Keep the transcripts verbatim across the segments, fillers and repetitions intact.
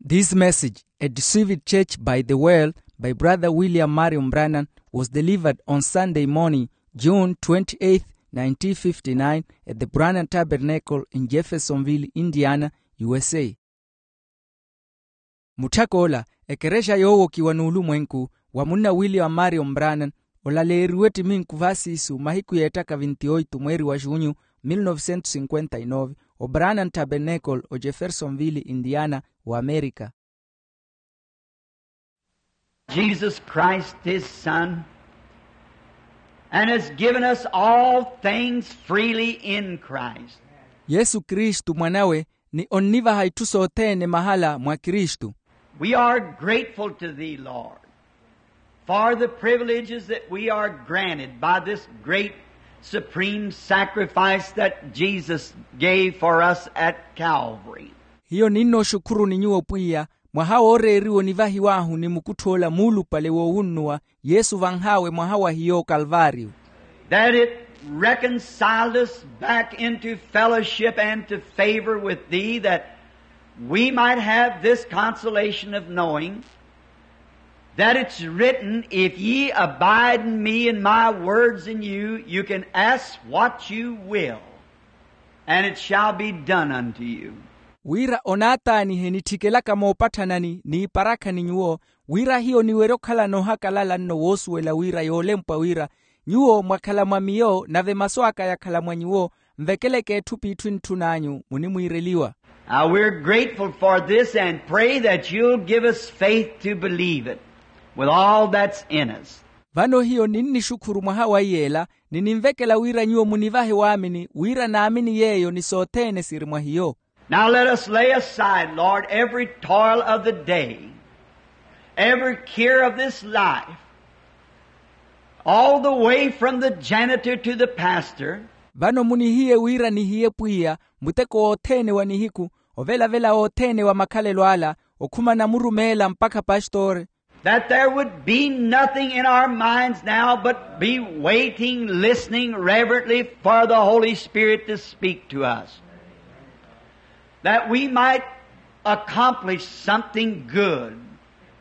This message, a deceived church by the world, by Brother William Marion Branham, was delivered on Sunday morning, June twenty-eighth, nineteen fifty-nine, at the Branham Tabernacle in Jeffersonville, Indiana, U S A. Mutthak'ola, ekerexa yoowokiwa n'ulumwenku wa munna William Marion Branham, olaleeriwe ettiminku vaasiisu mahiku yeettaka vinti oitu mweeri wa junyu, mil novecentos cinquenta e nove, o Branham Tabernacle, o Jeffersonville, Indiana, o Amerika. Jesus Christ, his Son, and has given us all things freely in Christ. Yesu Kristu Mwan'awe, ni onnivaha itthu sothene mahala mwa Kristu. We are grateful to thee, Lord, for the privileges that we are granted by this great supreme sacrifice that Jesus gave for us at Calvary. Hiyo ninnooxukhuruni nyuwo Pwiya, mwaha wooreeriwa onivahiw'ahu ni mukutth'ola muulupale woowunnuwa, Yesu vanh'awe mwaha wa hiyo okalvaariyo. That it reconciled us back into fellowship and to favor with thee, that we might have this consolation of knowing that it's written, "If ye abide in me and my words in you, you can ask what you will, and it shall be done unto you." Wira onaataanihe nitthikelaka moopatthanani n'iparakha ni nyuwo, wira hiyo niwerye okhalana ohakalala nno woosuwela wira yoolempwa wira, nyuwo mwakhala mwa miyo nave masu aka yakhala mwa nyuwo, nvekeleke etthu p'itthu entthun'anyu munimwiireliwa. Now we're grateful for this and pray that you'll give us faith to believe it with all that's in us. Vano hiyo ninnixukhuru mwaha wa iyeela, ni ninvekela wira nyuwo munivahe waamini wira naamini yeeyo ni sothene siri mwa hiyo. Now let us lay aside, Lord, every toil of the day, every care of this life, all the way from the janitor to the pastor. Vano munihiye wira nihiye Pwiya muteko wothene wa nihiku, ovelavela wothene wa makhalelo ala, okhumana murumeela mpakha pastori. That there would be nothing in our minds now but be waiting, listening reverently for the Holy Spirit to speak to us. That we might accomplish something good,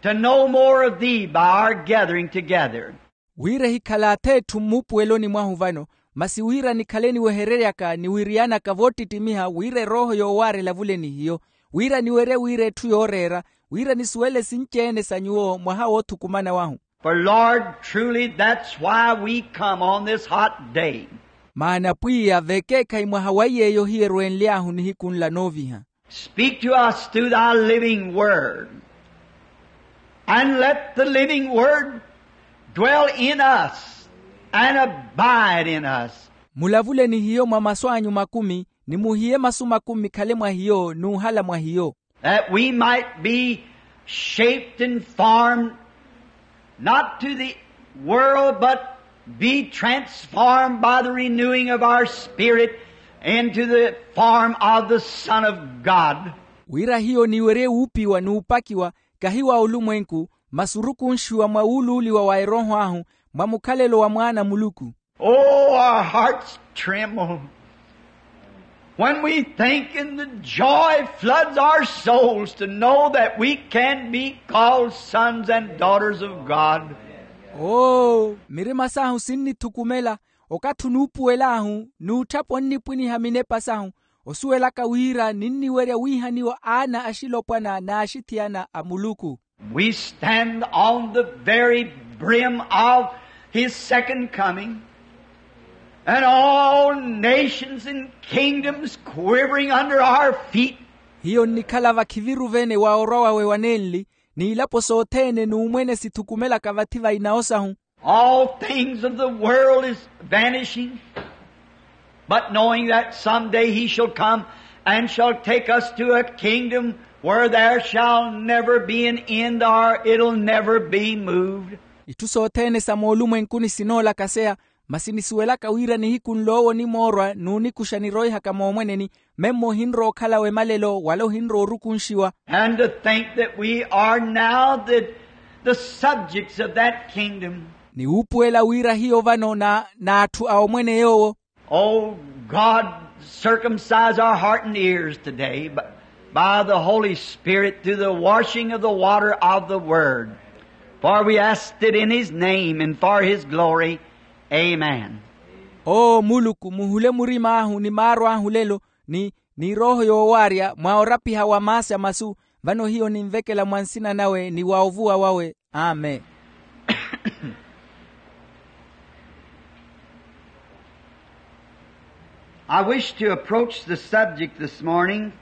to know more of thee by our gathering together. Wira ehikhala ath'etthu mmuupuweloni mwahu vano, masi wira nikhale niwehereryaka niwiriyanaka voottittimiha wira erooho yoowaara elavule ni hiyo, wira niwerye wira etthu yooreera, wira nisuwele sinci-ene sa nyuwo mwaha woothukumana wahu. For Lord, truly that's why we come on this hot day. Maana Pwiya vekeekhayi mwaha wa yeeyo hiyo erwenly'ahu nihiku nla nooviha. Speak to us through thy living word, and let the living word dwell in us and abide in us. Mulavule ni hiyo mwa masu anyu makumi, ni muhiye masu makumi mikhale mwa hiyo n'uhala mwa hiyo. That we might be shaped and formed, not to the world, but be transformed by the renewing of our spirit into the form of the Son of God. Wira hiyo niwerye wuupiwa n'upakiwa, kahi wa olumwenku, masi orukunxiwa mwa wuuluuliwa wa erooho ahu, mwa mukhalelo wa mwaana a Muluku. Oh, our hearts tremble when we think, and the joy floods our souls to know that we can be called sons and daughters of God. Oo, mirima sahu sinnithukumela, okathi onuupuwel'ahu n'utthapa onnipwiniha minepa sahu, osuwelaka wira ninniwerya wiihaniwa aana axilopwana n'axithiyana a Muluku. We stand on the very brim of his second coming, and all nations and kingdoms quivering under our feet. Hiyo nnikhala vakhiviru-vene wa orwa wawe wa nenli, n'ilapo sothene n'umwene sithukumelaka vathi va inawo sahu. All things of the world is vanishing, but knowing that someday he shall come and shall take us to a kingdom where there shall never be an end, or it'll never be moved. Itthu sothene sa moolumwenkuni sinoolakaseya, masi nisuwelaka wira nihiku nl'owo onimoorwa n'unikuxa niroihaka moomweneni, memmo ohinrowa okhalawe malelo wala ohinrowa orukunxiwa. And to think that we are now the, the subjects of that kingdom. Ni wuupuwela wira hiyo vano na, n'atthu a omwene yoowo. Oh God, circumcise our heart and ears today, but By the Holy Spirit through the washing of the water of the Word. For we ask it in His name and for His glory. Amen. Oo muluku, muhule murim'ahu ni maaro ahu lelo, ni ni erooho yoowaarya mwa orapiha wa maasi a masu. Vano hiyo ninvekela mwa nsina nawe ni wa ovuwa wawe. Amen. I wish to approach the subject this morning,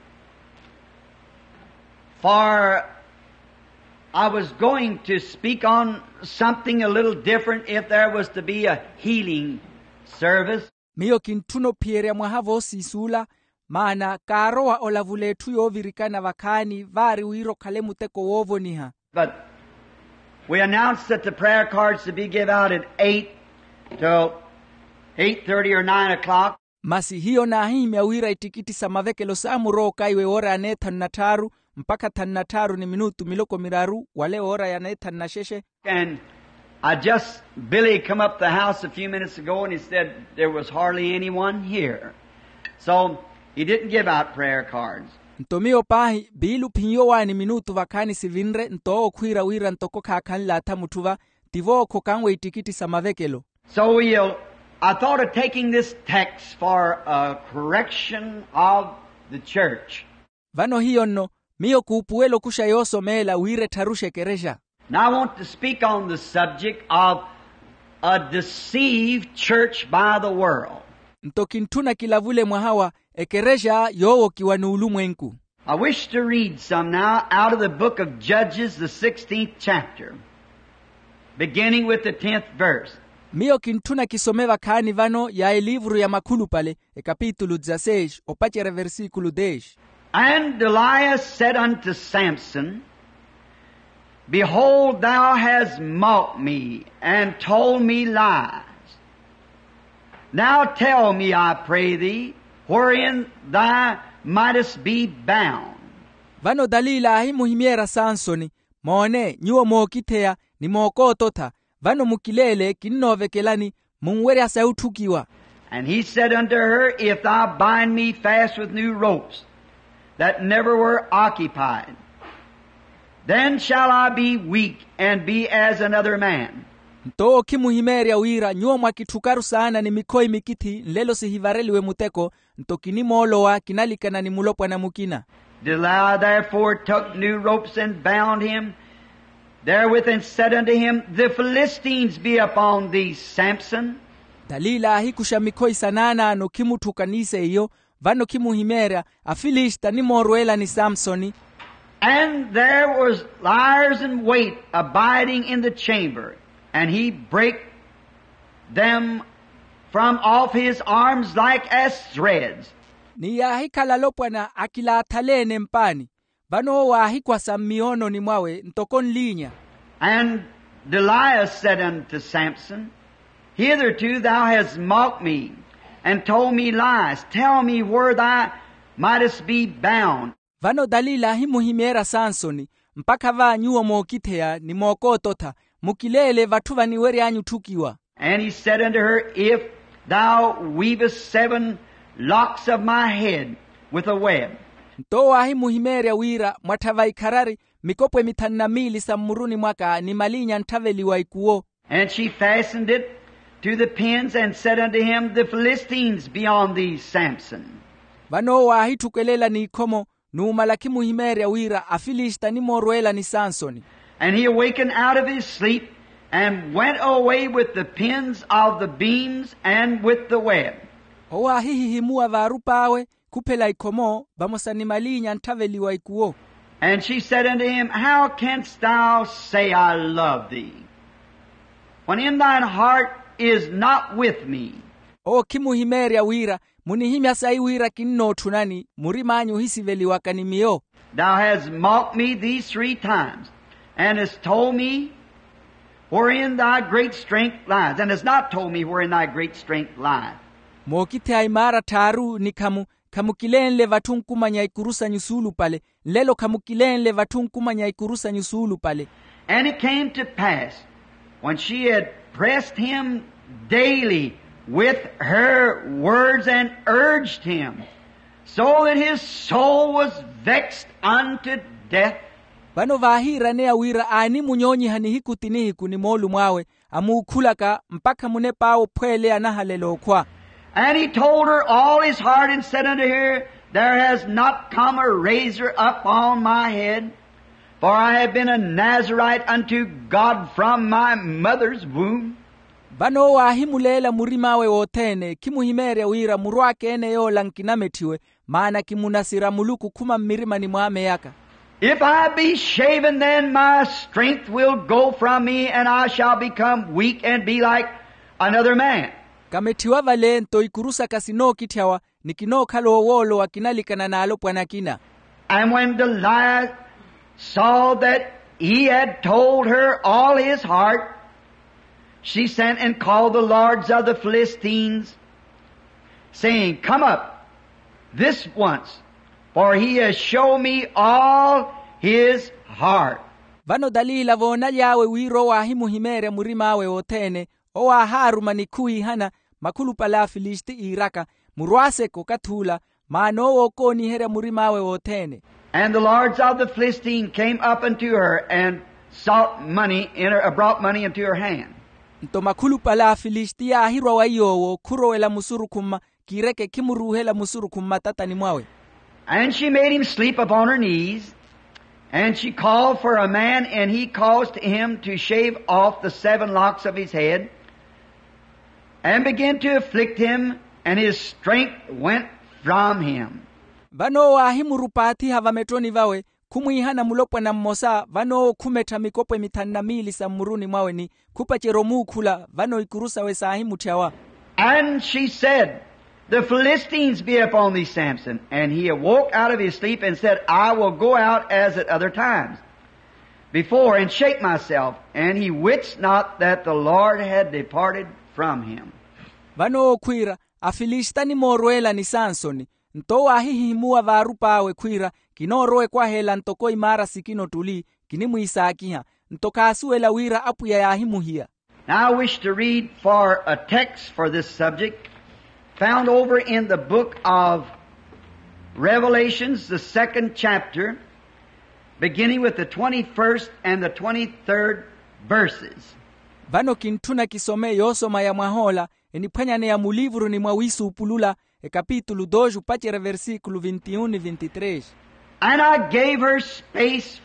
for I was going to speak on something a little different if there was to be a healing service. Miyo kintthuna ophiyerya mwaha voosiisi ula, maana kaarowa olavula etthu yoovirikana vakhaani vaari wira okhale muteko woovoniha. But we announced that the prayer cards to be give out at eight till eight thirty or nine o'clock. Masi hiyo naahihimya wira ittikitthi sa mavekelo saamurooka iwe woora ya neethanu na tthaaru mpakha thanu na tthaaru ni minutu miloko miraru wale woora ya neethanu na xexe. And I just, Billy come up the house a few minutes ago and he said there was hardly anyone here. So he didn't give out prayer cards. Nto miyo paahi biilu ophinyowaani minutu vakhaani sivinre nto owo khwiira wira ntoko khaakhanle atha mutthu va, tivo okhokanwe ittikitthi sa mavekelo. So we'll, I thought of taking this text for a correction of the church. Vano hiyo nno miyo kuupuwela okuxa yoosomeela wira ettharuxe ekerexa. Now I want to speak on the subject of a deceived church by the world. Nto kintthuna kilavule mwaha wa ekerexa yoowokiwa n'ulumwenku. I wish to read some now out of the book of Judges, the sixteenth chapter, beginning with the tenth verse. Miyo kintthuna kisome vakhaani vano ya eliivuru ya makhulupale, ekapitulu dezaseix opacerya eversiikulu deix. And Delilah said unto Samson, behold, thou hast mocked me and told me lies. Now tell me, I pray thee, wherein thou mightest be bound. Vano dalila aahimuhimyeerya sansoni, moone nyuwo mookitheya ni mookoototha, vano mukileele kinnoovekelani, munwerya sayi otthukiwa. And he said unto her, if thou bind me fast with new ropes that never were occupied, then shall I be weak and be as another man. Nto owo okhimuhimeerya wira nyuwo mwakitthukaru saana ni mikhoyi mikithi nlelo sihivareliwe muteko, nto kinimoolowa kinalikana ni mulopwana mukina. Delilah therefore took new ropes and bound him therewith, and said unto him, the Philistines be upon thee, Samson. Dalila aahikuxa mikhoyi sanaanaano khimutthuka ni seiyo, vano khimuhimeerya, afilista nimoorweelani samsoni. And there was liers in wait abiding in the chamber, and he brake them from off his arms like as threads. Ni yaahikhala alopwana akilaathaleene mpaani, vano owo aahikwasa mmiyoononi mwawe ntoko nliinya. And Delilah said unto Samson, hitherto thou hast mocked me, and told me lies. Tell me where thou mightest be bound. Vano dalila ahimuhimeerya sansoni, mpakha va nyuwo mookitheya ni mookoototha, mukileele vatthu vaniwery'anyu otthukiwa. And he said unto her, if thou weavest seven locks of my head with a web. Nto owo aahimuhimeerya wira mwattha vaikharari mikopwe mithanu na miili sa mmuruni mwaka ni maliinya antthaveliwa ikuwo. And she fastened it to the pins, and said unto him, the Philistines be on thee, Samson. Vano owo aahitthukwelela n'ikhomo, numala khimuhimeerya wira afilista nimoorweelani sansoni. And he awakened out of his sleep, and went away with the pins of the beams and with the web. Owo aahihihimuwa vaarup'awe, khuphela ikhomo vamosa ni maliinya antthaveliwa ikuwo. And she said unto him, how canst thou say, I love thee, when in thine heart is not with me? Owo khimuhimeerya wira, munihimya sayi wira kinnootthunani, murim'anyu ohisiveliwaka ni miyo. Thou hast mocked me these three times, and hast told me wherein thy great strength lies, and hast not told me wherein thy great strength lies. Mookitheya imaara tthaaru ni khamu, khamukileenle vatthu nkumanya ikuru sanyu suulupale, nlelo khamukileenle vatthu nkumanya ikuru sanyu suulupale. And it came to pass, when she had pressed him daily with her words and urged him, So that his soul was vexed unto death. Vano vaahiiraneya wira aanimunyoonyiha nihiku ti nihiku ni moolumo awe, amuukhulaka mpakha munep'awe ophweeleya anahalela okhwa. And he told her all his heart, and said unto her, There has not come a razor up on my head, for I have been a Nazarite unto God from my mother's womb. Vano owo aahimuleela murim'awe wothene, khimuhimeerya wira muru aka ene yoola nkinametthiwe, maana kimunasira muluku khuma mmirimani mwa ameyaka. If I be shaven, then my strength will go from me, and I shall become weak and be like another man. Kametthiwa vale nto ikuru saka sinookitthyawa, ni kinookhala owoolowa kinalikana n'alopwana akina. And when Delilah saw that he had told her all his heart, she sent and called the lords of the Philistines, saying, Come up this once, for he has shown me all his heart. Vano dalila voonaly'awe wira owo aahimuhimeerya murim'awe wothene, owo aahaaruma ni khuwiihana makhulupale a afilisiti iiraka, murwaaseke okathi ula, maana owo ookooniherya murim'awe wothene. And the lords of the Philistine came up unto her and sought money in her, brought money into her hand. Nto makhulupale a afilisiti yaahirwa wa iy'owo khurowela musurukhu mma, kiireke khimuruuhela musurukhu mmatatani mwawe. And she made him sleep upon her knees, and she called for a man, and he caused him to shave off the seven locks of his head, and began to afflict him, and his strength went from him. Vano owo aahimurupaathiha vametthoni vawe, khumwiihana mulopwana mmosa, vano owo khumettha mikopwe mithanu na miili sa mmuruni mwawe ni khupacerya omuukhula, vano ikuru sawe saahimutthy'awa. And she said, The Philistines be upon thee, Samson. And he awoke out of his sleep and said, I will go out as at other times before and shake myself. And he wist not that the Lord had departed from him. Vano owo khwiira, afilisita animoorweela ni sansoni. Nto owo aahihihimuwa vaarup'awe khwiira, kinoorowa ekwaheela ntoko imaara sikina ottuli, kinimwiisaakiha. Nto khaasuwela wira apwiya yaahimuhiya. Now I wish to read for a text for this subject, found over in the book of Revelations, the second chapter, beginning with the twenty-first and the twenty-third verses. Vano kintthuna kisome yoosoma ya mwah'ola, eniphwanyaneya muliivuruni mwa wiisuupulula, ekapitulu dois opacerya versikulu vintiyuni ni vintitresi. And I gave her space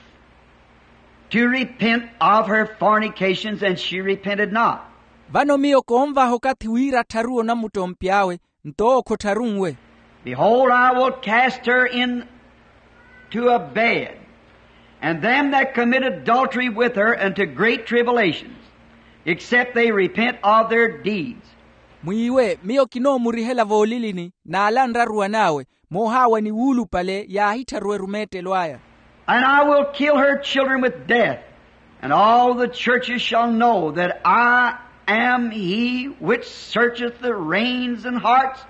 to repent of her fornications, and she repented not. Vano miyo koonvaha okathi wira attharuwe onamuttompi awe, nto owo khottharunwe. Behold, I will cast her into a bed, and them that commit adultery with her into great tribulations, except they repent of their deeds. Mwiiwe, miyo kinoomurihela voolilini n'ala anraruwan'awe, moohaawa ni wuulupale yaahittharuwe erumeettelo aya. And I will kill her children with death, and all the churches shall know that I am he which searcheth the reins and hearts,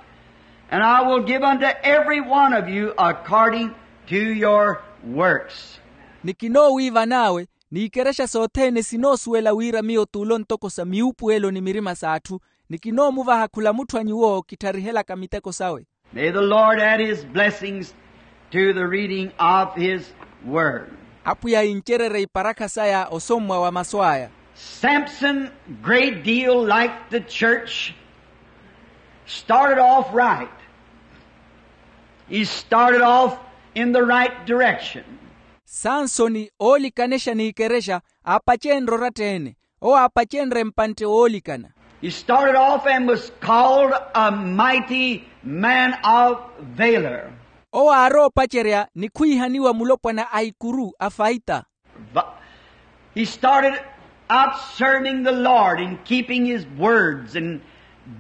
and I will give unto every one of you according to your works. Ni kinoowiivan'awe, n'ikerexa sothene sinoosuwela wira miyo t'ulo ntoko sa miupuwelo ni mirima s'atthu, ni kinoomuvaha khula mutthu a nyuwo kittharihelaka miteko sawe. May the Lord add his blessings to the reading of his word. Apwiya incererye iparakha saya osommwa wa masu aya. Samson, great deal like the church, started off right. He started off in the right direction. Sansoni oolikanexa n'ikerexa, aapacenrye oratta-ene. Owo aapacenrye mpantte woolikana. He started off and was called a mighty man of valor. Owo aaroopacerya ni khwiihaniwa mulopwana a ikuru a faita. But he started out serving the Lord and keeping his words and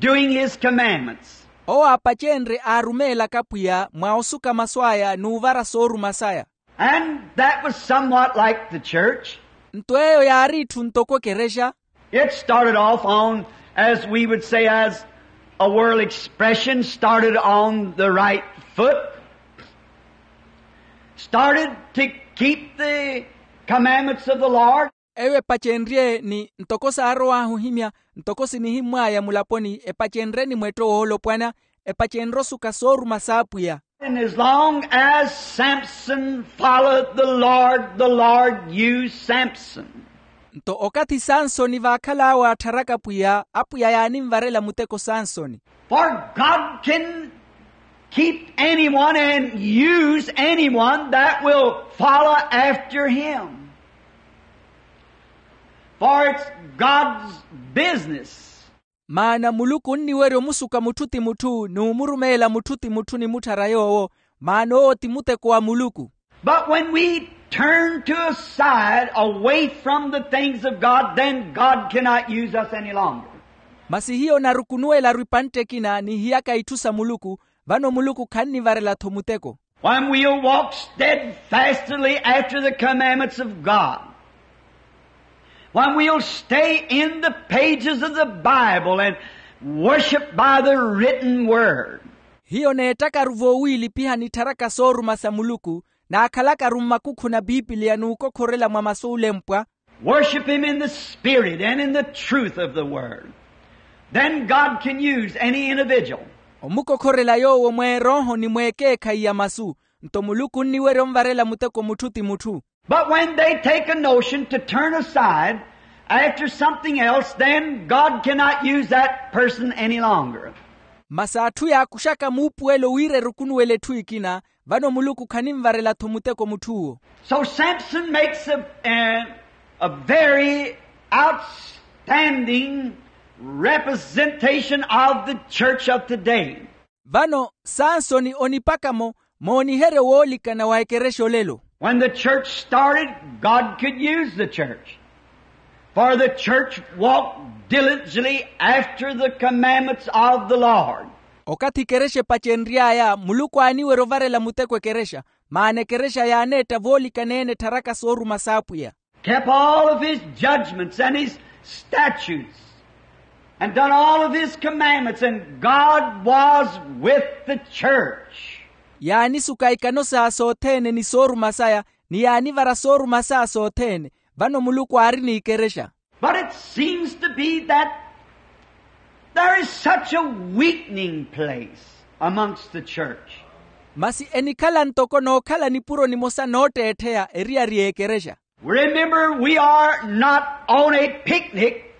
doing his commandments. Owo aapacenrye aarumeelaka pwiya mwa osuka masu aya n'uvara sooruma saya. And that was somewhat like the church. Nto eyo yaari itthu ntoko ekerexa. It started off on, as we would say, as a world expression, started on the right foot, started to keep the commandments of the Lord. Eyo epacenrye ni ntoko saarow'ahu ohimya, ntoko sinihimmw'aya mulaponi, epacenrye ni mwetto woolopwana, epacenrye osuka sooruma s'apwiya. And as long as Samson followed the Lord, the Lord used Samson. Nto okathi sansoni vaakhal'awe attharaka pwiya, apwiya yaanimvarela muteko sansoni. For God can keep anyone and use anyone that will follow after him. For it's God's business. Maana muluku onniwerya omusuka mutthu ti mutthu n'umurumeela mutthu ti mutthu ni mutthara yoowo. Maana owo ti muteko wa muluku. But when we turn to a side away from the things of God, then God cannot use us any longer. Masi hiyo narukunuwela-ru epantte ekina ni hiyaka itthu sa muluku, vano muluku khannivarela-tho muteko. When we'll walk steadfastly after the commandments of God, when we'll stay in the pages of the Bible and worship by the written word. Hiyo neettaka-ru voowiilipihani ettharaka sooruma sa muluku, naakhalaka-ru mmakukhuna a pipiliya n'ukokhorela mwa masu olempwa. Worship him in the spirit and in the truth of the word. Then God can use any individual. Omukokhorela yoowo mweerooho ni mweekeekhayi ya masu, nto muluku onniwerya onvarela muteko mutthu ti mutthu. But when they take a notion to turn aside after something else, then God cannot use that person any longer. Masi atthu yaakuxaka muupuwelo wira erukunuwela etthu ekina, vano muluku khanimvarela-tho muteko mutth'uwo. So Samson makes a, a, a very outstanding representation of the church of today. Vano sansoni onipaka-mo mooniheryo woolikana wa ekerexa olelo. When the church started, God could use the church, for the church walked diligently after the commandments of the Lord. Okathi ekerexa epacenry'aya muluku aaniwerya ovarela muteko ekerexa, maana ekerexa yaaneetta voolikana-ene ettharaka sooruma s'apwiya. Kept all of his judgments and his statutes, and done all of his commandments, and God was with the church. Yaanisuka ikano saya sothene ni sooruma saya, ni yaanivara sooruma saya sothene, vano muluku aari n'ikerexa. But it seems to be that there is such a weakening place amongst the church. Masi enikhala ntoko nookhala nipuro nimosa nootteettheya eriyari y'ekerexa. Remember, we are not on a picnic,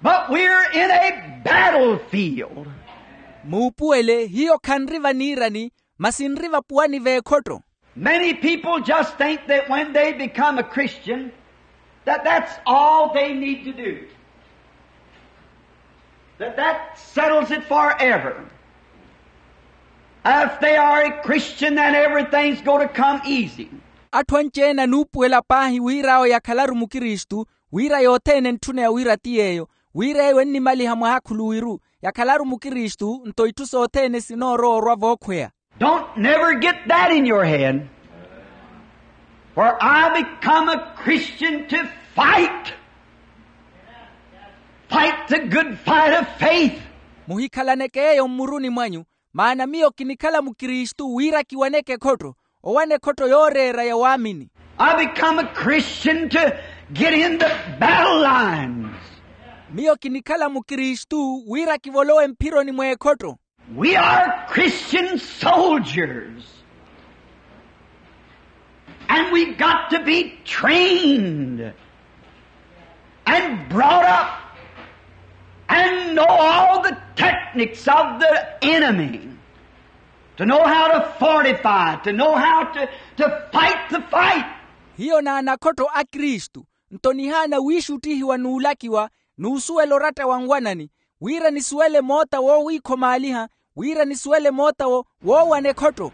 but we're in a battlefield. Muupuwele hiyo khanri vaniirani, masi nri vapuwani v'ekhotto. Many people just think that when they become a Christian, that that's all they need to do. That that settles it forever. If they are a Christian, then everything's going to come easy. Atthu anci-ene anuupuwela paahi wira awo yakhalaru mukristu, wira yothene entthuneya wira ti yeeyo, wira eyo ennimaliha mwaakhuluwiru, yakhalaru mukristu nto itthu sothene sinoorowa orwa vookhweya. Don't never get that in your head. For I become a Christian to fight. Fight the good fight of faith. Muhikhalaneke eyo mmuruni mwanyu, maana miyo kinikhala mukristu wira kiwaneke ekhotto, owana ekhotto yooreera ya waamini. I become a Christian to get in the battle lines. Miyo kinikhala mukristu wira kivolowe mphironi mw'ekhotto. We are Christian soldiers. And we've got to be trained and brought up and know all the techniques of the enemy to know how to fortify, to know how to, to fight the fight. Hiyo n'anakhotto a kristu, nto nihaana wiixuttihiwa n'ulakiwa, n'usuwela oratta wa nwanani, wira nisuwele moota woowiikhomaaliha, wira nisuwele moota wo woowana ekhotto.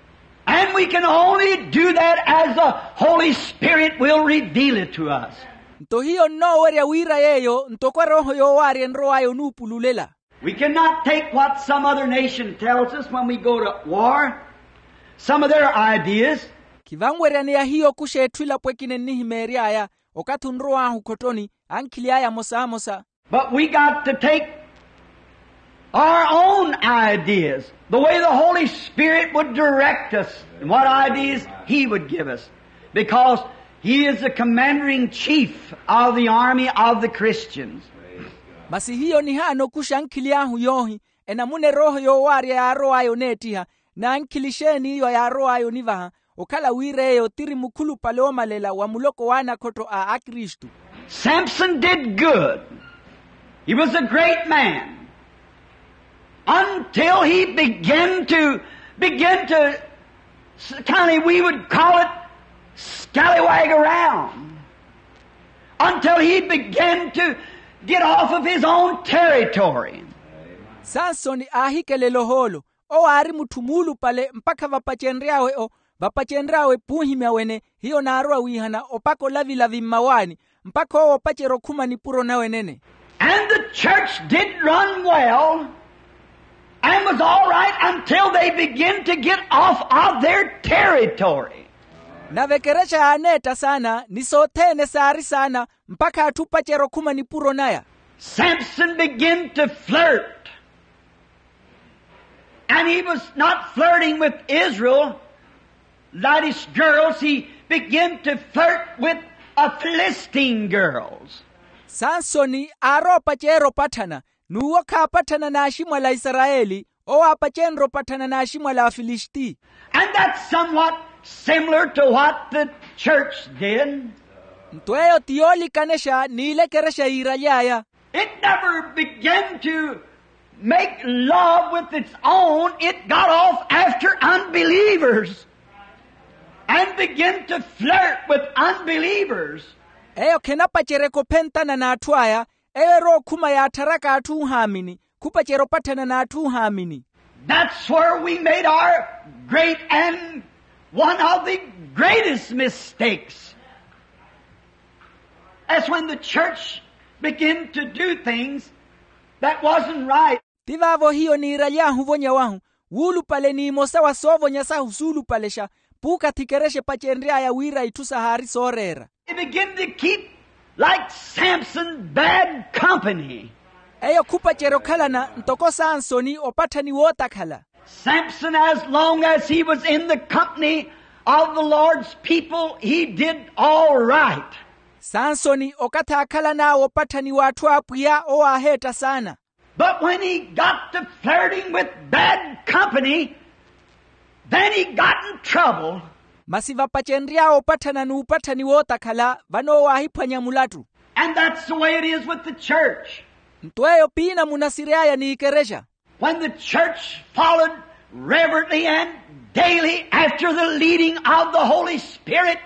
And we can only do that as the Holy Spirit will reveal it to us. Nto hiyo nnoowerya wira yeeyo ntoko erooho yoowaarya enrow'aya onuupululela. We cannot take what some other nation tells us when we go to war, some of their ideas. Khivanweryaneya hiyo okuxa etthu elapo ekina ennihimeery'aya, okathi onrow'ahu khottoni, ankhili aya amosamosa. But we got to take our own ideas, the way the Holy Spirit would direct us, and what ideas He would give us, because He is the commander in chief of the army of the Christians. Masi hiyo nihaana okuxa ankhili ahu yoohi, enamuna erooho yoowaarya yaarow'aya oneettiha, N'ankhili exeeni iyo yaarow'aya onivaha? Okhala wira eyo tiri mukhulupale oomalela wa muloko w'anakhotto a akristu. Samson did good. He was a great man until he began to began to kind of, we would call it, scallywag around until he began to get off of his own territory. Sansoni aahikelela ohoolo. Owo aari mutthu muulupale mpakha vapacenry'awe o vapacenry'awe p'uhimya wene. Hiyo naarowa wiihana opaka olavilavi mmawaani mpakha owo opacerya okhuma nipuro nawe nene. And the church did run well and was all right until they begin to get off of their territory. Nave ekerexa yaaneetta saana ni sothene saari saana mpakha atthu opacerya okhuma nipuro naya. Samson began to flirt. And he was not flirting with Israel, that is, girls. He began to flirt with a Philistine girls. Sansoni aaroopacerya opatthana n'uwo khaapatthana n'aximwala a isarayeli. Owo aapacenrye opatthana n'aximwala a afilisiti. And that's somewhat similar to what the church did. Nto eyo ti yoolikanexa n'ile ekerexa yiiraly'aya. It never began to make love with its own. It got off after unbelievers and began to flirt with unbelievers. Eyo khenapaceryeke ophentana n'atthu aya. Eyo erowa okhuma yaattharaka atthu ohaamini khupacerya opatthana n'atthu ohaamini. That's where we made our great and one of the greatest mistakes. That's when the church began to do things that wasn't right. Ti vaavo hiyo niiraly'ahu ovonya wahu wuulupale n'imosa wa soovonya sahu suulupalexa puukathi ekerexa epacenry'aya wira itthu sahaari sooreera. They begin to keep like Samson bad company. Eyo khupacerya okhalana ntoko sansoni opatthani wootakhala. Samson, as long as he was in the company of the Lord's people, he did all right. Sansoni okathi aakhalan'awe opatthani w'atthu a apwiya owo aaheetta saana. But when he got to flirting with bad company, then he got in trouble. Masi vapacenry'awe opatthana n'upatthani wootakhala vano owo aahiphwanya mulattu. And that's the way it is with the church. Nto eyo piina munasiry'aya n'ikerexa. When the church followed reverently and daily after the leading of the Holy Spirit,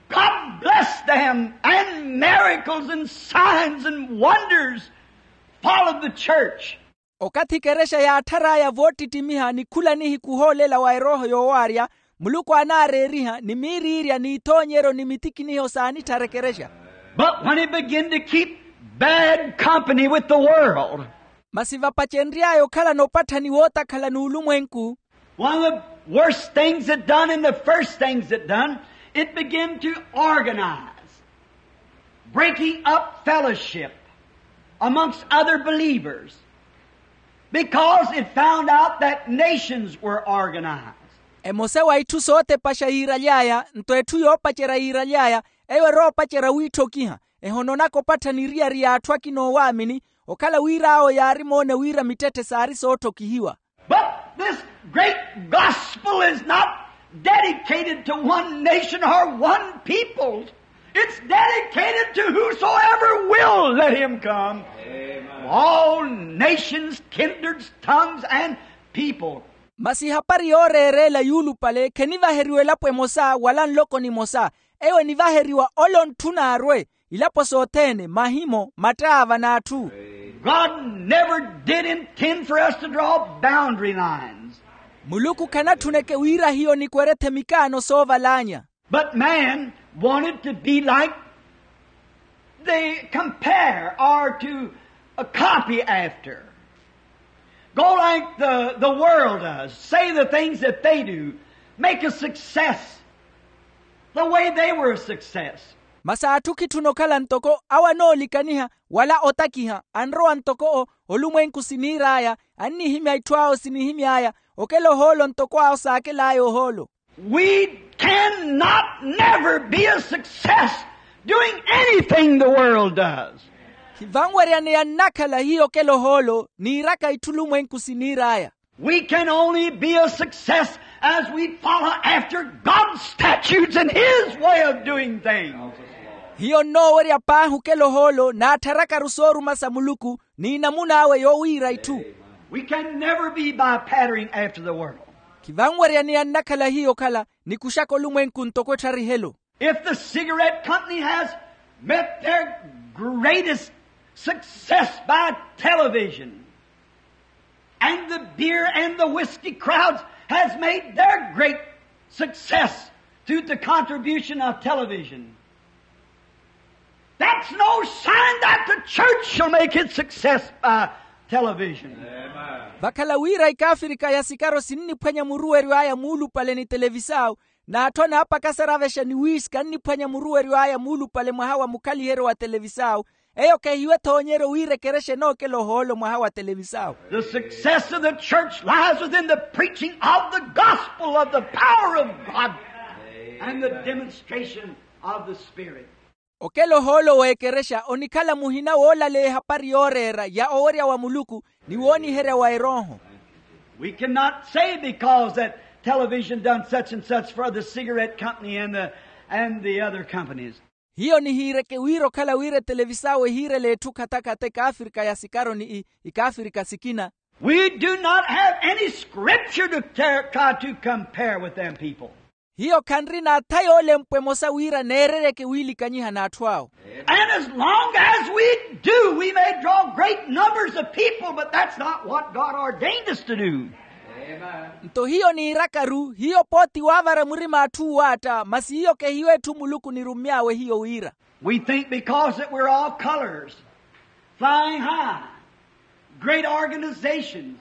God blessed them, and miracles and signs and wonders followed the church. Okathi ekerexa yaatthar'aya voottittimiha ni khula nihiku ohoolela wa erooho yoowaarya, muluku aanaareeriha ni miiriirya n'ithoonyeryo ni mitikiniho saanitthara ekerexa. But when he began to keep bad company with the world, masi vapacenry'aya okhalana opatthani wootakhala n'ulumwenku. One of the worst things it done and the first things it done, it began to organize, breaking up fellowship amongst other believers, because it found out that nations were organized. Emosa wa itthu sootepaxa yiiraly'aya nto etthu yoopacerya yiiraly'aya, eyo eroopacerya wiitthokiha, ehononaka opatthani eriyari y'atthu akina oowaamini, okhala wira awo yaarimoona wira mittetthe saari sootthokihiwa. But this great gospel is not dedicated to one nation or one people. It's dedicated to whosoever will let him come. Amen. All nations, kindreds, tongues, and people. Masi ehapari yooreereela yuulupale khenivaheriwa elapo emosa wala nloko nimosa. Eyo enivaheriwa ole ontthu n'arwe, ilapo sothene, mahimo, mattaava n'atthu. God never did intend for us to draw boundary lines. Muluku khanatthuneke wira hiyo nikwerethe mikaano soovalaanya. But man wanted to be like they compare or to, uh, copy after. Go like the, the world does. Say the things that they do. Make a success the way they were a success. Masi atthu khitthuna okhala ntoko awo anoolikaniha wala otakiha, anrowa ntoko o olumwenku siniir'aya, annihimya itthu awo sinihimy'aya, okela ohoolo ntoko awo saakel'aya ohoolo. We cannot never be a success doing anything the world does. Hivanweryaneya nnakhala hiyo okela ohoolo niiraka itthu lumwenku siniir'aya. We can only be a success as we follow after God's statutes and His way of doing things. Hiyo nnoowerya paahi okela ohoolo n'attharakaru sooruma sa muluku, ni namun'awe yoowiira itthu. We can never be by patterning after the world. Khivanwerya ni annakhala hiyo okhala, nikuxaka olumwenku ntoko ettharihe-lo. If the cigarette company has met their greatest success by television, and the beer and the whiskey crowds has made their great success through the contribution of television, that's no sign that the church shall make its success by television. Vakhala wira ikaafirika ya sikaro sinniphwanya muruweryo aya muulupale ni televisau, n'atthu anaapakasaravexa ni wiski anniphwanya muruweryo aya muulupale mwaha wa mukhaliheryo wa televisau. Eyo khehiwe ethoonyeryo wira ekerexa enookela ohoolo mwaha wa televisau. The success of the church lies within the preaching of the gospel of the power of God and the demonstration of the Spirit. Okela ohoolo w'ekerexa onikhala muhina woolaleya ehapari yooreera ya owerya wa muluku ni wooniherya wa erooho. We cannot say because that television done such and such for the cigarette company and the, and the other companies. Hiyo nihiireke wira okhala wira etelevisau ehiirela etthu khatakhatta ikaafirika ya sikaro ni ikaafirika sikina. We do not have any scripture to try to compare with them people. Hiyo khanrina atha yoolempwa emosa wira neereryeke wiilikanyiha n'atthu awo. And as long as we do, we may draw great numbers of people, but that's not what God ordained us to do. Nto hiyo niiraka-ru hiyo pooti waavara murima atthu uwaatta masi hiyo kehiyo etthu muluku nirummy'awe hiyo wira. We think because that we're all colors, flying high, great organizations,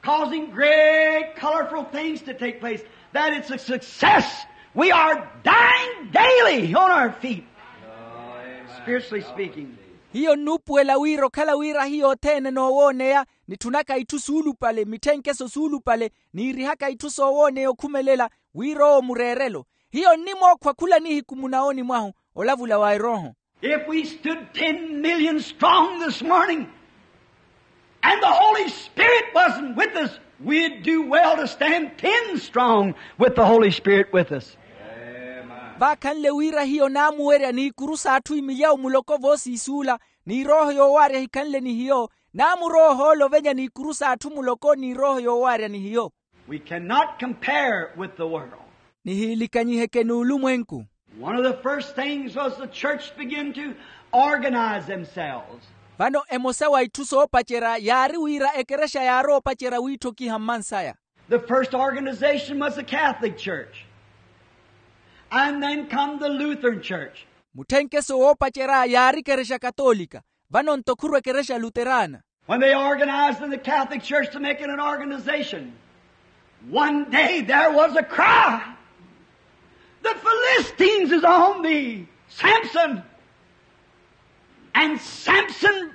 causing great colorful things to take place, that it's a success. We are dying daily on our feet, spiritually speaking. Hiyo nnuupuwela wira okhala wira hiyo othene noowooneya, nitthunaka itthu suulupale mitthenkeso suulupale, niirihaka itthu soowooneya okhumelela, wira owo mureerelo. Hiyo nnimookhwa khula nihiku munawooni mwahu, olavula wa erooho. If we stood ten million strong this morning, and the Holy Spirit wasn't with us, we'd do well to stand ten strong with the Holy Spirit with us. Vaakhanle wira hiyo naamuwerya n'ikuru s'atthu imilyawu muloko voosiisuula, n'irooho yoowaarya ehikhanle ni hiyo, naamurowa ohoolo ovenya n'ikuru s'atthu muloko n'irooho yoowaarya ni hiyo. We cannot compare with the world. Nihiilikanyiheke n'ulumwenku. One of the first things was the church began to organize themselves. Vano emosa wa itthu soopacerya yaari wira ekerexa yaarowa opacerya wiitthokiha mmansaya. The first organization was the Catholic Church, and then come the Lutheran Church. Mutthenkeso woopacerya yaari ekerexa katoolika, vano nto khuru ekerexa luterana. When they organized in the Catholic Church to make it an organization, one day there was a cry, "The Philistines is on thee, Samson!" And Samson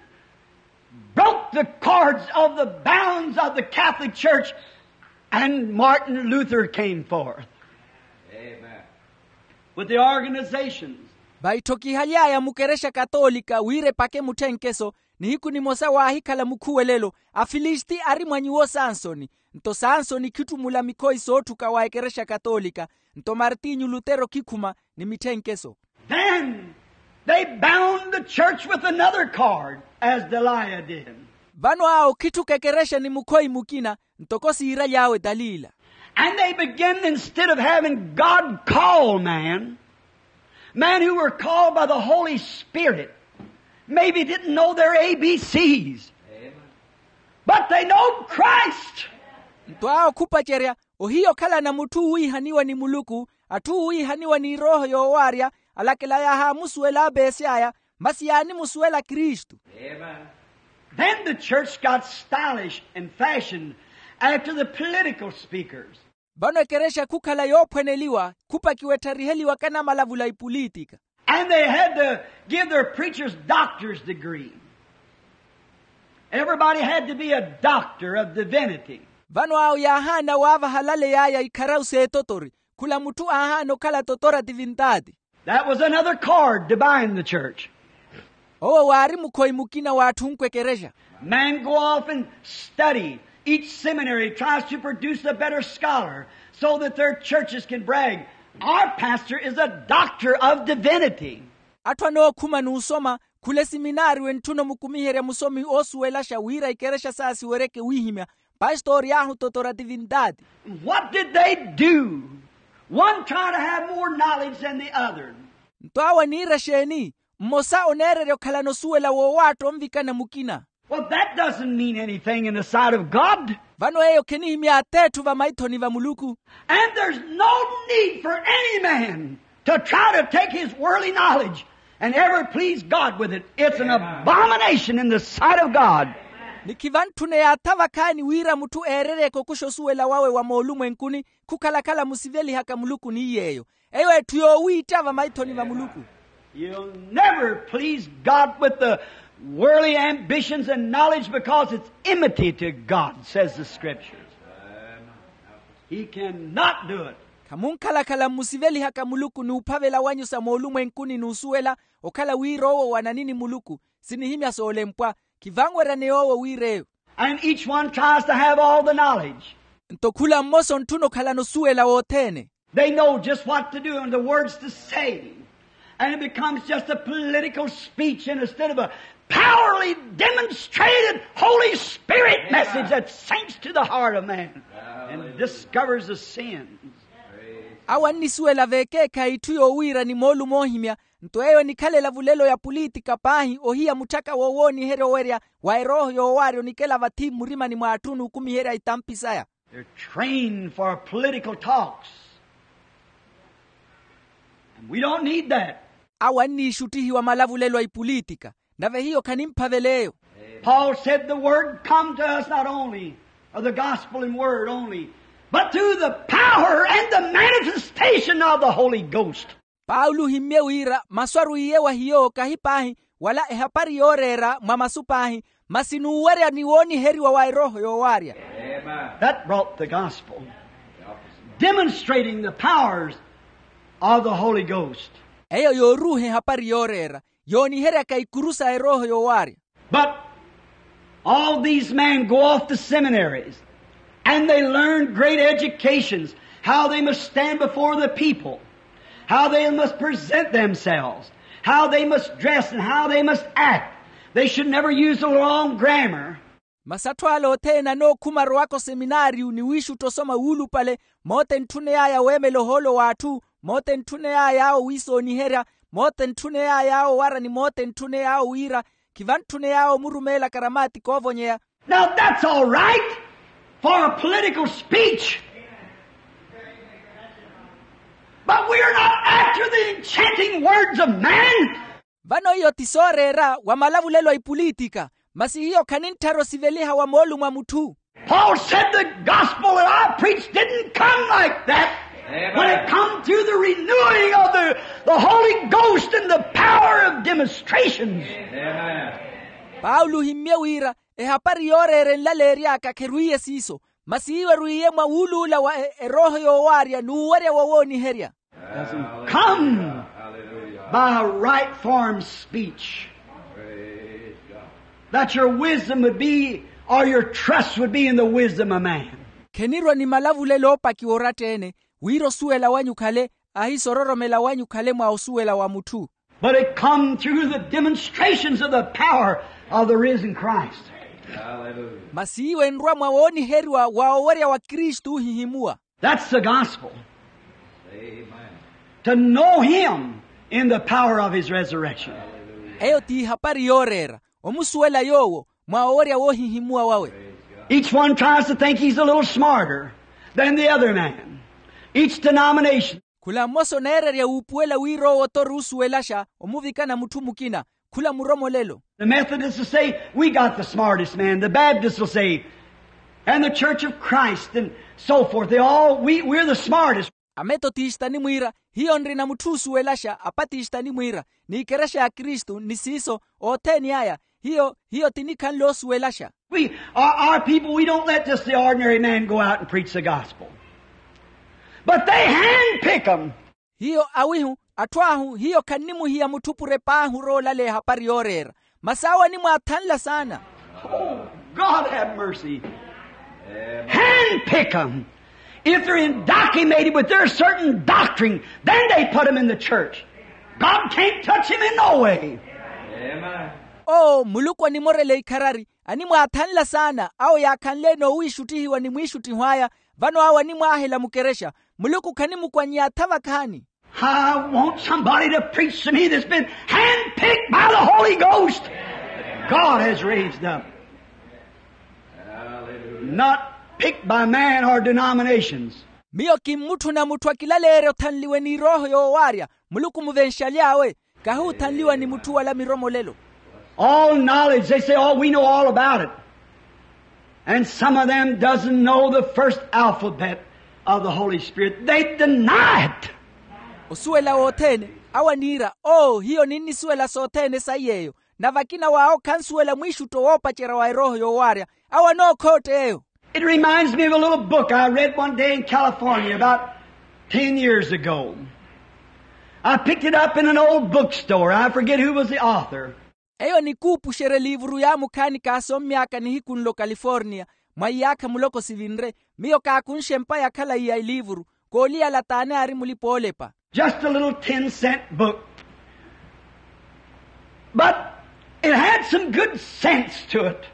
broke the cords of the bounds of the Catholic Church, and Martin Luther came forth. Amen. With the organizations. Vaitthokihaly'aya mukerexa katoolika wira epake mutthenkeso, nihiku nimosa waahikhala mukhuwelelo, afilisiti ari mwa nyuwo sansoni. Nto sansoni khittumula mikhoyi sootthuka wa ekerexa katoolika. Nto martinyu lutero khikhuma ni mitthenkeso. Then they bound the church with another cord, as Delilah did. Vano awo khitthuka ekerexa ni mukhoyi mukina, ntoko siiraly'awe dalila. And they began, instead of having God call man, men who were called by the Holy Spirit, maybe didn't know their A B Cs, but they know Christ. Nto awo khupacerya, ohiya okhalana mutthu oowiihaniwa ni muluku, atthu oowiihaniwa n'irooho yoowaarya, alakela yaahaamusuwela apeesy'aya, masi yaanimusuwela kristu. Then the church got stylish and fashioned after the political speakers. Vano ekerexa khukhala yoophwaneliwa, khupakiwa ettariheliwaka namalavula ipulitika. And they had to give their preachers doctor's degree. Everybody had to be a doctor of divinity. Vano awo yaahaana waavaha alaley'aya ikharawu s'etotori, khula mutthu aahaana okhala totora tivintaati. That was another cord to bind the church. Owo waari mukhoyi mukina waatthunkwa ekerexa. Man go off and study Each seminary tries to produce a better scholar so that their churches can brag, "Our pastor is a doctor of divinity." Atthu anookhuma n'usoma khula esiminaari wentthuna omukumiherya musomi oosuwelaxa wira ikerexa saasiweryeke wihimya, pastori ahu totora tivintaati. What did they do? One try to have more knowledge than the other. Nto awo aniira exeeni? Mmosa oneererya okhalana osuwela woowaatta onvikana mukina. Well, that doesn't mean anything in the sight of God. Vano eyo khenihimya ateetthu vamaithoni va muluku. And there's no need for any man to try to take his worldly knowledge and ever please God with it. It's an abomination in the sight of God. Ni khivantthune yaatha vakhaani wira mutthu eereryeke okuxa osuwela wawe wa moolumwenkuni khukhalakhala musivelihaka muluku ni yeeyo. Eyo etthu yoowiitta vamaithoni va muluku. You'll never please God with the worldly ambitions and knowledge because it's enmity to God, says the scriptures. He cannot do it. Khamunkhalakhala mmusivelihaka muluku n'uphavela wanyu sa moolumwenkuni n'usuwela okhala wira owo wananini muluku. Sinihimya soolempwa. Khivanweryaneya owo wira eyo. And each one tries to have all the knowledge. Nto khula mmosa ontthuna okhalana osuwela wothene. They know just what to do and the words to say. And it becomes just a political speech instead of a powerfully demonstrated Holy Spirit message that sinks to the heart of man and discovers the sins. Awo annisuwela veekeekhayi itthu yoowiira ni moolumo oohimya. Nto eyo enikhala elavulelo ya pulitika paahi ohiya mutthaka woowooniherya owerya wa erooho yoowaarya onikela vathi mmurimani mw'atthu n'ukumiherya itampi saya. They're trained for political talks. And we don't need that. Awo anniixuttihiwa malavulelo a ipulitika. Nave hiyo khanimphavela eyo. Paul said the word come to us not only of the gospel in word only, but through the power and the manifestation of the Holy Ghost. Paulo ohimmye wira masu arwiiye wa hiyo kahi paahi wala ehapari yooreera mwa masu paahi, masi n'uwerya ni wooniheriwa wa erooho yoowaarya. That brought the gospel, demonstrating the powers of the Holy Ghost. Eyo yooruuha ehapari yooreera yooniheryaka ikuru sa erooho yoowaarya. But all these men go off to seminaries and they learn great educations, how they must stand before the people, how they must present themselves, how they must dress, and how they must act. They should never use the long grammar. Masi atthu ala othene anookhuma arowaka oseminaariyu ni wiixutta osoma wuulupale, mootentthuney'aya weemela ohoolo w'atthu, mootentthuney'aya awo wiisooniherya, mootentthuney'aya awo owara ni mootentthuney'awo wiira, khivantthuney'awo omurumeela karamaatika oovonyeya. Now that's all right for a political speech, but we are not after the enchanting words of man. Vano iyo ti sooreera wa malavulelo a ipulitika, masi hiyo khanintthara osiveliha wa moolumo a mutthu. Paul said the gospel that I preached didn't come like that. When it come to the renewing of the, the Holy Ghost and the power of demonstrations. Paulo ohimmye wira ehapari yooreera enlaleery'aka kherwiiye siiso, masi iwo erwiiye mwa wuuluula wa e- erooho yoowaarya n'uwerya wowooniherya. Doesn't come by a right form speech, that your wisdom would be, or your trust would be in the wisdom of man. Khenirwa ni malavulelo oopakiwa oratta-ene, wira osuwela wanyu khale, ahiiso ororomela wanyu khale mwa osuwela wa mutthu. But it come through the demonstrations of the power of the risen Christ. Masi iwo enrwa mwa wooniheriwa wa owerya wa kristu ohihimuwa. That's the gospel. To know him in the power of his resurrection. Eyo t'ihapari yooreera, omusuwela yoowo mwa owerya woohihimuwa wawe. Each one tries to think he's a little smarter than the other man. Each denomination. Khula mmosa oneererya wuupuwela wira owo tori osuwelaxa omuvikana mutthu mukina. Khula muromolelo. The Methodists will say, "We got the smartest man." The Baptists will say, "And the Church of Christ," and so forth. They all, "We, we're the smartest." Ametotista animwiira, hiyo nrina mutthu oosuwelaxa. Apatista animwiira, n'ikerexa ya kristu ni siiso, othene aya. Hiyo hiyo ti nikhanle oosuwelaxa. We, our, our people, we don't let just the ordinary man go out and preach the gospel. But they handpick 'em. Hiyo awihu, atthu ahu hiyo khannimuhiya mutthu pure paahi orowa olaleya ehapari yooreera. Masi awo animwaathanla saana. Oh, God have mercy. Handpick them. If they're indoctrinated with their certain doctrine, then they put them in the church. God can't touch them in no way. Oo muluku animorela ikharari, animwaathanla saana awo yaakhanle-ene owiixuttihiwa ni mwiixuttiho aya. Vano awo animwaahela mukerexa. Muluku khanimukwannya atha vakhaani. I want somebody to preach to me that's been handpicked by the Holy Ghost. God has raised up. Not picked by man or denominations. Miyo kimmutthuna mutthu akilaleerya othanliwe ni erooho yoowaarya. Muluku muvenxaly'awe. Kahi othanliwa ni mutthu wala miromolelo. All knowledge, they say, oh, we know all about it. And some of them doesn't know the first alphabet of the Holy Spirit. They deny it. Osuwela wothene, awo aniira, oo hiyo ninnisuwela sothene saiy'eyo. Na vakina w'awo khansuwela mwiixutto woopacerya wa erooho yoowaarya. Awo anookhotta eyo. It reminds me of a little book I read one day in California about ten years ago. I picked it up in an old bookstore. I forget who was the author. Eyo nikuupuxerya eliivuru yaamukhaani kaasommy'aka nihiku nlo kaliforniya. Mwa iyaakha muloko sivinre, miyo kaakunxe empa ya khalayi ya eliivuru. Kooliyala t'ani aari mulipa-oolepa. Just a little ten cent book. But it had some good sense to it.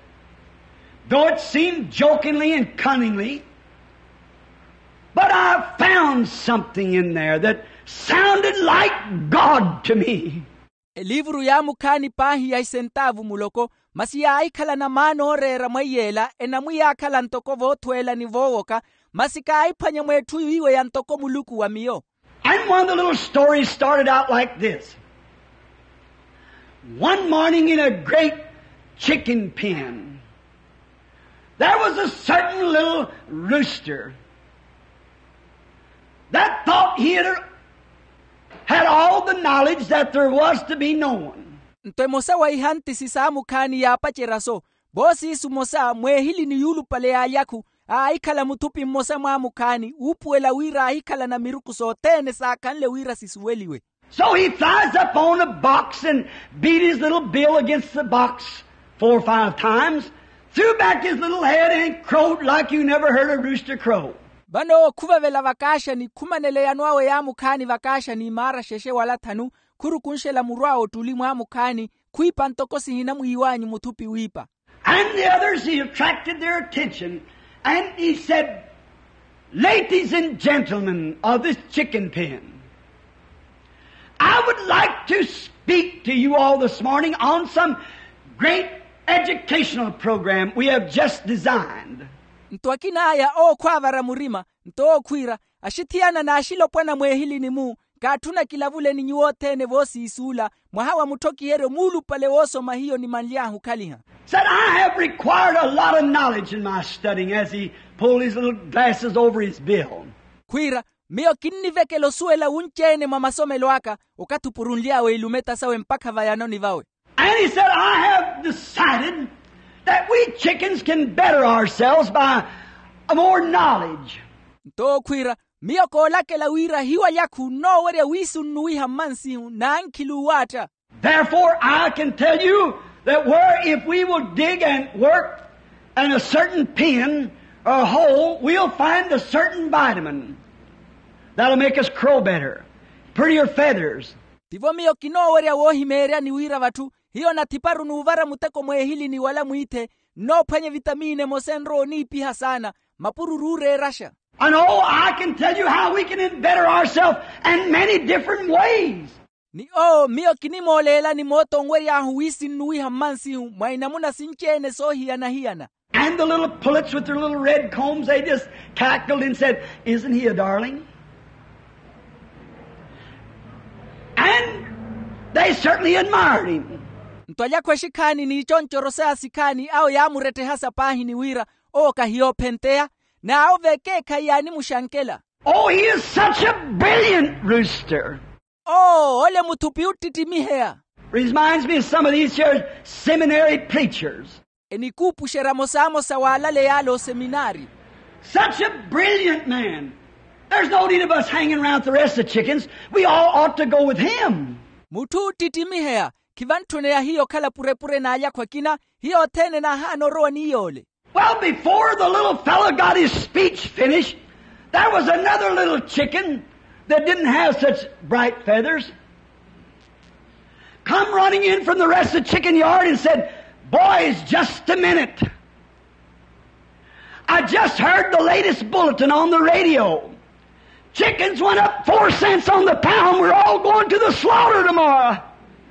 Though it seemed jokingly and cunningly, but I found something in there that sounded like God to me. Eliivuru yaamukhaani paahi ya isentaavu muloko, masi yaahikhala na maana ooreera mweiy'ela enamwiyaakhala ntoko voothweela ni voowoka. Masi kaahiphwanya mw'etthu iwe ya ntoko muluku wa miyo. And one of the little stories started out like this. One morning in a great chicken pen, there was a certain little rooster that thought he had, had all the knowledge that there was to be known. Nto emosa wa ihantisi saamukhaani yaapacerya-so. Voosiisu mmosa mweehilini yuulupale y'alyakhu, aahikhala muthupi mmosa mwaamukhaani uupuwela wira aahikhala na miruku sothene saakhanle wira sisuweliwe. So he flies up on a box and beat his little bill against the box four or five times, threw back his little head and crowed like you never heard a rooster crow. Vano khuvevela vakaaxani khumanela eyano awe yaamukhaani vakaaxani imaara xexe wala thanu, khurukunxela muru awe ottuli mwaamukhaani, khwiipa ntoko sihina mwiiwanyu muthupi wiipa. And the others, he attracted their attention, and he said, ladies and gentlemen of this chicken pen, I would like to speak to you all this morning on some great educational program we have just designed. Nto akina aya ookhwaavara murima, nto ookhwiira, axithiyana n'axilopwana mweehilini-mu, kaatthuna kilavuleni nyuwo othene voosiisuula, mwaha wa mutthokiyeryo muulupale woosoma hiyo nimanly'ahu okhaliha. Said, I have required a lot of knowledge in my studying, as he pulled his little glasses over his bill. Khwiira, miyo kinnivekela osuwela wunci-ene mwa masomelo aka, okathi opurunly'awe ilumeta sawe mpakha vayanoni vawe. And he said, I have decided that we chickens can better ourselves by more knowledge. Nto okhwiira, miyo koolakela wira hiwalyakhu nnoowerya wiisunnuwiha mmansihu n'ankhili uwaatta. Therefore I can tell you that where if we will dig and work in a certain pen or hole, we'll find a certain vitamin that'll make us crow better, prettier feathers. Tivo miyo kinoowerya woohimeeryani wira vatthu hiyo nathiparu n'uvara muteko mweehilini wala mwiithe, nnoophwanya evitamiini emosa enrowa oniipiha saana, mapururu ooreeraxa. And oh, I can tell you how we can better ourselves in many different ways. Ni oo miyo kinimooleelani moota onwery'ahu wiisinnuwiha mmansihu mwa inamuna sinci-ene soohiyana-hiyana. And the little pullets with their little red combs, they just cackled and said, isn't he a darling? And they certainly admired him. Nto alyakhwa exikhaani n'iconcorose asikhaani awo yaamurettehasa paahi ni wira, owo kahiyoophenteya. N'awo vekeekhayi yaanimuxankela. Oh, he is such a brilliant rooster. Oo ole muthupi oottittimiheya. Reminds me of some of these here seminary preachers. Enikuupuxerya amosamosa w'alaleya ale oseminaari. Such a brilliant man. There's no need of us hanging around with the rest of the chickens. We all ought to go with him. Mutthu oottittimiheya. Khivantthuneya hiyo okhala purepure n'alyakhwa akina. Hiyo othene naahaana orowa ni yoole. Well, before the little fellow got his speech finished, there was another little chicken that didn't have such bright feathers come running in from the rest of the chicken yard and said, "Boys, just a minute. I just heard the latest bulletin on the radio. Chickens went up four cents on the pound. We're all going to the slaughter tomorrow."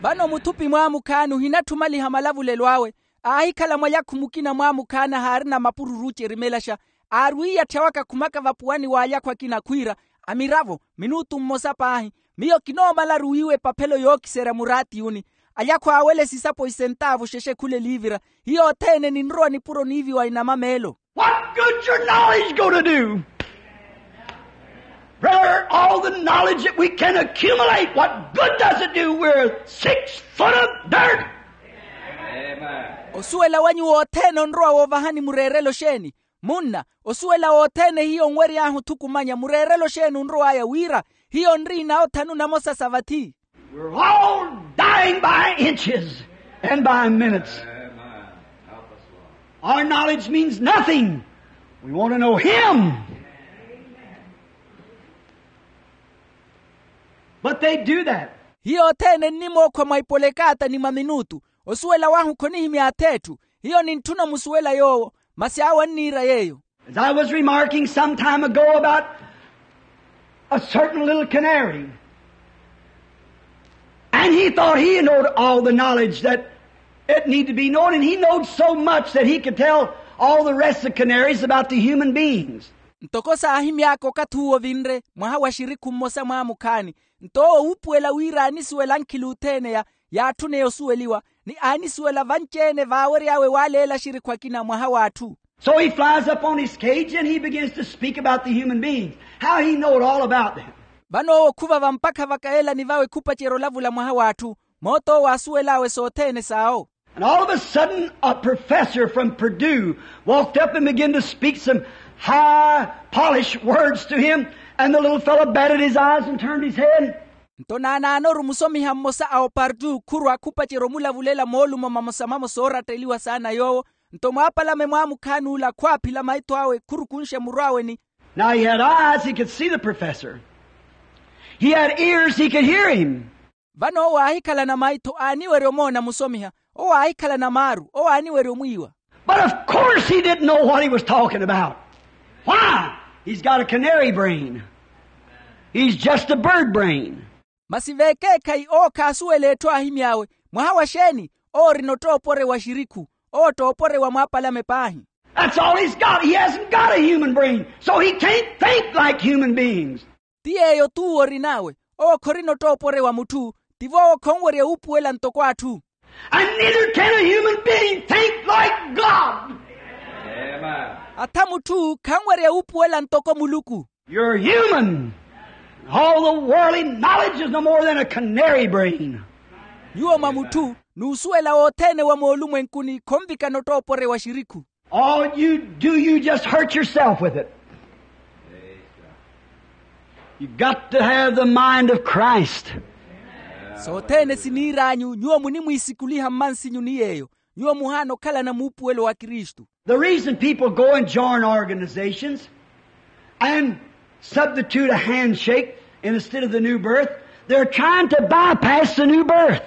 Vano muthupi mwaamukhaani ohinatthumaliha malavulelo awe, aahikhala mwalyakhu mukina mwaamukhaani ahaarina mapururu ocerimelaxa, aarwiiya atthya waka khumaka vapuwani w'alyakhu akina khwiira, amiravo, minutu mmosa paahi, miyo kinoomalaru wiiwa epaphelo yookiserya muraatiyuni. Alyakhu aawele sisapo isentaavu xexe khula eliivira. Hiyo othene ninrowa nipuro niiviwa inama meelo. What good's your knowledge going to do? Brother, all the knowledge that we can accumulate, what good does it do? We're six foot of dirt. Osuwela wanyu wothene onrowa woovahani mureerelo xeeni? Munna, osuwela wothene hiyo onwery'ahu thukumanya mureerelo xeeni onrow'aya wira hiyo onriina othanu namosa sa vathi? We're all dying by inches and by minutes. Our knowledge means nothing. We want to know Him. But they do that. Hiyo othene nnimookhwa mwa ipolekaata ni mwa minutu. Osuwela wahu khonihimya ath'etthu. Hiyo nintthuna omusuwela yoowo, masi awo anniira yeeyo. As I was remarking some time ago about a certain little canary, and he thought he knowed all the knowledge that it need to be known, and he knowed so much that he could tell all the rest of the canaries about the human beings. Ntoko saahimy'aka okathi uwo vinre mwaha wa xirikhu mmosa mwaamukhaani, nto owo wuupuwela wira aanisuwela ankhili othene ya yaatthuneya osuweliwa, ni aanisuwela vanci-ene vaawery'awe waaleela axirikhu akina mwaha w'atthu. So he flies up on his cage and he begins to speak about the human beings, how he knowed all about them. Vano owo khuvava mpakha vakaelani vawe khupacerya olavula mwaha w'atthu, moot'owo asuwel'awe sothene s'awo. And all of a sudden a professor from Purdue walked up and began to speak some high polished words to him, and the little fellow batted his eyes and turned his head. Nto naanaanoru musomiha mmosa a opartu khurwa khupacerya omulavulela moolumo mamosa mamosa ooratteliwa saana yoowo. Nto mwaapalame mwaamukhaani ula khwaaphila maitho awe khurukunxe muru awe ni. Now he had eyes, he could see the professor. He had ears, he could hear him. Vano owo aahikhalana maitho aaniwerya omoona musomiha. Owo aahikhalana maaru owo aaniwerya omwiiwa. But of course he didn't know what he was talking about. Why? He's got a canary brain. He's just a bird brain. Masi vekeekhayi owo khaasuwela etthu aahimy'awe. Mwaha wa xeeni? Owo orina ottoopore wa xirikhu. Owo ottoopore wa mwaapalame paahi. That's all he's got. He hasn't got a human brain, so he can't think like human beings. Ti yeeyo t'uwo orin'awe. Owo khorina ottoopore wa mutthu. Tivo owo khonwerya wuupuwela ntoko atthu. And neither can a human being think like God. Atha mutthu khanwerya wuupuwela ntoko muluku. You're human. All the worldly knowledge is no more than a canary brain. Nyuwo mwa mutthu, n'usuwela wothene wa moolumwenkuni khonvikana ottoopore wa xirikhu. All you do, you just hurt yourself with it. You got to have the mind of Christ. Sothene siniir'anyu nyuwo munimwiisikuliha mmansinyu ni yeeyo. Nyuwo muhaana okhalana muupuwelo wa kristu. The reason people go and join organizations and substitute a handshake instead of the new birth, they're trying to bypass the new birth.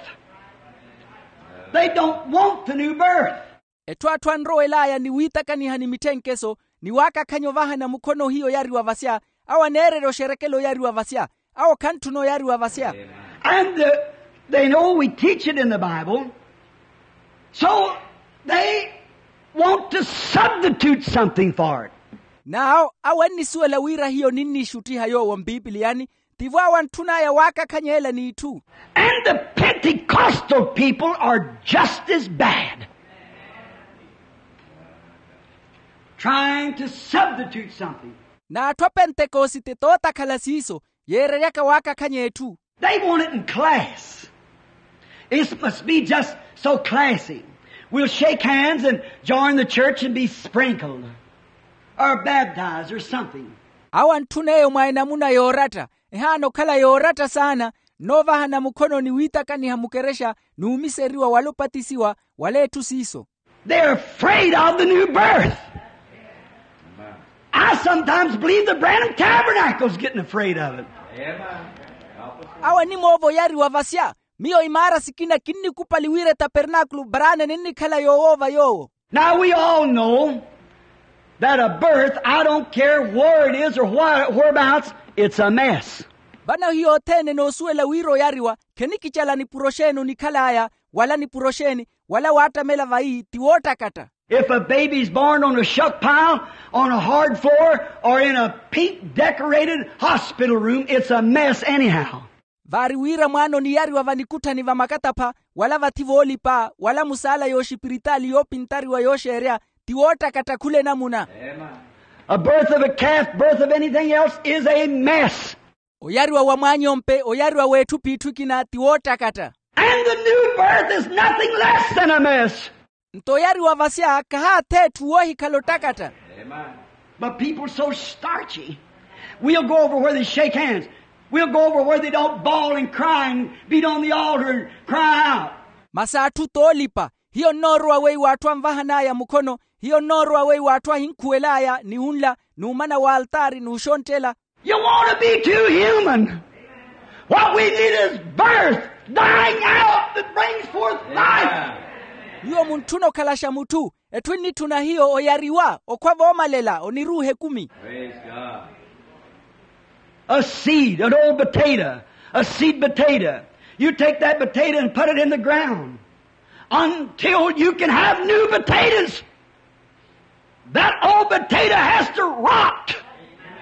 They don't want the new birth. Etthu atthu anrowel'aya ni wiitakaniha ni mitthenkeso ni waakakhanya ovahana mukhono hiyo oyariwa vasya. Awo aneererya oxerekela oyariwa vasya. Awo khantthuna oyariwa vasya. And they know we teach it in the Bible, so they want to substitute something for it. N'awo awo annisuwela wira hiyo ninniixuttiha yoowo mpipiliyani. Tivo awo antthun'aya waakakhanyeela n'itthu. And the Pentecostal people are just as bad, trying to substitute something. N'atthu a pentekosite tootakhala siiso yeereryaka waakakhanya etthu. They want it in class. It must be just so classy. We'll shake hands and join the church and be sprinkled or baptized or something. Awo antthun'eyo mwa enamuna yooratta. Ehaana okhala yooratta saana. Nnoovahana mukhono ni wiitakaniha mukerexa n'umiseriwa wala opatisiwa wala etthu siiso. They're afraid of the new birth. I sometimes believe the Branham Tabernacle's getting afraid of it. Awanimoova oyariwa vasya. Miyo imaara sikina kinnikupali wira etapernakulu brane ninnikhala yoowoova yoowo. Now we all know that a birth, I don't care where it is or whereabouts, it's a mess. Vano hiyo othene enoosuwela wira oyariwa, khenikicala nipuro xeeni onikhal'aya, wala nipuro xeeni, wala waattamela vayi ti woottakatta. If a baby is born on a shuck pile, on a hard floor, or in a pink decorated hospital room, it's a mess anyhow. Vaari wira mwaana oniyariwa vanikutthani vamakatapha, wala vathi voolipa, wala musaala yooxipiritaali yoopintariwa yooxeerya, ti woottakatta khula enamuna. A birth of a calf, birth of anything else is a mess. Oyariwa wa mwaanyompe, oyariwa w'etthu p'itthu ekina ti woottakatta. And the new birth is nothing less than a mess. Nto oyariwa vasya kahaatha etthu woohikhala ottakatta. But people so starchy. We'll go over where they shake hands. We'll go over where they don't bawl and cry and beat on the altar and cry out. Masi atthu toolipa. Hiyo nnoorowa weiwo atthu anvahan'aya mukhono. Hiyo nnoorowa weiwo atthu ahinkhuwel'aya ni unla n'umana w'altaari n'uxontthela. You want to be too human. What we need is birth, dying out that brings forth life. Nyuwo muntthuna okhalaxa mutthu. Etthu ennitthuna hiyo oyariwa okhwa voomalela oniruuha ekumi. A seed, an old potato, a seed potato. You take that potato and put it in the ground until you can have new potatoes. That old potato has to rot.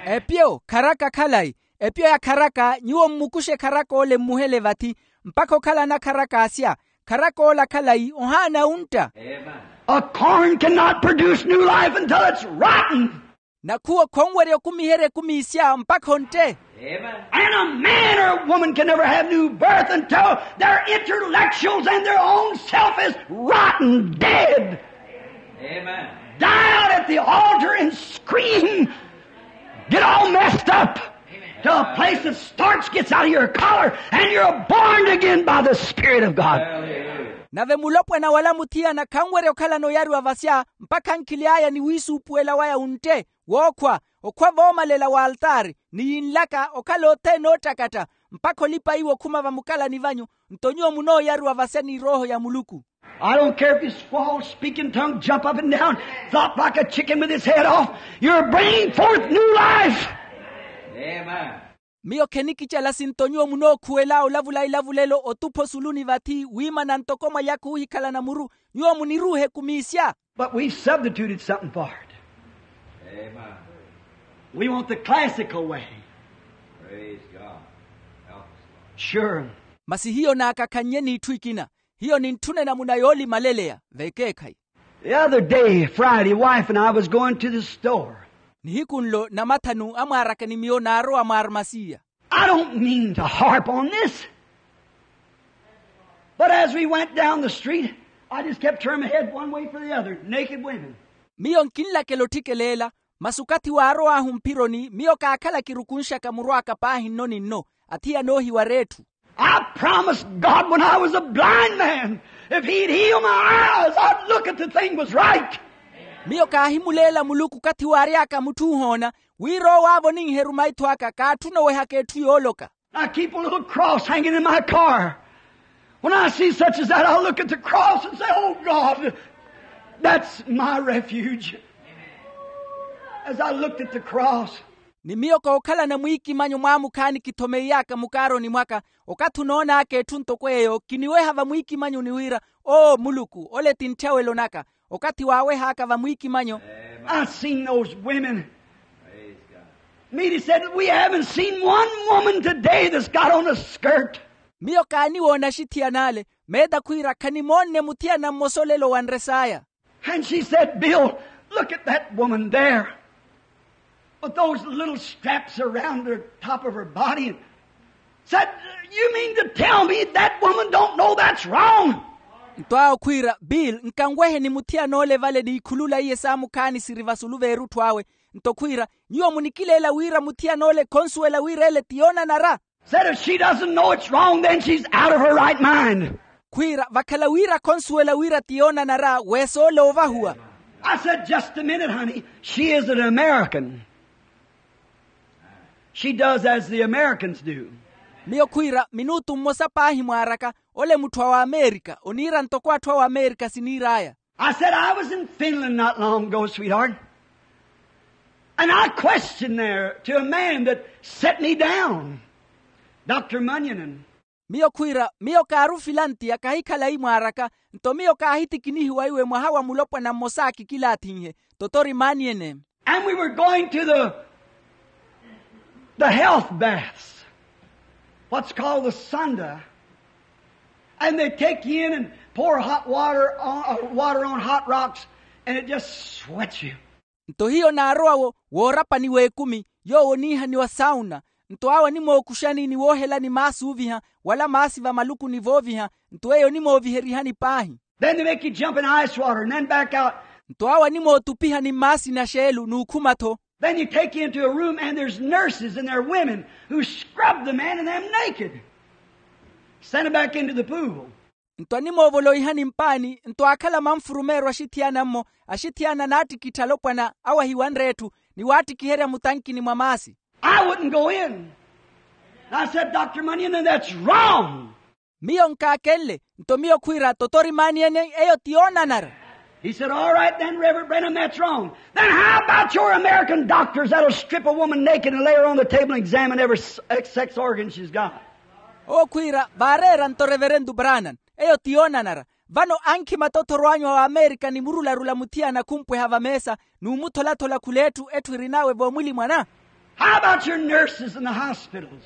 Epyo kharaka khalayi. Epyo ya kharaka nyuwo mmukuxe kharaka ole mmuhele vathi mpakha okhalana kharaka asya. Kharaka ola khalayi ohaana untta. A corn cannot produce new life until it's rotten. Nakhuwo khonwerya okumiherya ekumi isya mpakha ontte. And a man or a woman can never have new birth until their intellectuals and their own self is rotten dead. Die out at the altar and scream. Get all messed up to a place that starch gets out of your collar and you're born again by the Spirit of God. Nave mulopwana wala muthiyana khanwerya okhalana oyariwa vasya mpakha ankhili aya ni wiisuupuwela waya untte wookhwa okhwa voomalela w'altaari ni yinlaka okhala othene oottakatta mpakha olipa iwo okhuma vamukalani vanyu. Nto nyuwo munooyariwa vasya ni erooho ya muluku. I don't care if you squall, speak in tongues, jump up and down, flop like a chicken with his head off. You're bringing forth new life. Miyo khenikicala sinto nyuwo munookhuwela olavula ilavulelo otupha osuluni vathi wiimana ntoko mwalyakha oohikhalana muru. Nyuwo muniruuhe kumiisya. But we've substituted something for it. We want the classical way. Sure. Masi hiyo naakakhannye n'itthu ekina. Hiyo nintthuna enamuna yoolimaleleya vekeekhayi. The other day, Friday, wife and I was going to the store. Nihiku nlo namathanu amwaaraka ni miyo naarowa mwaarmasiya. I don't mean to harp on this, but as we went down the street, I just kept turning my head one way for the other, naked women. Miyo nkinlakela otthikeleela. Masi okathi waarow'ahu mphironi miyo kaakhala kirukunxaka muru aka paahi nno ni nno. Athiyana oohiwara etthu. I promised God when I was a blind man, if he'd heal my eyes, I'd look at the thing was right. Miyo kaahimuleela muluku okathi waary'aka mutthu ohoona wira owo aavonenhe eruma etthu aka kaatthuna owehaka etthu yooloka. I keep a little cross hanging in my car. When I see such as that, I'll look at the cross and say, oh God, that's my refuge. As I looked at the cross. Ni miyo kookhalana mwiikimanyo mwaamukhaani kithomeiy'aka mukaaroni mwaka. Okathi onoon'aka etthu ntoko eyo kiniweha vamwiikimanyoni wira, oo muluku ole ti ntthyaweelo naka. Okathi waaweh'aka vamwiikimanyo. I seen those women. Meady said, we haven't seen one woman today that's got on a skirt. Miyo kaaniwoona axithiyana ale. Meeda khwiira khanimoonne muthiyana mmosa olelo wa nres'aya. And she said, bill, look at that woman there with those little straps around the top of her body. And said, you mean to tell me that woman don't know that's wrong? Nto awo khwiira bill nkanweheni muthiyan'ole vale n'ikhulula iye saamukhaani siri vasulu v'erutthu awe. Nto khwiira nyuwo munikileela wira muthiyan'ole khonsuwela wira ele ti yoonanara. Said if she doesn't know it's wrong then she's out of her right mind. Khwiira vakhala wira khonsuwela wira ti yoonanara weesoole ovahuwa. I said, just a minute, honey. She is an American. She does as the Americans do. Miyo khwiira minutu mmosa paahi mwaaraka, ole mutthu a wamerika oniira ntoko atthu a wamerika siniir'aya. I said, I was in Finland not long ago, sweetheart. And I questioned there to a man that set me down, Doctor Munyanen. Miyo khwiira miyo kaari ofilantiya kahikhala imwaaraka. Nto miyo kaahitikinihiwa iwe mwaha wa mulopwana mmosa akikilaathinhe, totori maniyene. And we were going to the, the health baths, what's called the sunda. And they take you in and pour hot water on, uh, water on hot rocks, and it just sweats you. Nto hiyo naarowa wo woorapani w'ekumi, yoowo oniihaniwa sauna. Nto awo animookuxani ni woohelani maasi ooviha, wala maasi va malukuni vooviha. Nto eyo onimooviherihani paahi. Then they make you jump in ice water and then back out. Nto awo animootupihani mmaasini axeelu n'ukhuma-tho. Then you take you into a room and there's nurses and they're women who scrub the men and them naked, send them back into the pool. Nto animoovoloihani mpaani nto aakhala manfurumeeryo axithiyana-mmo, axithiyana naattikittha alopwana awo ahiwanre etthu, ni waattikiherya mutankini mwa maasi. I wouldn't go in. I said, Doctor Munyanen, that's wrong. Miyo nkaakenle. Nto miyo khwiira totori maniyene eyo ti yoonanara. He said, all right then, Reverend Branham, that's wrong. Then how about your American doctors that'll strip a woman naked and lay her on the table and examine every s- sex organ she's got? Owo khwiira vaareera nto reverentu branan, eyo ti yoonanara. Vano ankhima tothoro anyu a wamerika ni murularula muthiyana khumpweha vameesa, n'umutholathola khula etthu etthu erinawe voomwilimwana. How about your nurses in the hospitals?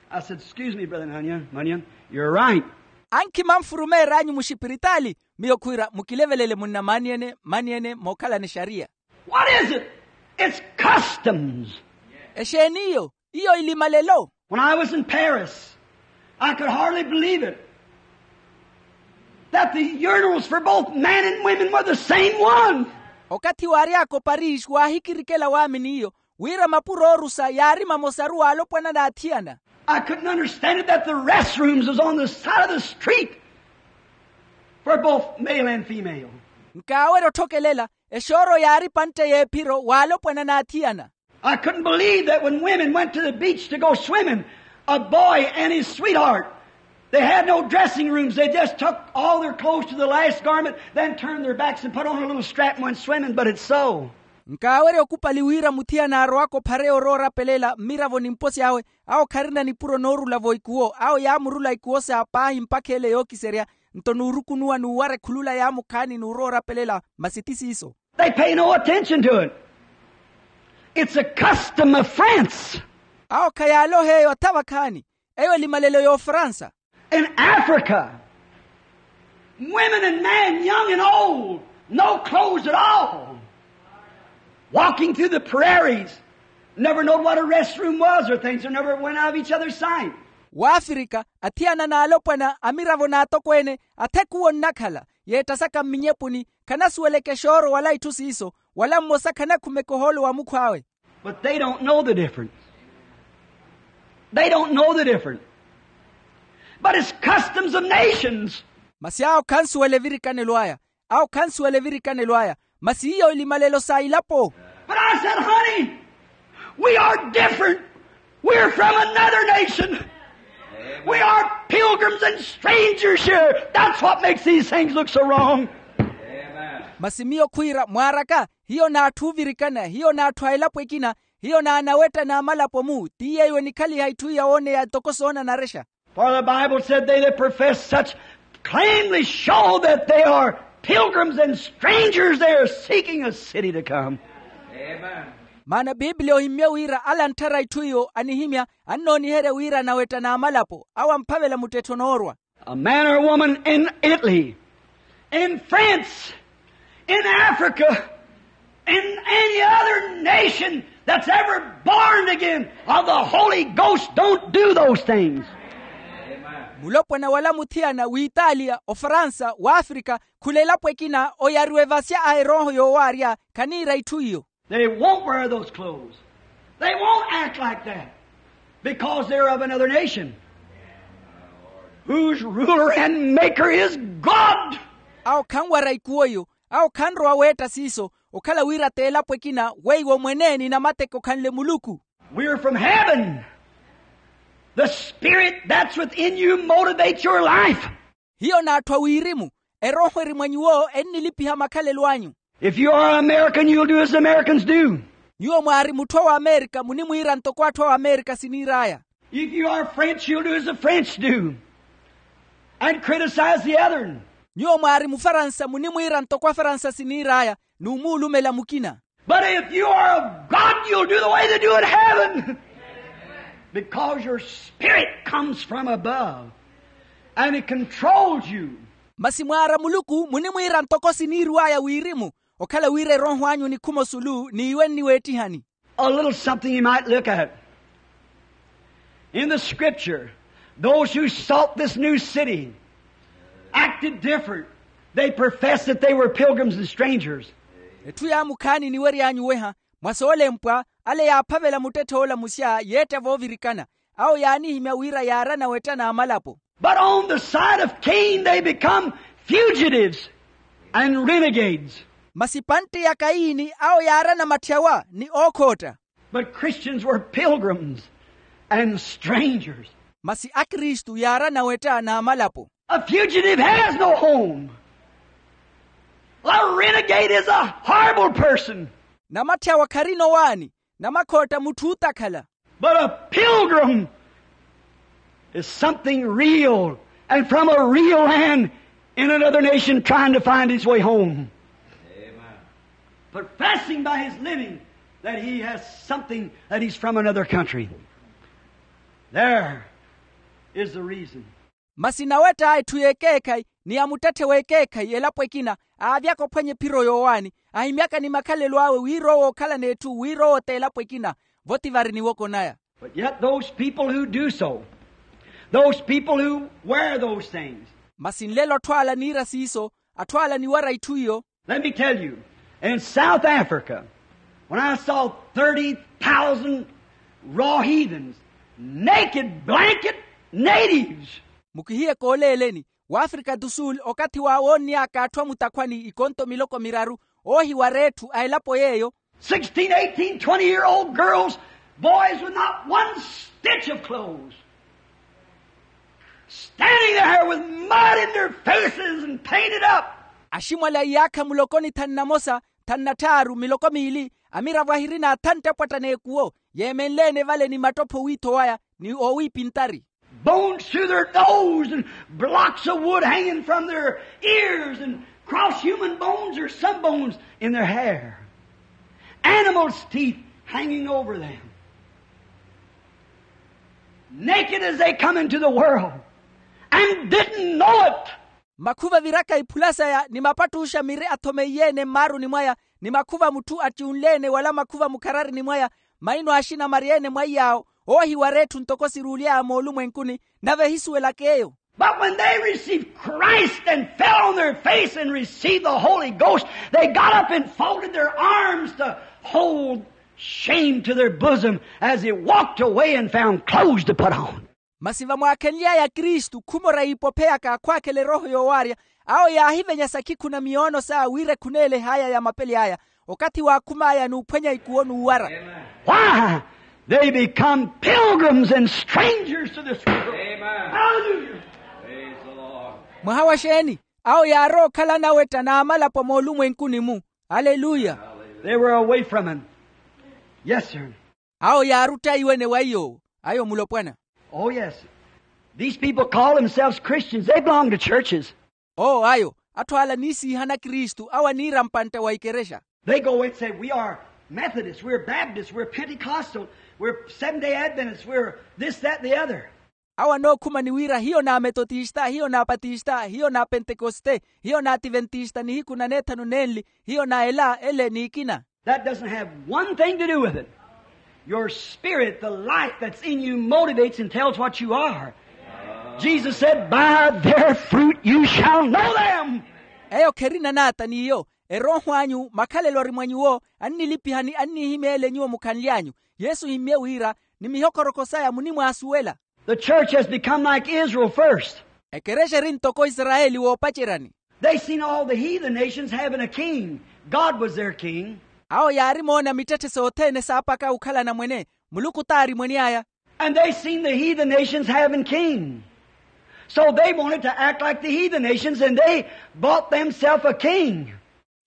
I said, excuse me, Brother Munyanen, Munyanen, you're right. Ankhima nfurumeer'anyu muxipiritaali. Miyo khwiira mukilevelele munna maniyene maniyene mookhalana exariya. What is it? It's customs. Exeeni iyo? Iyo ilimalelo. When I was in Paris, I could hardly believe it, that the urinals for both men and women were the same one. Okathi waary'aka oparisi waahikirikela waamini iyo, wira mapuro oorusa yaari mamosaru w'alopwana n'athiyana. I couldn't understand it, that the restrooms was on the side of the street for both male and female. Nkaawerya otthokelela, exooro yaari pantte y'ephiro w'alopwana n'athiyana. I couldn't believe that when women went to the beach to go swimming, a boy and his sweetheart, they had no dressing rooms. They just took all their clothes to the last garment, then turned their backs and put on a little strap and went swimming, but it's so. Nkaawerya okupali wira muthiyana aarowaka ophare oroora opelela mmiravo ni mposi awe, awo kharina nipuro noorula-vo ikuwo, awo yaamurula ikuwo sa paahi mpakha ele yookiserya. Nto nuurukunuwa n'uwara ekhulula yaamukhaani n'uroora opelela, masi ti siiso. They pay no attention to it. It's a custom of France. Awo khayaaloha eyo atha vakhaani. Eyo elimalelo y'ofransa. In Africa, women and men, young and old, no clothes at all, walking through the prairies, never knowed what a restroom was or things, or never went out of each other's sight. W'afrika, athiyana n'alopwana, amiravo n'atokweene, athekuwo nnakhala yeettasaka mminyepuni, khanasuweleke xooro wala itthu siiso, wala mmosa khanakhumeke ohoolo wa mukhw'awe. But they don't know the difference. They don't know the difference. But it's customs of nations. Masi awo khansuwela evirikanelo aya. Awo khansuwela evirikanelo aya. Masi iyo elimalelo sa ilapo. But I said, honey, we are different. We're from another nation. We are pilgrims and strangers here. That's what makes these things look so wrong. Masi miyo khwiira mwaaraka, hiyo n'atthu oovirikana, hiyo n'atthu a elapo ekina, hiyo n'anawetta n'amalapo-mu. Ti yeeyo enikhaliha itthu iya wooneya ntoko soonanarexa. For the Bible said, they that profess such plainly show that they are pilgrims and strangers, they are seeking a city to come. Maana pipiliya ohimmye wira ala antthara itthu iyo anihimya, annooniherya wira anawetta n'amalapo awo amphavela muttettho onoorwa. A man or woman in Italy, in France, in Africa, in any other nation that's ever born again of the Holy Ghost don't do those things. Mulopwana wala muthiyana w'itaaliya, ofransa, w'afrika, khula elapo ekina oyariwa evasya a erooho yoowaarya, khaniira itthu iyo. They won't wear those clothes. They won't act like that because they're of another nation. Whose ruler and maker is God. Awo khanwara ikuwo iyo. Awo khanrowa weetta siiso. Okhala wira t'elapo ekina weiwo mwene ni namateke okhanle muluku. We're from heaven. The spirit that's within you motivates your life. Hiyo n'atthu a wirimu. Erooho eri mwa nyuwo ennilipiha makhalelo anyu. If you are American, you'll do as Americans do. Nyuwo mwaari mutthu a w'amerika munimwiira ntoko atthu a w'amerika siniir'aya. If you are French, you'll do as the French do and criticize the other. Nyuwo mwaari mufaransa munimwiira ntoko afaransa siniir'aya n'umuulumela mukina. But if you are of God, you'll do the way they do in heaven. Because your spirit comes from above and it controls you. Masi mwaara muluku munimwiira ntoko siniir'aya wirimu. Okhala wira erooho anyu onikhuma osulu n'iwe nniweettihani. A little something you might look at. In the scripture, those who sought this new city acted different. They professed that they were pilgrims and strangers. Etthu yaamukhaani eniwery'anyu oweha mwa soolempwa ale yaaphavela muttetthe ola muxya yeetta voovirikana. Awo yaanihimya wira yaarana wetta n'amalapo. But on the side of Cain, they become fugitives and renegades. Masi pantte ya kaini awo yaarana matthyawa ni ookhootta. But Christians were pilgrims and strangers. Masi akristu yaarana wetta n'amalapo. A fugitive has no home. A renegade is a horrible person. Namattyawa kharina owaani. Namakhootta mutthu ootakhala. But a pilgrim is something real and from a real land in another nation trying to find his way home. Professing by his living that he has something, that he's from another country. There is the reason. Masi nawetta etthu y'ekeekhayi ni ya muttetthe w'ekeekhayi elapo ekina aavyaka ophwanya ephiro yoowaani ahimyaka ni makhalelo awe wira owo okhala n'etthu wira owo t'elapo ekina. Vo ti vari niwoko naya. But yet those people who do so, those people who wear those things. Masi nlelo atthu ala niira siiso, atthu ala niwara itthu iyo. Let me tell you, in South Africa, when I saw thirty thousand raw heathens, naked blanket natives. Mukihiye kooleeleni w'afrika du sul okathi wa woonny'aka atthu a mutakhwani ikonto miloko miraru oohiwara etthu a elapo yeeyo. Sixteen, eighteen, twenty year old girls, boys with not one stitch of clothes, standing there with mud in their faces and painted up. Aximwali a iyaakha muloko ni thanu na mosa, thanu na tthaaru miloko miili, amiravo ahirina athantte apwatta n'ekuwo yeemenle-ene vale ni mattoppho wiitho waya ni oowiipintari. Bones through their nose and blocks of wood hanging from their ears and cross human bones or some bones in their hair. Animals' teeth hanging over them. Naked as they come into the world and didn't know it. Makhuva aviraka iphula saya ni mapattuxa miri athomeiye-ene mmaaruni mwaya ni makhuva mutthu attiunle-ene wala makhuva mukhararini mwaya maino axina marye-ene mwaiy'awo oohiwara etthu ntoko siruuly'aya moolumwenkuni nave ehisuwelak'eyo. But when they received Christ and fell on their face and received the Holy Ghost, they got up and folded their arms to hold shame to their bosom as they walked away and found clothes to put on. Masi vamwaakhenly'aya kristu khumora iipophe yaka akhwaakhela erooho yoowaarya awo yaahivenya sakhikhu na miyoono saya wira ekhuneele ehaya ya mapeli aya okathi waakhum'aya n'uphwenya ikuwo n'uwara. Why? They become pilgrims and strangers to this world. Mwaha wa xeeni? Awo yaarowa okhala anawetta n'amalapo moolumwenkuni-mu. Aleluya. They were away from him. Yes, sir. Awo yaarutta iwene wa iy'owo. Ayo mulopwana. Oh yes, these people call themselves Christians, they belong to churches. Oo ayo, atthu ala niisiihana kristu awo aniira mpantte wa ikerexa. They go away and say, we are Methodists, we're Baptists, we're Pentecostal, we're Seventh-day Adventists, we're this, that, the other. Awo anookhuma ni wira hiyo n'ametotista hiyo n'apatista hiyo n'apentekoste hiyo n'ativentista nihiku na neethanu nenli hiyo na ela ele n'ikina. That doesn't have one thing to do with it. Your spirit, the life that's in you, motivates and tells what you are. Jesus said, by their fruit you shall know them. Eyo kherina naata n'iyo. Erooho anyu makhalelo ari mwa nyuwo annilipihani annihimeele nyuwo mukhanly'anyu. Yesu ohimmye wira ni mihokorokhosaya munimwaasuwela. The church has become like Israel first. Ekerexa eri ntoko isarayeli woopaceryani. They seen all the heathen nations having a king. God was their king. Awo yaari moona mittetthe sothene saapaka okhala anamwene. Muluku t'ari mwene aya. And they seen the heathen nations having king. So they wanted to act like the heathen nations and they bought themselves a king.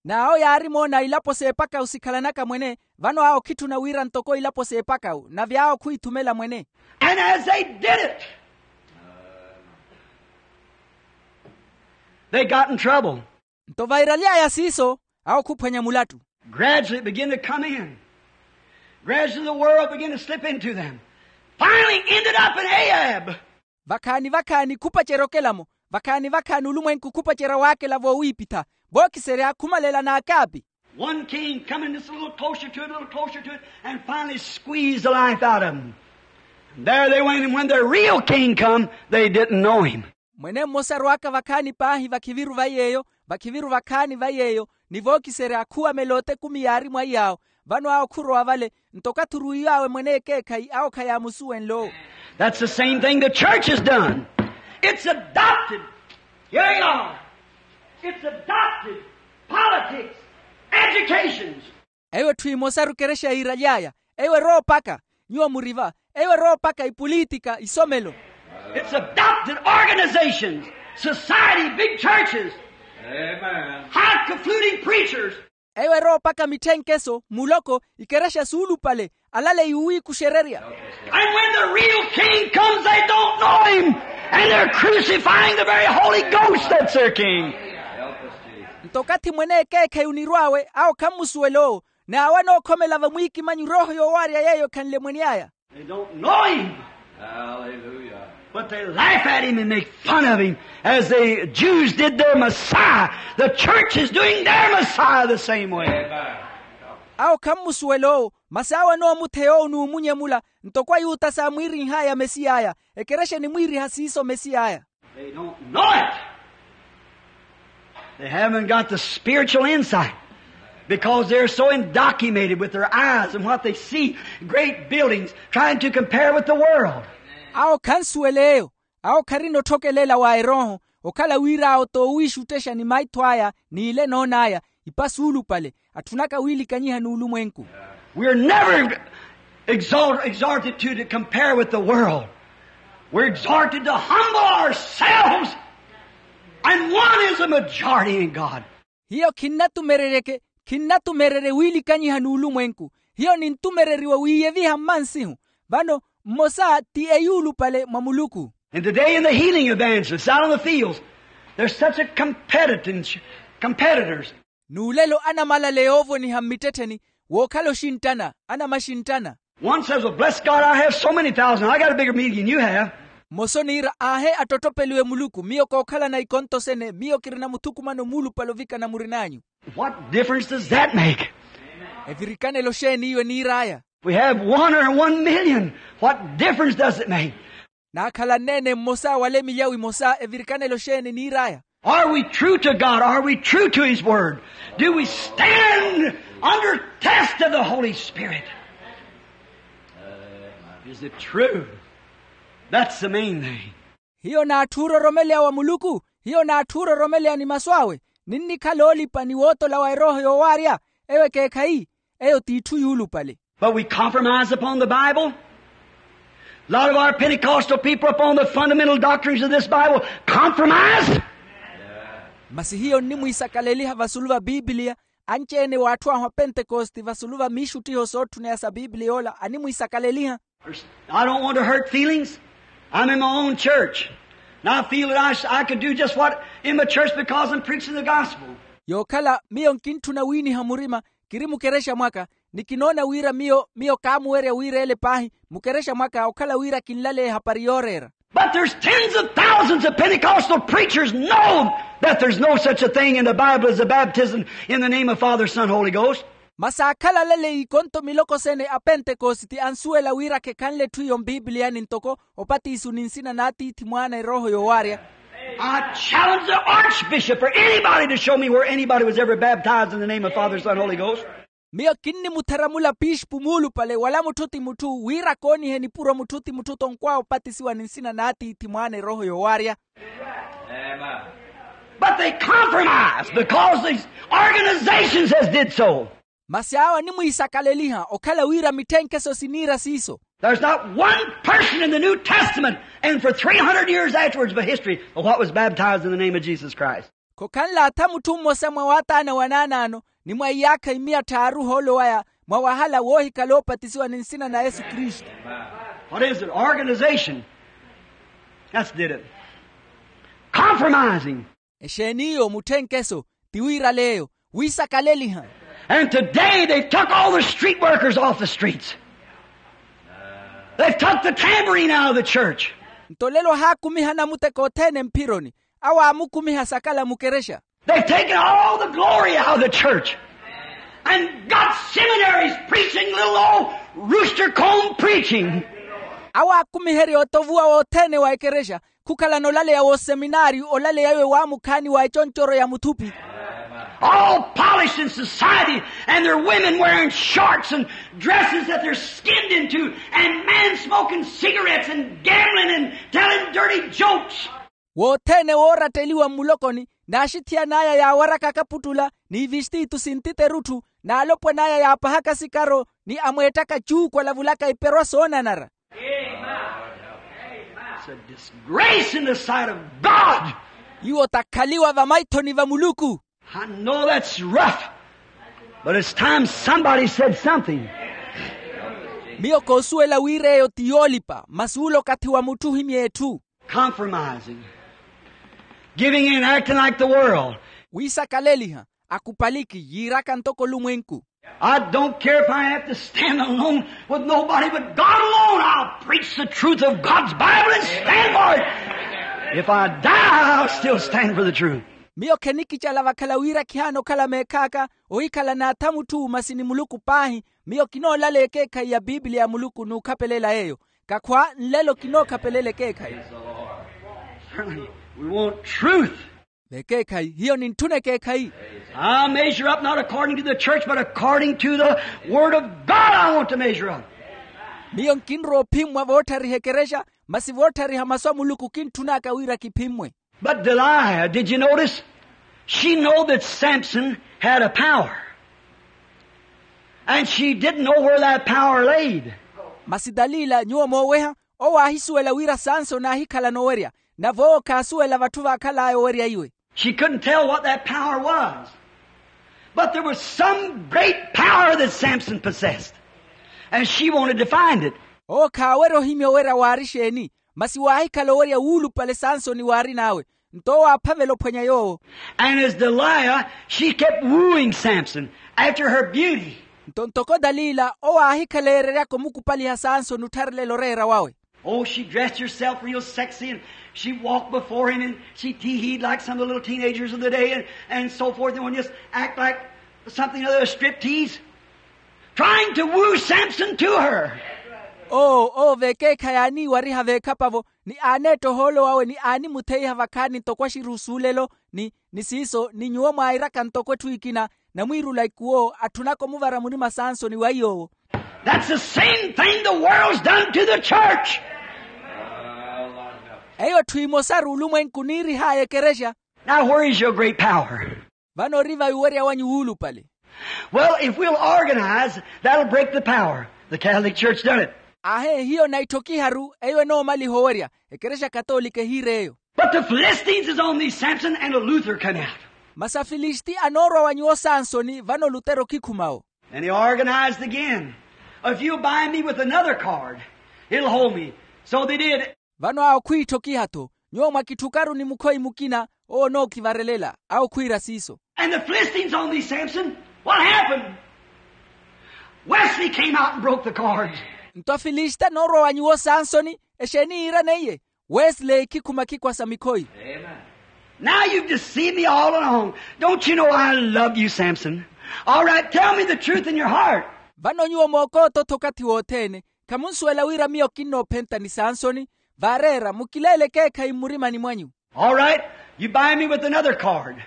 N'awo yaari moona ilapo s'epakawu sikhalanaka mwene. Vano awo khitthuna wira ntoko ilapo s'epakawu nave awo khwiithumela mwene. And as they did it, they got in trouble. Nto vairaly'aya siiso, awo khuphwanya mulattu. Gradually it began to come in. Gradually the world began to slip into them. Finally ended up in Ahab. Vakhaani vakhaani khupacerya okela-mo. Vakhaani vakhaani olumwenku khupacerya waakela voowiipitha. Vookiserya khumalela n'akaapi. One king coming just a little closer to it, a little closer to it, and finally squeezed the life out of them. And there they went, and when their real king come, they didn't know him. Mwene mmosa arwaka vakhaani paahi vakhiviru va yeeyo, vakhiviru vakhaani va yeeyo, ni vookiserya khuwamela otekumi yaari mwa iyaawo. Vano awo khurowa vale. Nto okathi oruwiw'awe mwene ekeekhayi awo khayaamusuwenle owo. That's the same thing the church has done. It's adopted. Here you are. It's adopted politics, educations. Eyo etthu emosaru ekerexa yiiraly'aya. Eyo eroopaka. Nyuwo muri va. Eyo eroopaka ipulitika isomelo. It's adopted organizations, society, big churches. Amen. High confluting preachers. Eyo eroopaka mitthenkeso muloko ikerexa suulupale. Alale yuwiikuxererya. And when the real king comes they don't know him. And they're crucifying the very holy ghost that's their king. Nto okathi mwene ekeekhayi onirw'awe awo khammusuwela owo. N'awo anookhomela vamwiikimanyi rooho yoowaarya yeeyo ekhanle mwene aya. They don't know him. But they laugh at him and make fun of him as the Jews did their Messiah. The church is doing their Messiah the same way. Awo khammusuwela owo. Masi awo anoomutheya owo n'umunye mula. Ntoko ayuta saamwiirinh'aya mesiy'aya. Ekerexa enimwiiriha siiso mesiy'aya. They don't know it. They haven't got the spiritual insight because they're so indocumented with their eyes and what they see, great buildings, trying to compare with the world. Awo khansuwela eyo. Awo kharina otthokelela wa erooho. Okhala wira awo t'owiixuttexa ni maitho aya n'ile enoon'aya. Ipa suulupale. Atthunaka wiilikanyiha n'ulumwenku. We're never exalt- exhorted to, to compare with the world. We're exhorted to humble ourselves. And one is a majority in God. Hiyo khinnatumereryeke. Khinnatumererye wiilikanyiha n'ulumwenku. Hiyo nintumereriwa wiiyeviha mmansihu. Vano mmosa ti eyuulupale mwa muluku. And today in the healing evangelists out on the fields, there's such a competitive competitors. N'ulelo anamalale yoovoniha mmittettheni wookhala oxinttana anamaxinttana. One says, well, bless God, I have so many thousand, I got a bigger meeting than you have. Mmosa oniira aahe attottopeliwe muluku miyo kookhalana ikonto sene miyo kirina muthukumano muulupale ovikana murin'anyu. What difference does that make? Evirikanelo xeeni iyo eniir'aya? We have one or one million. What difference does it make? Naakhala nneene mmosa wala emilyawu emosa evirikanelo xeeni eniir'aya? Are we true to God? Are we true to his word? Do we stand under test of the Holy Spirit? Is it true? That's the main thing. Hiyo n'atthu ororomeleya wa muluku? Hiyo n'atthu ororomeleya ni masu awe? Ninnikhala oolipa ni wootola wa erooho yoowaarya? Eyo ekeekhayi. Eyo t'itthu yuulupale. But we compromise upon the Bible. A lot of our Pentecostal people upon the fundamental doctrines of this Bible compromise. Masi hiyo nnimwiisakaleliha vasulu va pipiliya. Anci-ene w'atthu ahu apentekosti vasulu va miixuttiho sootthuna ya sa pipiliya ola animwiisakaleliha. I don't want to hurt feelings. I'm in my own church. And I feel that I, sh- I could do just what in my church because I'm preaching the gospel. Yookhala miyo nkintthuna wiiniha murima. Kiri mukerexa mwaka. Ni kinoona wira miyo miyo kaamuwerya wira ele paahi mukerexa mwaka okhala wira kinlale ehapari yooreera. But there's tens of thousands of Pentecostal preachers know that there's no such a thing in the Bible as a baptism in the name of Father, Son, Holy Ghost. Masi aakhala alale ikonto miloko sene a pentekositi ansuwela wira khekhanle etthu iyo mpipiliyani ntoko opatiso ni nsina n'atiithi mwaana erooho yoowaarya. I challenge the archbishop or anybody to show me where anybody was ever baptized in the name of Father, Son, Holy Ghost. Miyo kinnimutheramula pixipu muulupale wala mutthu ti mutthu wira koonihe nipuro mutthu ti mutthu tonkwaya opatisiwa ni nsina n'atiithi mwaana erooho yoowaarya. But they compromised because these organizations has did so. Masi awo animwiisakaleliha okhala wira mitthenkeso siniira siiso. There's not one person in the New Testament and for three hundred years afterwards of history of what was baptized in the name of Jesus Christ. Khokhanle atha mutthu mmosa mwa waataana wanaanaano ni mwa iyaakha imiya tthaaru ohoolo waya mwa wahala woohikhala oopatisiwa ni nsina na yesu kristu. What is it? Organization. That's did it. Compromising. Exeeni iyo mutthenkeso? Ti wiiraleeyo wiisakaleliha. And today they've took all the street workers off the streets. They've took the tambourine out of the church. Nto lelo ohaakumiha anamuteko othene mphironi. Awo aamukumiha sakala mukerexa. They've taken all the glory out of the church and got seminaries preaching little old rooster comb preaching. Awo aakumiherya otovuwa wothene wa ekerexa khukhalana olaleya wooseminaari olaleya iwe waamukhaani wa econcoryo ya muthupi. All polished in society and their women wearing shorts and dresses that they're skinned into and men smoking cigarettes and gambling and telling dirty jokes. Wothene wooratteliwa mmulokoni n'axithiyan'aya yaawaraka akaputtula n'ivistiitu sintiterutthu n'alopwan'aya yaapahaka sikaro ni amweettaka cuuku alavulaka iperwa soonanara. It's a disgrace in the sight of god. Iwo takhaliwa vamaithoni va muluku. I know that's rough, but it's time somebody said something. Miyo koosuwela wira eyo ti yoolipa masi ulo okathi wa mutthu ohimya etthu. Compromising, giving in, acting like the world. Wiisakaleliha, akupaliki yiiraka ntoko olumwenku. I don't care if I have to stand alone with nobody but god alone, i'll preach the truth of god's bible and stand for it. If i die, i'll still stand for the truth. Miyo khenikicala vakhala wira khihaana okhala meekhaaka ohikhala n'atha mutthu masi ni muluku paahi. Miyo kinoolaleya ekeekhayi ya piipiliya ya muluku n'ukhapelela yeeyo. Kakhwa nlelo kinookhapelela ekeekhayi. We want truth. Vekeekhayi hiyo nintthuna ekeekhayi. I measure up not according to the church but according to the word of god i want to measure up. Miyo nkinrowa ophimmwa vootthariha ekerexa masi vootthariha masu a muluku kintthun'aka wira kiphimmwe. But delilah, did you notice? She know that samson had a power, and she didn't know where that power laid. Masi dalila nyuwo mooweha owo aahisuwela wira sansoni aahikhala noowerya. Nave owo khaasuwela vatthu vaakhal'aya owerya iwe. She couldn't tell what that power was, but there was some great power that samson possessed, and she wanted to find it. Owo khaawerya ohimya owerya waari exeeni, masi waahikhala owerya wuulupale sansoni waarin'awe. Nto owo aaphavela ophwanya yoowo. And as delilah, she kept wooing samson after her beauty. Nto ntoko dalila owo aahikhala eereryaka omukupaliha sansoni ottharelelo oreera wawe. Oh, she dressed herself real sexy and she walked before him and she tee-heed like some of the little teenagers of the day and, and so forth and just act like something other than a strip tease, trying to woo samson to her. Oo oo vekeekha yaaniiwariha veekhapavo ni aaneetta ohoolo wawe ni aanimutheiha vakhaani ntoko axiru osuulelo ni ni siiso ni nyuwo mwairaka ntoko etthu ekina. Namwiirula ikuwo atthunaka omuvara murima sansoni wa iy'owo. That's the same thing the world's done to the church. Eyo etthu emosaru olumwenku niirih'aya ekerexa. Now where is your great power? Vano ori vayi owerya wanyu wuulupale? Well, if we'll organize, that'll break the power. The catholic church done it. Ahe hiyo naitthokiharu eyo enoomaliha owerya. Ekerexa katoolika ehiir'eyo. But the philistines is on these samson and a luther come out. Masi afilisti anoorwa wa nyuwo sansoni vano lutero okhikhuma-wo. And he organized again. If you'll bind me with another card, it'll hold me. So they did. Vano awo khwiitthokiha-tho nyuwo mwakitthukaru ni mukhoyi mukina owo onookhivarelela awo khwiira siiso. And the philistines on these samson, what happened? Wesley came out and broke the cards. Nto afilisti anoorwa wa nyuwo sansoni exeeni yiiraneiye? Wesley eikhikhuma khikwasa mikhoyi. Now you've deceived me all along. Don't you know i love you samson? All right, tell me the truth in your heart. Vano nyuwo mookoota-tho okathi wothene. Khamunsuwela wira miyo kinnoophenta ni sansoni. Vaareera mukileele ekeekhayi mmurimani mwanyu. All right, you buy me with another card.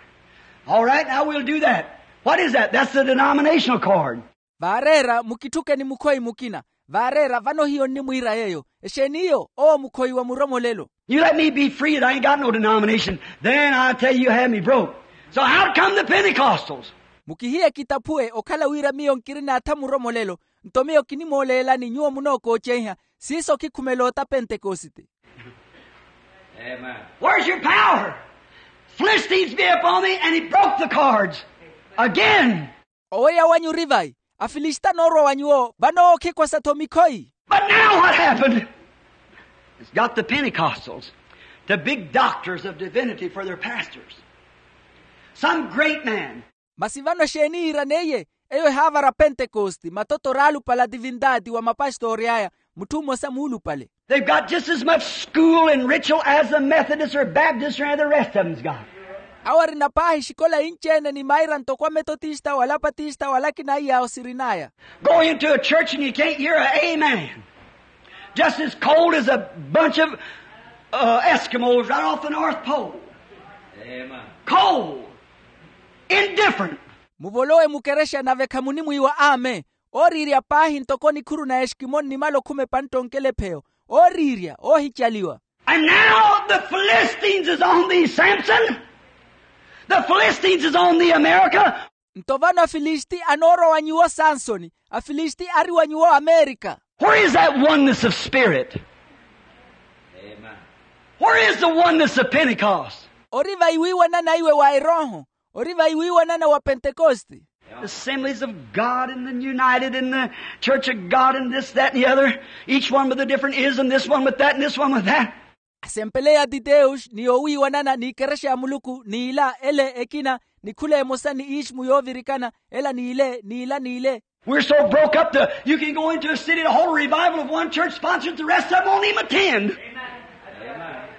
All right, now we'll do that. What is that? That's the denominational card. Vaareera mukitthuke ni mukhoyi mukina. Vaareera vano hiyo nnimwiira yeeyo. Exeeni iyo? Owo mukhoyi wa muromolelo. You let me be free, that I ain't got no denomination, then I tell you, you have me broke. So out come the Pentecostals. Mukihiye kitaphuwe okhala wira miyo nkirina atha muromolelo. Nto miyo kinimooleelani nyuwo munookoocenha. Siiso khikhumela ota pentekosite. Amen. Where's your power? Philistines be upon me, and he broke the cords again. Owerya wanyu ori vayi? Afilisita anoorwa wa nyuwo vano ookhikwasa-tho mikhoyi. But now what happened? It's got the Pentecostals, the big doctors of divinity for their pastors. Some great man. Masi vano exeeni yiiraneiye? Eyo ehaavara pentekosti, matoto oraalupale a divindaati wa mapastori aya, mutthu mmosa muulupale. They've got just as much school and ritual as the Methodists or Baptists or any of the rest of them's got. Awo arina paahi exikola inci-ene ni maira ntoko ametotista wala apatista wala akina iyaawo sirin'aya. Go into a church and you can't hear a amen. Just as cold as a bunch of, uh, Eskimos right off the North Pole. Amen. Cold. Indifferent. Muvolowe mukerexa nave khamunimwiiwa amen. Ooriirya paahi ntoko nikhuru na eskimo nnimala okhuma epantta onkelepheyo. Ooriirya oohicaliwa. And now the Philistines is on thee, Samson. The Philistines is on thee, America. Nto vano afilisti anoorwa wa nyuwo sansoni. Afilisti ari wa nyuwo amerika. Where is that oneness of spirit? Amen. Where is the oneness of Pentecost? Ori vayi wiiwanana iwe wa erooho? Ori vayi wiiwanana wa pentekosti? Assemblies of God and the United and the Church of God and this, that, and the other, each one with a different ism, this one with that and this one with that. Asempele ya titeus ni yowiiwanana n'ikerexa ya muluku n'ila ele ekina, ni khula emosa ni ismu yoovirikana ela n'ile n'ila n'ile. We're so broke up that you can go into a city to hold a revival of one church sponsored, the rest of them won't even attend.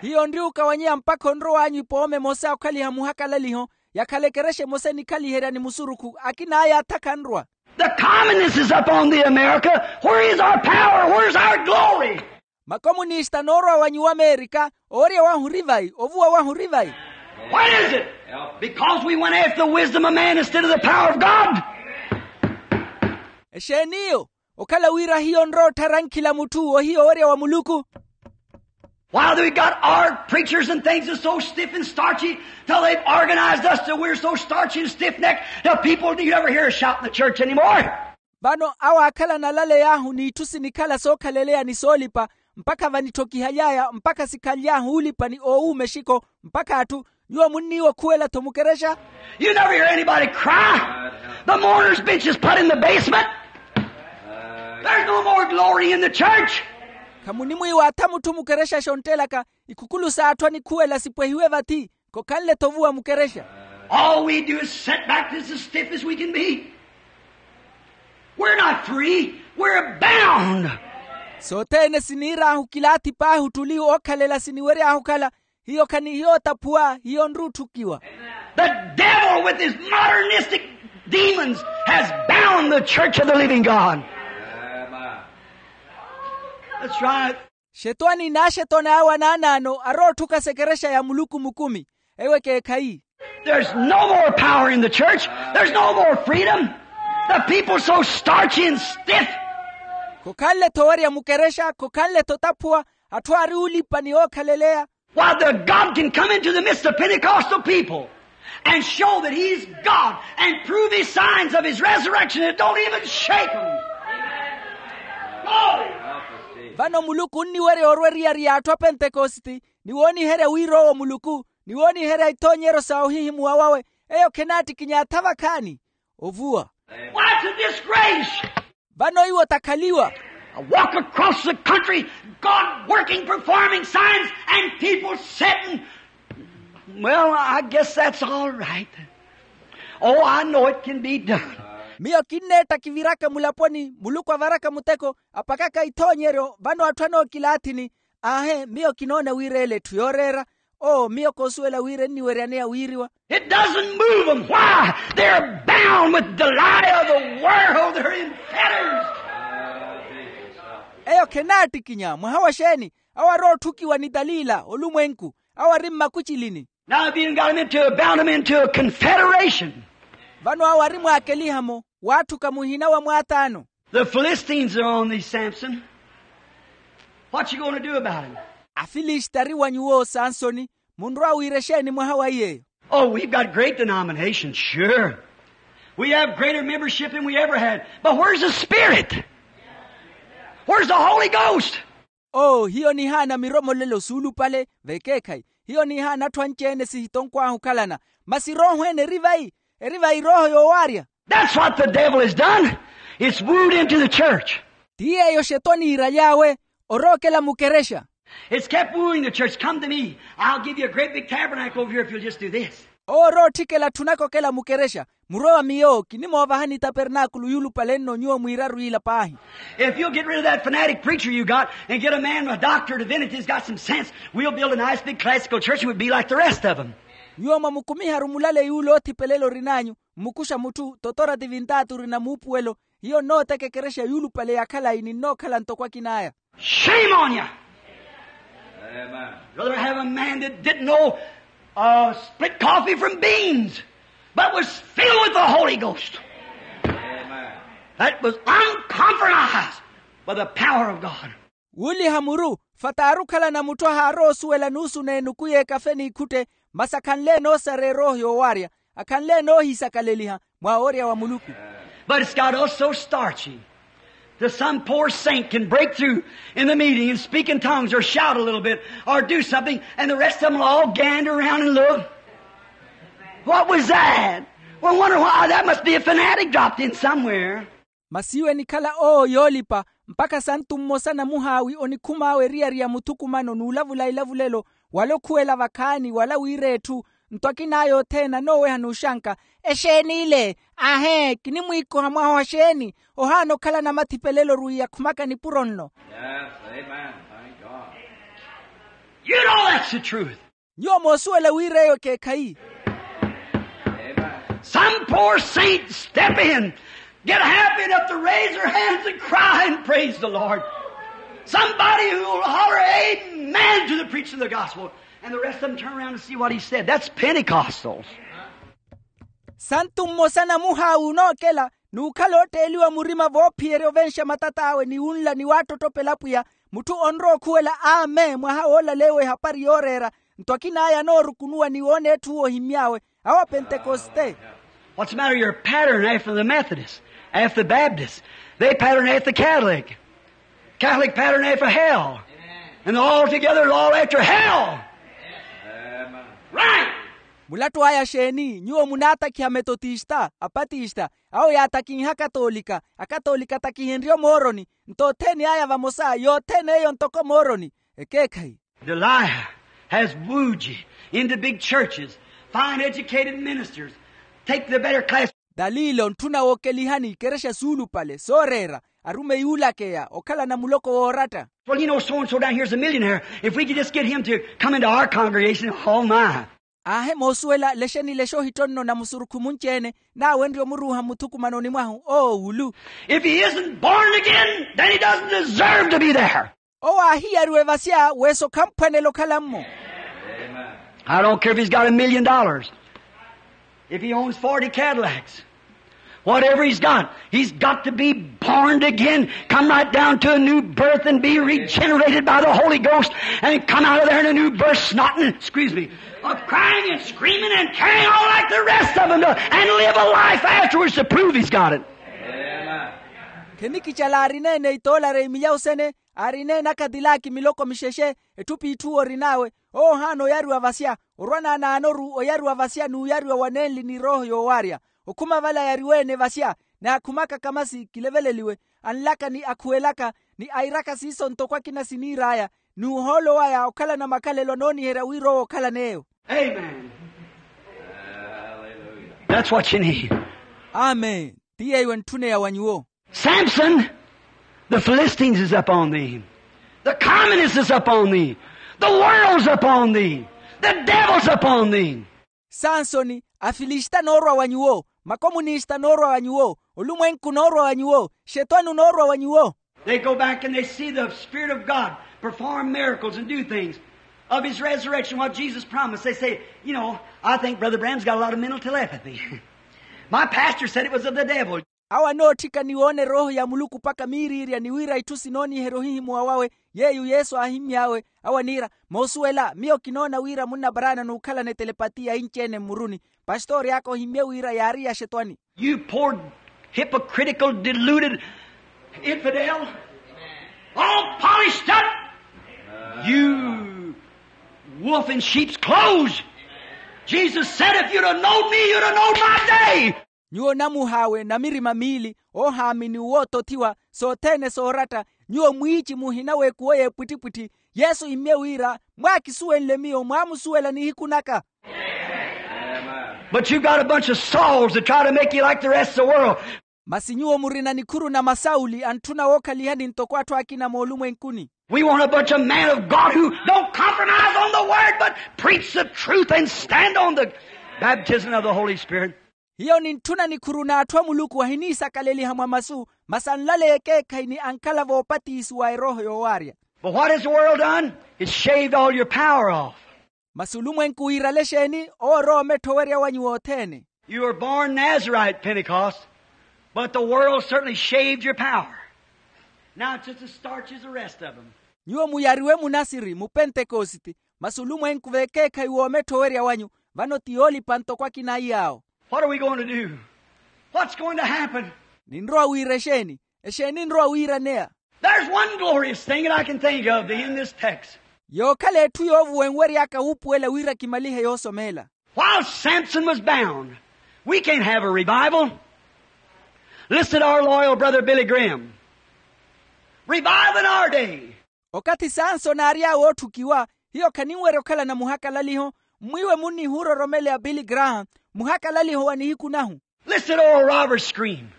Hiyo nri okawanyeya mpakha onrowanyu ipooma emosa okhaliha muhakalaliho, yakhala ekerexa emosa enikhaliherya ni musurukhu, akin'aya atha khanrwa. The communists is up on the America. Where is our power? Where's our glory? Makomunista anoorwa wa nyuwo amerika, owerya wahu ori vayi? Ovuwa wahu ori vayi? What is it? Because we went after the wisdom of man instead of the power of God. Exeeni iyo? Okhala wira hiyo nrootthara nkhila mutthu ohiya owerya wa muluku. Why, we've got our preachers and things is so stiff and starchy till they've organized us till we're so starchy and stiff-necked that people, you never hear a shout in the church anymore. Vano awo aakhalana alaley'ahu n'itthu sinikhala sookhaleleya ni soolipa, mpakha vanithokihaly'aya mpakha sikhanly'ahu oolipa ni oowuuma exiko, mpakha atthu, nyuwo munniiwa okhuwela-tho mukerexa. You never hear anybody cry. The mourner's bench is put in the basement. There's no more glory in the church. Khamunimwiiwa atha mutthu mukerexa xontt'elaka, ikhukhulu s'atthu anikhuwela sipwehiwe vathi, khokhanle-tho ovuwa mukerexa. All we do is sit back as stiff as we can be. We're not free. We're bound. Sothene siniir'ahu kilaathi paahi ottuli ookhalela siniwery'ahu okhala. Hiyo khanihiyo otaphuwa, hiyo nrutthukiwa. The devil with his modernistic demons has bound the church of the living God. That's right. Xetwani n'axetwani awe anaanaano arootthuka sekerexa ya muluku mukumi. Eyo ekeekhayi. There's no more power in the church. There's no more freedom. The people so starchy and stiff. Khokhanle-tho owerya mukerexa, khokhanle-tho otaphuwa. Atthu aari oolipa ni ookhaleleya. Why, the God can come into the midst of Pentecostal people and show that he's God and prove his signs of his resurrection. It don't even shake them. Glory. Vano muluku onniwerya orwa eriyari y'atthu a pentekositi, ni wooniherya wira owo muluku, ni wooniherya ithoonyeryo sa ohihimuwa wawe. Eyo khenaattikinya atha vakhaani. Ovuwa. Why, it's a disgrace. Vano iwo takhaliwa. I walk across the country, God working, performing signs, and people sitting. Well, I guess that's all right. Oh, I know it can be done. Miyo kinneetta kiviraka mulaponi, muluku avaraka muteko, apakaka ithoonyeryo. Vano atthu anookilaathini. Aahe, miyo kinoona wira ele etthu yooreera. Oo, miyo koosuwela wira enniweryaneya wiiriwa. It doesn't move them. Why? They're bound with Delilah of the world. They're in fetters. Eyo khenaattikinya. Mwaha wa xeeni? Awo arootthukiwa ni dalila olumwenku. Awo ari mmakucilini. Now they've even got them into, bound them into a confederation. Vano awo ari mwaakeliha-mo, waatthuka muhina wa mwaataano. The Philistines are on thee, Samson. What you gonna do about it? Afilista ari wa nyuwo sansoni, munrowa wiira exeeni mwaha wa iyeeyo? Oh, we've got great denominations, sure. We have greater membership than we ever had. But where's the Spirit? Where's the Holy Ghost? Oo hiyo nihaana miromolelo suulupale vekeekhayi. Hiyo nihaana atthu anci-ene sihitonkwahu okhalana. Masi erooho ene eri vayi? Eri vayi erooho yoowaarya. That's what the devil has done. It's wooed into the church. Ti yeeyo xetwani iiraly'awe, orookela mukerexa. It's kept wooing the church. Come to me. I'll give you a great big tabernacle over here if you'll just do this. Owo orootthikela atthu onakokela mukerexa. Murowa miyo kinimoovahani tapernaakulu yuulupale nno nyuwo mwiiraru ila paahi. If you'll get rid of that fanatic preacher you got and get a man, a doctor of divinity who's got some sense, we'll build a nice big classical church and we'll be like the rest of them. Nyuwo mwamukumiharu mulale yuula oothipelela orin'anyu, mmukuxa mutthu totora tivintaati orina muupuwelo. Hiyo nnooteka ekerexa yuulupale ya khalayi ninnookhala ntoko akin'aya. Shame on you. Rather have a man that didn't know, uh, split coffee from beans, but was filled with the Holy Ghost. That was uncompromised by the power of God. Wuuliha muru, fataaru okhalana mutthu ahaarowa osuwela nuusu n'enuku y'ekafe n'ikhutte, masi akhanle-ene osareya erooho yoowaarya, akhanle-ene oohisakaleliha mwa woorya wa muluku. But it's got us so starchy that some poor saint can break through in the meeting and speak in tongues or shout a little bit or do something, and the rest of them will all gander around and look. What was that? Well, wonder why. That must be a fanatic dropped in somewhere. Masi iwe enikhala owo yoolipa, mpakha santu mmosa namuhaawi onikhum'awe eriyari ya muthukumano n'ulavula ilavulelo, wala okhuwela vakhaani wala wiira etthu. Nto akin'aya othene anooweha n'uxanka, exeeni ile? Aahee, kinimwiikoha mwaha oxeeni? Ohaana okhala namathipelelo orwiiya akhumaka nipuro nno. You know that's the truth. Nyuwo moosuwela wira eyo ekeekhayi. Some poor saint step in, get happy enough to raise their hands and cry and praise the Lord. Somebody who will holler amen to the preaching of the gospel. And the rest of them turn around and see what he said. That's Pentecostals. Santu mmosa namuhaawi unookela n'ukhala ootteeliwa murima voophiyerya ovenxa matat'awe ni wunla ni waattottopela apwiya. Mutthu onrowa okhuwela amen mwaha woolaleewa ehapari yooreera. Nto akin'aya anoorukunuwa ni woona etthu ohimmy'awe, awo apentekoste. What's the matter? You're a pattern after the Methodists, after the Baptists. They pattern after the Catholic. Catholic pattern after hell. And all together they're all after hell. Right. Mulattu aya xeeni? Nyuwo munaatakhiha metotista, apatista, awo yaatakinha akatoolika. Akatoolika atakihenrye omooroni. Nto othene aya vamosa yothene eyo ntoko mooroni. Ekeekhayi. Delilah has wooed you into big churches, fine educated ministers, take the better class. Dalila ontthuna wookelihani ikerexa suulupale sooreera, arumeyi oolakeya okhalana muloko wooratta. Well, you know, so and so down here's a millionaire. If we could just get him to come into our congregation, oh my. Aahe moosuwela lexeni lexa ohitto nno na musurukhu munci-ene, naawenrye omuruuha mmuthukumanoni mwahu oowulu. If he isn't born again, then he doesn't deserve to be there. Owo aahiyariwe vasya weso khamphwanela okhala-mmo. I don't care if he's got a million dollars, if he owns forty Cadillacs, whatever he's got, he's got to be born again, come right down to a new birth and be regenerated by the Holy Ghost and come out of there in a new birth, snotting, excuse me, of crying and screaming and carrying on like the rest of them do, and live a life afterwards to prove he's got it. Khenikicala aarineene itoolare imiyawu sene, aarineene akadilaki miloko mixexe, etthu p'itthu orin'awe. Owo ohaana oyariwa vasya, orwa naanaanoru oyariwa vasya n'uyariwa wa nenli ni erooho yoowaarya. Okhuma vale ayariwe-ene vasya, ni akhumaka kamasi kileveleliwe, anlaka ni akhuwelaka, ni airaka siiso ntoko akina siniir'aya, n'uhoolo waya okhalana makhalelo anooniherya wira owo okhalan'eyo. Amen. That's what you need. Amen. Ti yeeyo entthuneya wa nyuwo. Samson, the Philistines is upon thee. The communists is upon thee. The world's upon thee. The devil's upon thee. Sansoni, afilista anoorwa wa nyuwo, makomunista anoorwa wa nyuwo, olumwenku onoorwa wa nyuwo, xetwani onoorwa wa nyuwo. They go back and they see the Spirit of God perform miracles and do things of his resurrection, what Jesus promised. They say, you know, I think Brother Branham's got a lot of mental telepathy. My pastor said it was of the devil. Awo anootthika ni woona erooho ya muluku mpakha miiriirya ni wira itthu sinooniherya ohihimuwa wawe. Yeeyo yesu aahimmy'awe, awo aniira, moosuwela miyo kinoona wira munnaparaana n'ukhalana etelepati ya inci-ene mmuruni. Pastori aka ohimmye wira yaari ya xetwani. You poor, hypocritical, deluded infidel, all polished up, you wolf in sheep's clothes. Jesus said, if you'd have known me, you'd have known my day. Nyuwo namuhaawe na mirima miili, oohaamini wootothiwa, sothene sooratta, nyuwo mwiici muhina w'ekuwo y'epwittipwitthi. Yesu immye wira, mwaakisuwenle miyo mwaamusuwela nihiku naka. But you got a bunch of Sauls that try to make you like the rest of the world. Masi nyuwo murina nikhuru na masawuli antthuna wookhalihani ntoko atthu akina moolumwenkuni. We want a bunch of men of God who don't compromise on the word but preach the truth and stand on the baptism of the Holy Spirit. Hiyo nintthuna nikhuru na atthu a muluku ahiniisakaleliha mwa masu, masi anlaleya ekeekhayi ni ankhala voopatisiwa erooho yoowaarya. But what has the world done? It shaved all your power off. Masi olumwenku wiirale exeeni? Owo orowa omettha owerya wanyu wothene. You were born Nazarite Pentecost, but the world certainly shaved your power. Now it's just as starchy as the rest of them. Nyuwo muyariwe munasiri mupentekositi, masi olumwenku v'ekeekhayi w'omettha owerya wanyu, vano ti yoolipa ntoko akina a iy'awo. What are we going to do? What's going to happen? Ninrowa wiira exeeni? Exeeni enrowa wiiraneya? There's one glorious thing that I can think of in this text. Yookhala etthu yoovuwenwery'aka wuupuwela wira kimalihe yoosomeela. While Samson was bound, we can't have a revival. Listen to our loyal brother Billy Graham. Revival in our day. Okathi sansoni aarya wootthukiwa, hiyo khaninwerya okhalana muhakalaliho. Mmwiiwe munnihuura oromeleya billy graham, muhakalaliho wa nihiku nahu. Listen to old Robert Scream.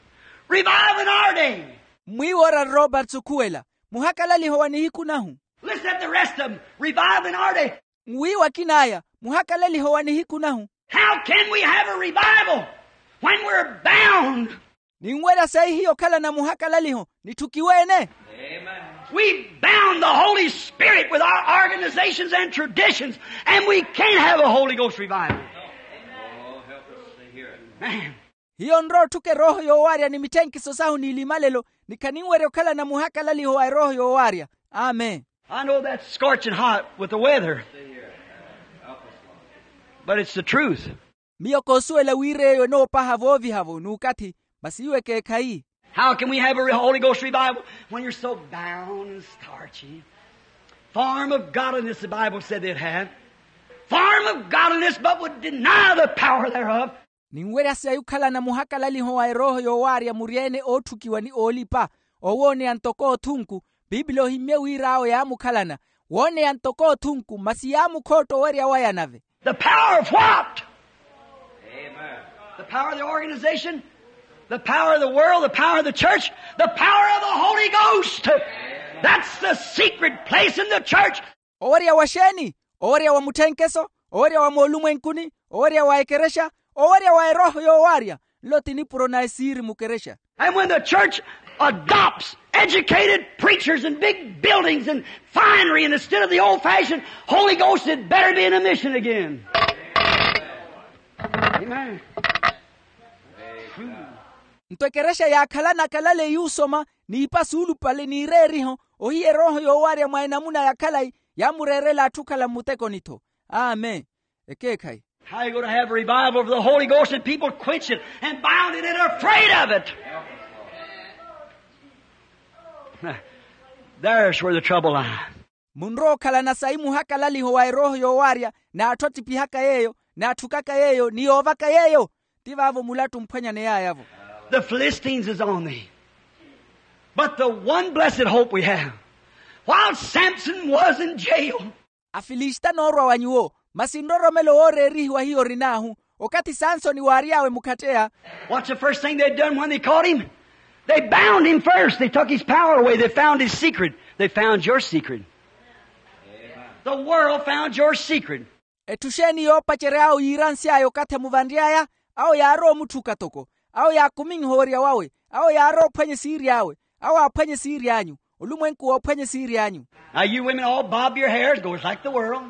Revival in our day. Mmwiiwe ora roberts okhuwela, muhakalaliho wa nihiku nahu. Listen at the rest of them. Revival in our day. Mmwiiwe akin'aya, muhakalaliho wa nihiku nahu. How can we have a revival when we're bound? Ninwerya sayi hiyo okhalana muhakalaliho nitthukiwe-ene? We bound the Holy Spirit with our organizations and traditions, and we can't have a Holy Ghost revival. Man. Hiyo nrotthuka erooho yoowaarya ni mitthenkiso sahu n'ilimalelo, ni khaninwerya okhalana muhakalaliho wa erooho yoowaarya. Amen. I know that's scorching hot with the weather, but it's the truth. Miyo koosuwela wira eyo enoopaha vooviha-vo n'ukathi, masi iwo ekeekhayi. How can we have a re- Holy Ghost revival when you're so bound and starchy? Form of godliness, the Bible said they'd have. Form of godliness, but would deny the power thereof. Ninwerya sayi okhalana muhakalaliho wa erooho yoowaarya muri-ene ootthukiwa ni oolipa, owooneya ntoko othunku. Pipili ohimmye wira awo yaamukhalana, wooneya ntoko othunku masi yaamukhootta owerya waya nave. The power of what? The power of the organization, the power of the world, the power of the church, the power of the Holy Ghost. That's the secret place in the church. Owerya wa xeeni? Owerya wa mutthenkeso, owerya wa moolumwenkuni, owerya wa ekerexa, owerya wa erooho yoowaarya. Nlo ti nipuro na esiiri mukerexa. And when the church adopts educated preachers and big buildings and finery, and instead of the old fashioned Holy Ghost, it better be in a mission again. Amen. Nto ekerexa yaakhalana akalale yuusoma, n'ipa suulupale n'ireeriho, ohiya erooho yoowaarya mwa enamuna ya khalayi, yaamureerela atthu okhala mmutekoni-tho. Amen. Ekeekhayi. How you going to have a revival of the Holy Ghost and people quench it and bound it and are afraid of it? There's where the trouble lies. Munrowa okhalana sayi muhakalaliho wa erooho yoowaarya, n'atthu attiphihaka yeeyo, n'atthukaka yeeyo ni yoovaka yeeyo. Ti vaavo mulattu omphwanyane yaaya-vo. The Philistines is on thee. But the one blessed hope we have, while Samson was in jail, afilisita noorwa wa nyuwo, masi nroromelo wooreerihiwa hiyo orin'ahu. Okathi sansoni waary'awe mukhatteya. What's the first thing they done when they caught him? They bound him first. They took his power away. They found his secret. They found your secret. The world found your secret. Etthu xeeni yoopacery'awe yiiransy'aya okathi emuvanry'aya? Awo yaarowa omutthuka toko. Awo yaakuminha owerya wawe. Awo yaarowa ophwanya esiiri awe. Awo aaphwanya esiiri anyu. Olumwenku woophwanya esiiri anyu. Now you women all bob your hair and go like the world.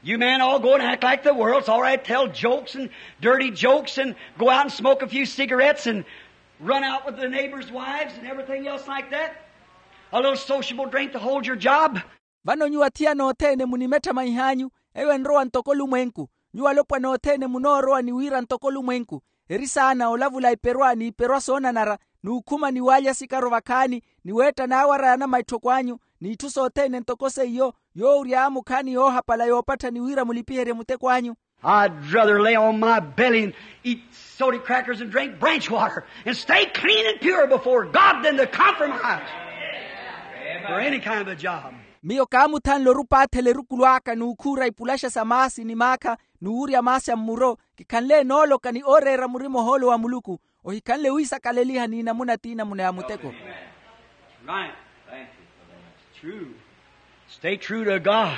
You men all go and act like the world. It's all right, tell jokes and dirty jokes and go out and smoke a few cigarettes and Run out with the neighbors' wives and everything else like that. A little sociable drink to hold your job. Vano nyuwo athiyana othene munimetthamanyih'anyu, eyo enrowa ntoko olumwenku. Nyuwo alopwana othene munoorowa ni wira ntoko olumwenku. Eri saana olavula iperwa n'iperwa soonanara, n'ukhuma ni waalya sikaro vakhaani, ni weetta naawara ya namaitthoko anyu, n'itthu sothene ntoko seiyo, yoowurya aamukhaani yoohapala yoopattha ni wira mulipiherye muteko anyu. I'd rather lay on my belly and eat sody crackers and drink branch water and stay clean and pure before God than to compromise for any kind of a job. Miyo kaamuthanle orupaathela erukulu aka n'ukhuura ipulaxa sa maasi ni maakha n'uwurya maasi a mmuro. Kikhanle nooloka ni ooreera murima ohoolo wa muluku. Ohikhanle wiisakaleliha n'inamuna t'inamuna ya muteko. Right. True. Stay true to God.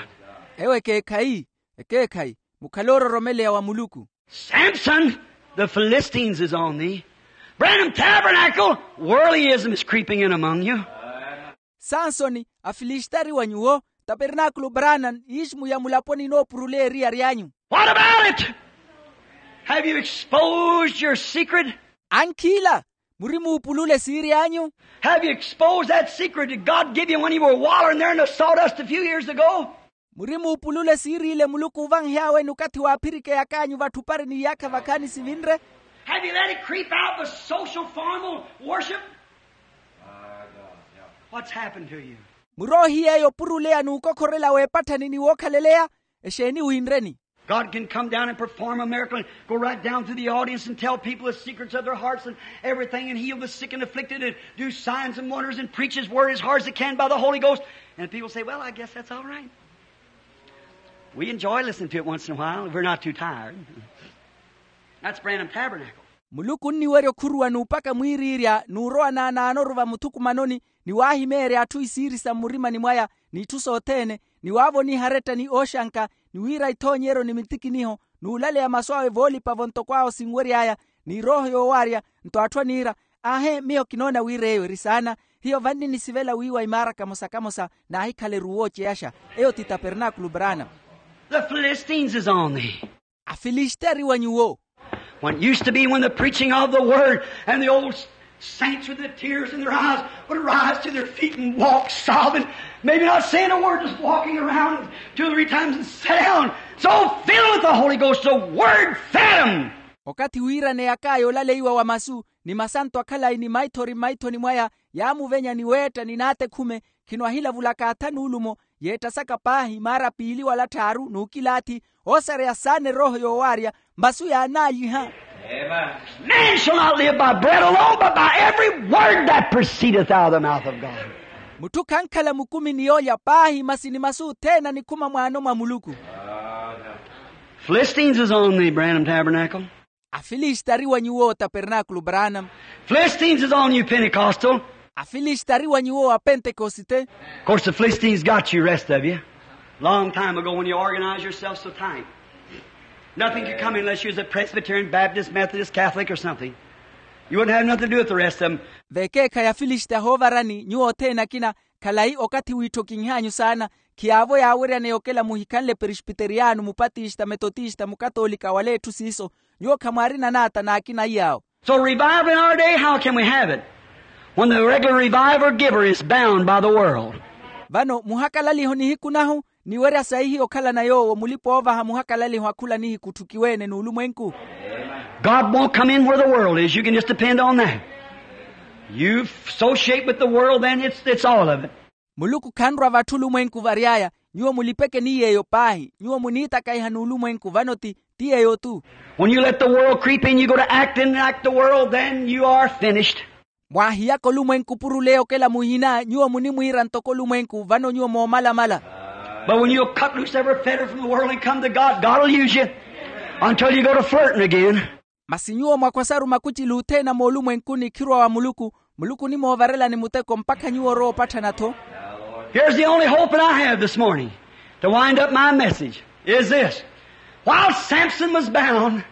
Ewo ekeekhayi. Ekeekhayi, mukhale oororomeleya wa muluku. Samson, the Philistines is on thee. Branham Tabernacle, worldlyism is creeping in among you. Sansoni, afilisitari wa nyuwo. Tapernaakulu branham, iximu ya mulaponi inoopuruleya eriyari anyu. What about it? Have you exposed your secret? Ankhila, muri muupulule siiri anyu? Have you exposed that secret that God gave you when you were wallowing there in the sawdust a few years ago? Muri muupulule siiri ile muluku oovahihawe n'ukathi waaphirikeyak'anyu vatthu pari n'iyaakha vakhaani sivinre? Have you let it creep out the social formal worship? What's happened to you? Muri ohiyeeya opuruleya n'ukokhorela w'epatthani ni wookhaleleya? Exeeni wiinreni? God can come down and perform a miracle and go right down through the audience and tell people the secrets of their hearts and everything and heal the sick and afflicted and do signs and wonders and preach his word as hard as he can by the Holy Ghost. And people say, well, I guess that's all right. We enjoy listening to it once in a while if we're not too tired. That's Branham Tabernacle. Muluku onniwerya okhuruwa n'upaka mwiiriirya n'urowa naanaanoru vamuthukumanoni, ni waahimeerya atthu isiiri sa mmurimani mwaya, n'itthu sothene, ni waavoniha aretta ni ooxanka, ni wiira ithoonyeryo ni mitikiniho, n'ulaleya masu awe voolipa-vo ntoko awo sinwery'aya, ni erooho yoowaarya. Nto atthu aniira, aahe, miyo kinoona wira eyo eri saana. Hiyo vanni nisivela wiiwa imaara kamosa-kamosa, naahikhala eruwo oceyaxa. Eyo ti tapernaakulu branham. The Philistines is on thee. Afilisitari wa nyuwo. When it used to be, when the preaching of the word and the old saints with the tears in their eyes would rise to their feet and walk sobbing, maybe not saying a word, just walking around two or three times and sit down, so filled with the Holy Ghost, the word fed 'em. Okathi wiiraneyak'aya olaleiwa wa masu, ni masanto akhalayi ni maithori mmaithoni mwaya, yaamuvenya ni weetta ni naatekhume, khino ahilavulaka atha n'ulumo, yeettasaka paahi maara piili wala tthaaru n'ukilaathi, oosareya saana erooho yoowaarya, masu yaanaalyiha. Man shall not live by bread alone, but by every word that proceedeth out of the mouth of God. Mutthu khankhala mukumi ni yoolya paahi, masi ni masu othene anikhuma mwaano mwa muluku. Philistines is on the Branham Tabernacle. Afilisitari wa nyuwo tapernaakulu branham. Philistines is on you, Pentecostal. Afilisitari wa nyuwo apentekosite. Of course, the Philistines got you, rest of you. Long time ago when you organized yourself so tight. Nothing could come in unless you was a Presbyterian, Baptist, Methodist, Catholic or something. You wouldn't have nothing to do with the rest of 'em. Vekeekhayi afilisita hoovarani nyuwo othene akina. Khalayi okathi wiitthokinh'anyu saana. Khiyaavo yaaweryaneya okela muhikhanle perespiteriyano, mupatista, metotista, mukatolika wala etthu siiso. Nyuwo khamwaarina naata n'akina iyaawo. So revival in our day, how can we have it when the regular revival giver is bound by the world? Vano muhakalaliho nihiku nahu, niwerya saihi okhalana yoowo mulipa-oovaha muhakalaliho akhula nihiku otthukiwe-ene n'ulumwenku. God won't come in where the world is. You can just depend on that. You associate with the world, then it's, it's all of it. Muluku khanrwa vatthu olumwenku vary'aya. Nyuwo mulipeke ni yeeyo paahi. Nyuwo muniitakaiha n'ulumwenku, vano ti, ti yeeyo-tu. When you let the world creep in, you go to acting like the world, then you are finished. Mwaahiyaka olumwenku opuruleya okela muhina, nyuwo munimwiira ntoko olumwenku, vano nyuwo moomalamala. But when you cut loose every fetter from the world and come to God, God will use you until you go to flirting again. Masi nyuwo mwakhwasaru makucili othene a moolumwenkuni khirwa wa muluku. Muluku onimoovarelani muteko mpakha nyuwo orowa opatthana-tho. Here's the only hope that I have this morning to wind up my message is this. While Samson was bound,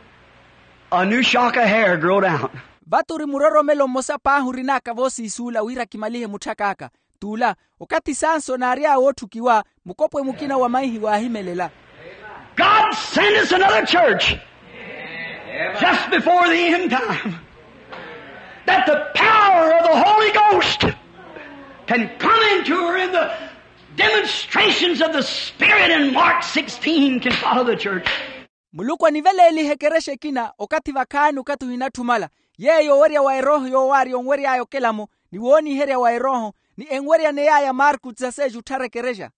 a new shock of hair growed out. Vatu ori muroromelo mmosa paahi orin'aka voosiisuula wira kimalihe mutthak'aka. T'ula, okathi sansoni aary'awe ootthukiwa, mukopwe mukina wa maihi waahimelela. God send us another church just before the end time. That the power of the Holy Ghost can come into her, and the demonstrations of the Spirit in Mark sixteen can follow the church. Muluku aniveleelihe ekerexa ekina okathi vakhaani okathi ohinatthumala, yeeyo owerya wa erooho yoowaari onwery'aya okelamo, ni wooniherya wa erooho, ni enweryaney'aya marku tisaseexi otthara ekerexa.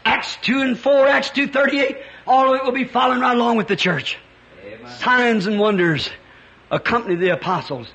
Acts two and four, Acts two thirty-eight, all of it will be following right along with the church. Signs and wonders accompany the apostles.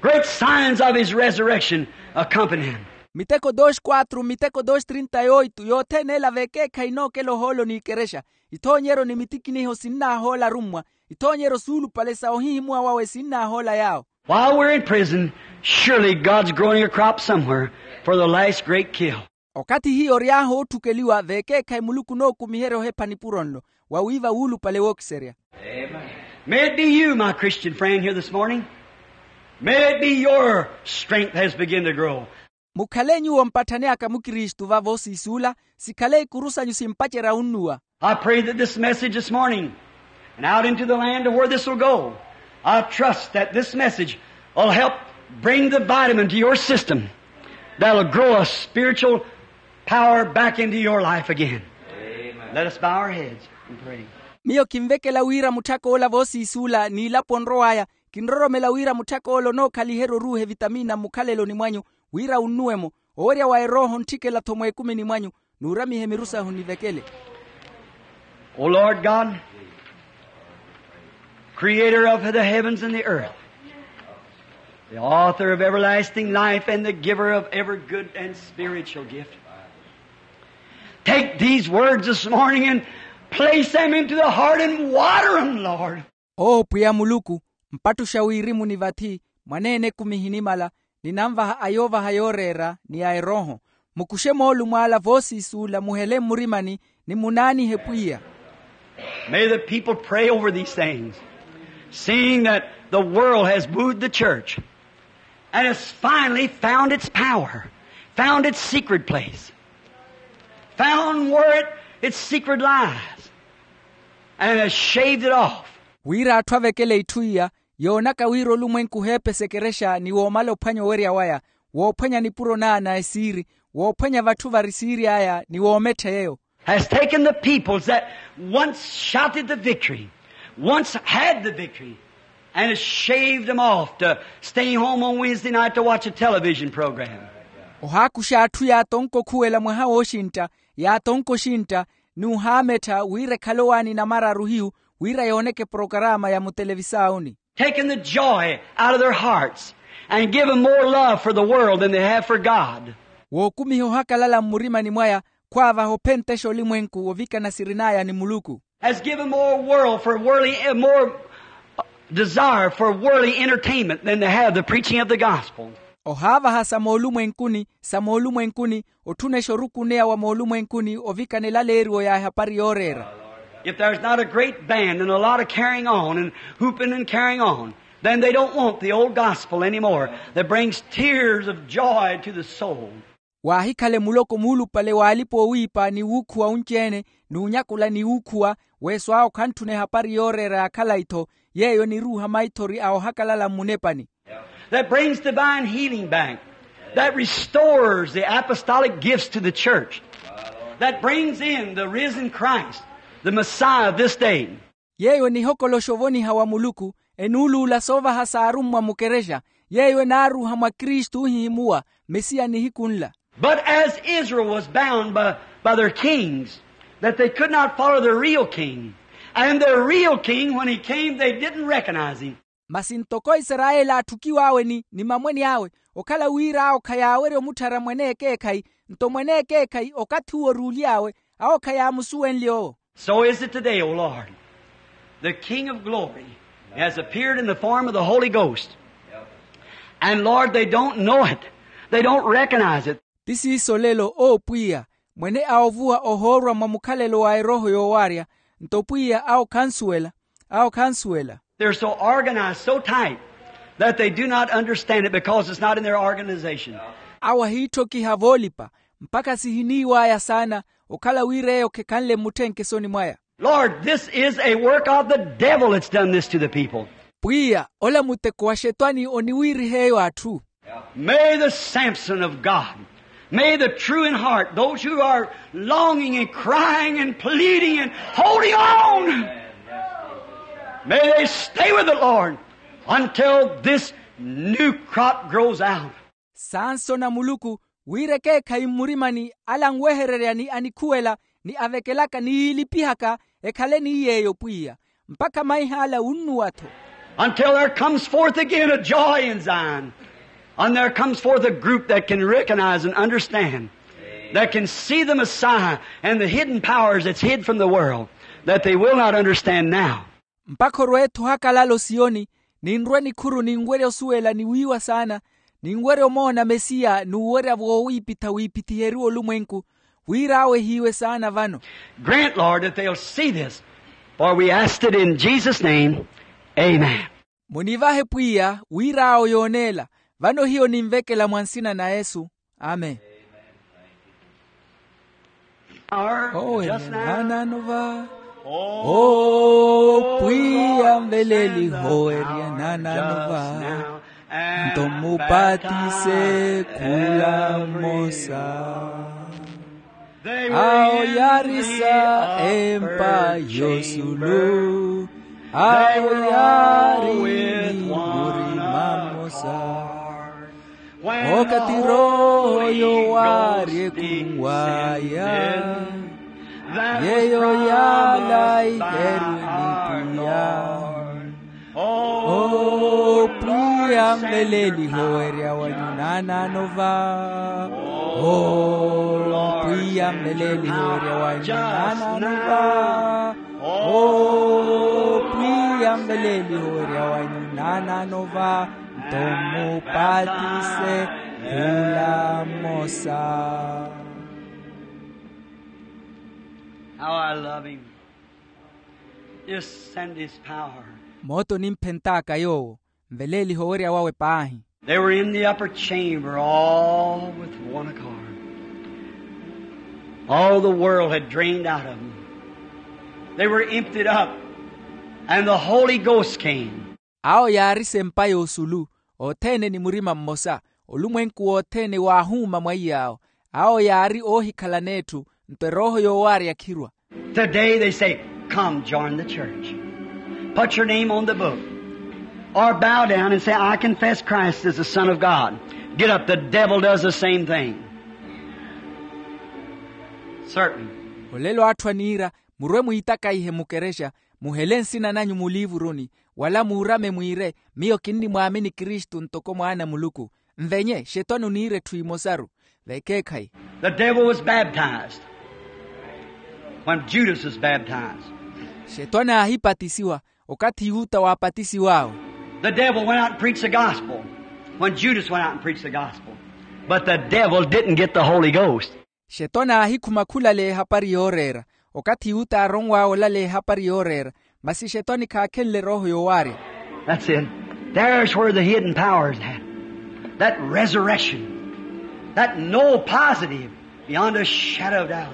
Great signs of his resurrection accompany him. Miteko dos quatro, miteko dos trinta y oito, yothene ela vekeekhayi inookela ohoolo n'ikerexa, ithoonyeryo ni mitikiniho sinnaahoola arummwa, ithoonyeryo suulupale sa ohihimuwa wawe sinnaahoola yaawo. While we're in prison, surely God's growing a crop somewhere for the last great kill. Okathi hiyo ory'ahu ootthukeliwa vekeekhayi muluku onookumiherya ohepha nipuro nlo, wawiiva wuulupale wookiserya. May it be you, my Christian friend, here this morning. May it be your strength has begun to grow. Mukhale nyuwo mpatthani aka mukristu vavo siisuula, sikhale ikuru sanyu simpacerya unnuwa. I pray that this message this morning and out into the land to where this will go, I trust that this message will help bring the vitamin to your system that'll grow a spiritual power back into your life again. Let us bow our heads and pray. Miyo kinvekela wira mutthak'ola voosiisuula n'ilapo onrow'aya, kinroromela wira mutthak'ola onookhaliherya oruuha evitamina mmukhaleloni mwanyu, wira unnuwe-mo owerya wa erooho ontthikela-tho mweekumini mwanyu, n'uramihe miru sahu nivekele. O Lord God, creator of the heavens and the earth, the author of everlasting life and the giver of every good and spiritual gift, take these words this morning and place them into the heart and water them, Lord. Owo pwiya muluku, mpattuxa wirimu ni vathi, mwaneene ekumi ehinimala, ninanvaha ayoovaha yooreera ni a erooho. Mukuxe moolumo ala voosiisuula muhele mmurimani, ni munaanihe pwiya. May the people pray over these things, seeing that the world has wooed the church and has finally found its power, found its secret place, found where it, its secret lies, and has shaved it off. Wira atthu avekele itthu iya, yoonaka wira olumwenku oheepesa ekerexa ni woomala ophwanya owerya waya, woophwanya nipuro naana esiiri, woophwanya vatthu vari siiri aya ni woomettha yeeyo. Has taken the peoples that once shouted the victory, once had the victory, and has shaved them off to stay home on Wednesday night to watch a television program. Ohaakuxa atthu yaatonka okhuwela mwaha wooxintta, yaatonka oxintta, n'uhaamettha wira ekhale owaani namararu hiyu, wira yooneke porokaraama ya mutelevisaawuni. Taken the joy out of their hearts and given more love for the world than they have for God. Wookumiha ohakalala mmurimani mwaya, khwaavaha ophenttexa olimwenku ovikana sirin'aya ni muluku. Has given more world for worldly, more desire for worldly entertainment than they have the preaching of the gospel. Ohaavaha sa moolumwenkuni, sa moolumwenkuni, otthunexa orukuneya wa moolumwenkuni ovikana elaleeriwo ya ehapari yooreera. If there's not a great band and a lot of carrying on and hooping and carrying on, then they don't want the old gospel anymore that brings tears of joy to the soul. Waahikhale muloko muulupale w'alipa-oowiipa ni wuukhuwa unci-ene, n'unyakula ni wuukhuwa, weeso awo khantthuna ehapari yooreera ya khalayi-tho, yeeyo eniruuha maithori a ohakalala mmunepani. That brings divine healing back, that restores the apostolic gifts to the church, that brings in the risen Christ, the Messiah of this day. Yeeyo enihokoloxa ovoniha wa muluku, enuuluula soovaha s'arummwa mukerexa, yeeyo enaaruuha mwa kristu ohihimuwa, mesiya nihiku nla. But as Israel was bound by, by their kings, that they could not follow the real king, and the real king, when he came, they didn't recognize him. Masi ntoko isarayeli aatthukiw'awe ni, ni mamweni awe, okhala wira awo khayaawerya omutthara mwene ekeekhayi, nto mwene ekeekhayi okathi uwo oruuly'awe, awo khayaamusuwenlye owo. So is it today, O Lord. The King of glory has appeared in the form of the Holy Ghost. And Lord, they don't know it. They don't recognize it. Ti siiso lelo, o pwiya, mwene a ovuwa ohoorwa mwa mukhalelo wa erooho yoowaarya, nto pwiya awo khansuwela, awo khansuwela. They're so organized, so tight, that they do not understand it because it's not in their organization. Awo ahiitthokiha voolipa, mpakha sihiniiw'aya saana, okhala wira eyo khekhanle mmutthenke esoni mwaya. Lord, this is a work of the devil that's done this to the people. Pwiya, ola muteko wa xetwani oniwiiriha eyo atthu. May the Samson of God, may the true in heart, those who are longing and crying and pleading and holding on, may they stay with the Lord until this new crop grows out. Sansoni a muluku, wira ekeekhayi mmurimani ala anwehererya ni anikhuwela ni avekelaka ni yiilipihaka, ekhale ni yeeyo pwiya, mpakha maih'ala wunnuwa-tho. Until there comes forth again a joy in Zion, and there comes forth a group that can recognize and understand, that can see the Messiah and the hidden powers that's hid from the world that they will not understand now. Mpakha orwe-tho ohakalala osiyoni, ninrwe nikhuru ninwerya osuwela ni wiiwa saana, ninwerya omoona mesiya n'uwerya voowiipitha wiipithiheriwe olumwenku, wira awehiwe saana vano. Grant, Lord, that they'll see this, for we asked it in Jesus' name. Amen. Munivahe pwiya wira awo yooneela. Vano hiyo ninvekela mwa nsina na yesu. Amen. Owerya naanano va. O pwiya nveleliho owerya naanano va. Nto mmupatise khula mmosa. Awo yaarisa empa y'osulu. Awo yaari ni murima mmosa. Okathi roho yowaari ekhunw'aya, yeeyo yaala iherwe ni pwiya. O pwiya nveleliho owerya wanyu naanano va. O pwiya nveleliho owerya wanyu naanano va. O pwiya nveleliho owerya wanyu naanano va. Nto mmupatise khula mmosa. How I love him. Just send his power. Moota onimphent'aka yoowo, nveleelihe owerya wawe paahi. They were in the upper chamber, all with one accord. All the world had drained out of them. They were emptied up, and the Holy Ghost came. Awo yaari sempa y'osulu, othene ni murima mmosa, olumwenku wothene waahuuma mwaiy'awo. Awo yaari oohikhalana etthu, nto erooho yoowaari yakhirwa. Today they say, "Come, join the church. Put your name on the book. Or bow down and say, 'I confess Christ is the Son of God.'" Get up, the devil does the same thing. Certainly. Olelo atthu aniira, murwe mwiitakaihe mukerexa, muhele nsina nanyu muliivuruni, wala muurame mwiire, miyo kinnimwaamini kristu ntoko mwaana a muluku. Nvenye xetwani oniira etthu emosaru. Vekeekhayi. The devil was baptized when Judas was baptized. Xetwani aahipatisiwa okathi yuta waapatisiw'awe. The devil went out and preached the gospel when Judas went out and preached the gospel. But the devil didn't get the Holy Ghost. Xetwani aahikhuma khulaleya ehapari yooreera. Okathi yuta aaronw'awe olaleya ehapari yooreera, masi xetwani khaakhenle erooho yoowaarya. That's it. There's where the hidden power is at. That resurrection. That no positive beyond a shadow of doubt.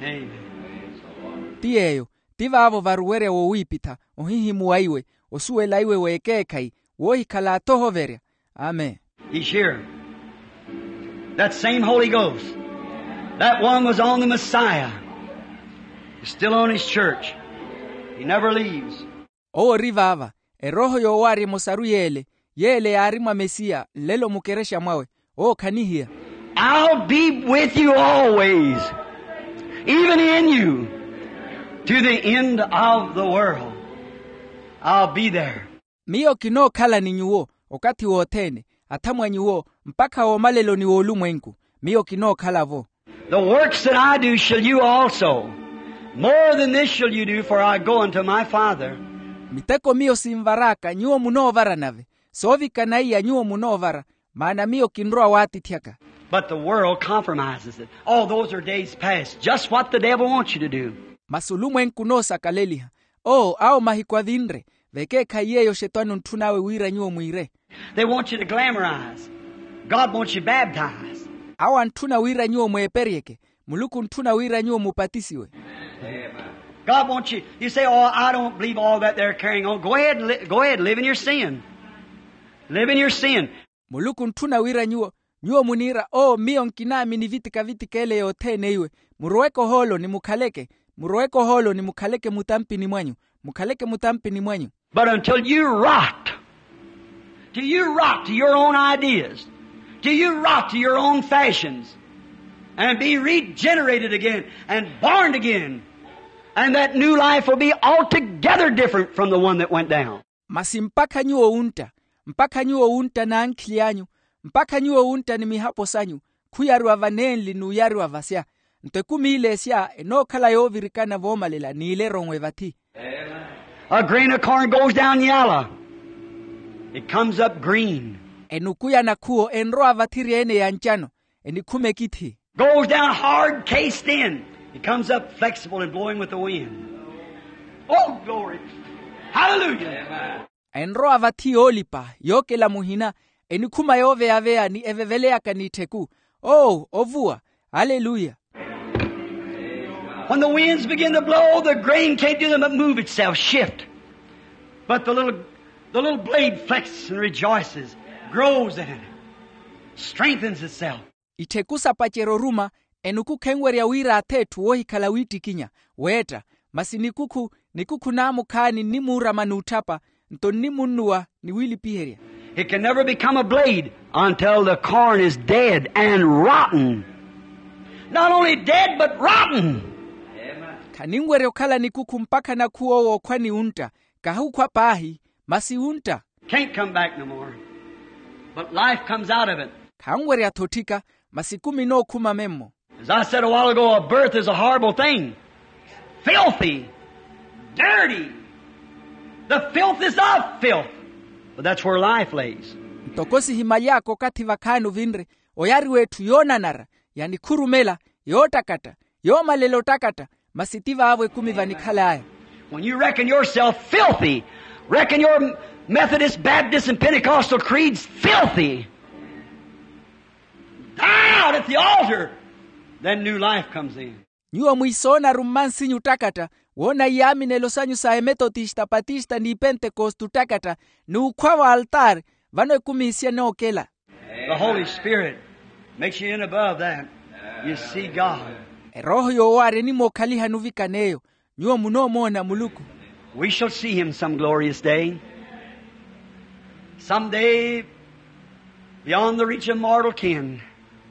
Amen. Ti yeeyo, ti vaavo varuwerya wowiipitha, ohihimuwa iwe, osuwela iwe w'ekeekhayi, woohikhala athohoverya. Amen. He's here. That same Holy Ghost, that one was on the Messiah, is still on his church. He never leaves. Owo ori vaava, erooho yoowaarya emosaru yeele, yeele yaari mwa mesiya nlelo mukerexa mwawe. Owo khanihiya. I'll be with you always, even in you, to the end of the world. I'll be there. Miyo kinookhala ni nyuwo okathi wothene, athamwa nyuwo, mpakha woomaleloni w'olumwenku. Miyo kinookhala-vo. The works that I do shall you also. More than this shall you do, for I go unto my Father. Miteko miyo sinvar'aka nyuwo munoovara nave, soovikana iya nyuwo munoovara, maana miyo kinrowa waatithyaka. But the world compromises it. Oh, those are days past. Just what the devil wants you to do. Masi olumwenku onoosakaleliha. Oo, awo mahiku avinre. Vekeekhayi yeeyo xetwani ontthun'awe wira nyuwo mwiire. They want you to glamorize. God wants you baptized. Awo antthuna wira nyuwo mweeperyeke. Muluku ontthuna wira nyuwo mupatisiwe. God wants you, you say, oh, I don't believe all that they're carrying on. Go ahead and li- go ahead, live in your sin. Live in your sin. Muluku ontthuna wira nyuwo, nyuwo muniira oo miyo nkinaamini vitika-vitika ele yothene iwe. Muroweke ohooloni mukhaleke. Muroweke ohooloni mukhaleke mutampini mwanyu. Mukhaleke mutampini mwanyu. But until you rot, till you rot to your own ideas, till you rot to your own fashions, and be regenerated again and born again, and that new life will be altogether different from the one that went down. Masi mpakha nyuwo wuntta, mpakha nyuwo wuntta n'ankhili anyu, mpakha nyuwo wuntta ni mihapo sanyu, khuyariwa vanenli n'uyariwa vasya. Nto ekumi ile esya enookhala yoovirikana voomalela n'ile eronwe vathi. A grain of corn goes down yalla. It comes up green. Enuku ya nakhuwo enrowa vathi ri ene ya ncano, enikhuma ekithi. Goes down hard, cased in. It comes up flexible and blowing with the wind. Oh, glory. Hallelujah. Enrowa vathi yoolipa yookela muhina, enikhuma yooveya-veya ni eveveleyaka n'ittheku. Oo ovuwa. Aleluya. When the winds begin to blow, the grain can't do nothing but move itself, shift. But the little, the little blade flexes and rejoices, grows in it, strengthens itself. Ittheku sapacerya oruma, enuku khenwerya wira athe etthu woohikhala wiittikinya, weetta. Masi nikukhu nikukhu naamukhaani nnimuurama n'utthapa, nto nnimunnuwa ni wiilipiherya. It can never become a blade until the corn is dead and rotten. Not only dead but rotten. Khaninwerya okhala nikukhu mpakha nakhuwo wookhwa ni wuntta. Kahi okhwa paahi, masi wuntta. Can't come back no more. But life comes out of it. Khanwerya-tho otthika, masi ekumi enookhuma memmo. As I said a while ago, a birth is a horrible thing. Filthy. Dirty. The filth is of filth. But that's where life lays. Ntoko sihimaly'aka okathi vakhaani ovinre, oyariwa etthu yoonanara, yanikhurumela, yoottakatta, yoomalela ottakatta, masi ti vaavo ekumi vanikhal'aya. When you reckon yourself filthy, reckon your Methodist, Baptist, and Pentecostal creeds filthy, die out at the altar, then new life comes in. Nyuwo mwiisoonaru mmansinyu ottakatta, woona iyaaminelo sanyu sa emetotista, patista, n'ipentekoste ottakatta, n'ukhwa v'altaari, vano ekumi isya enookela. The Holy Spirit makes you in above that. You see God. Erooho yoowaarya enimookhaliha nuvikana eyo. Nyuwo munoomoona muluku. We shall see him some glorious day. Some day, beyond the reach of mortal kin,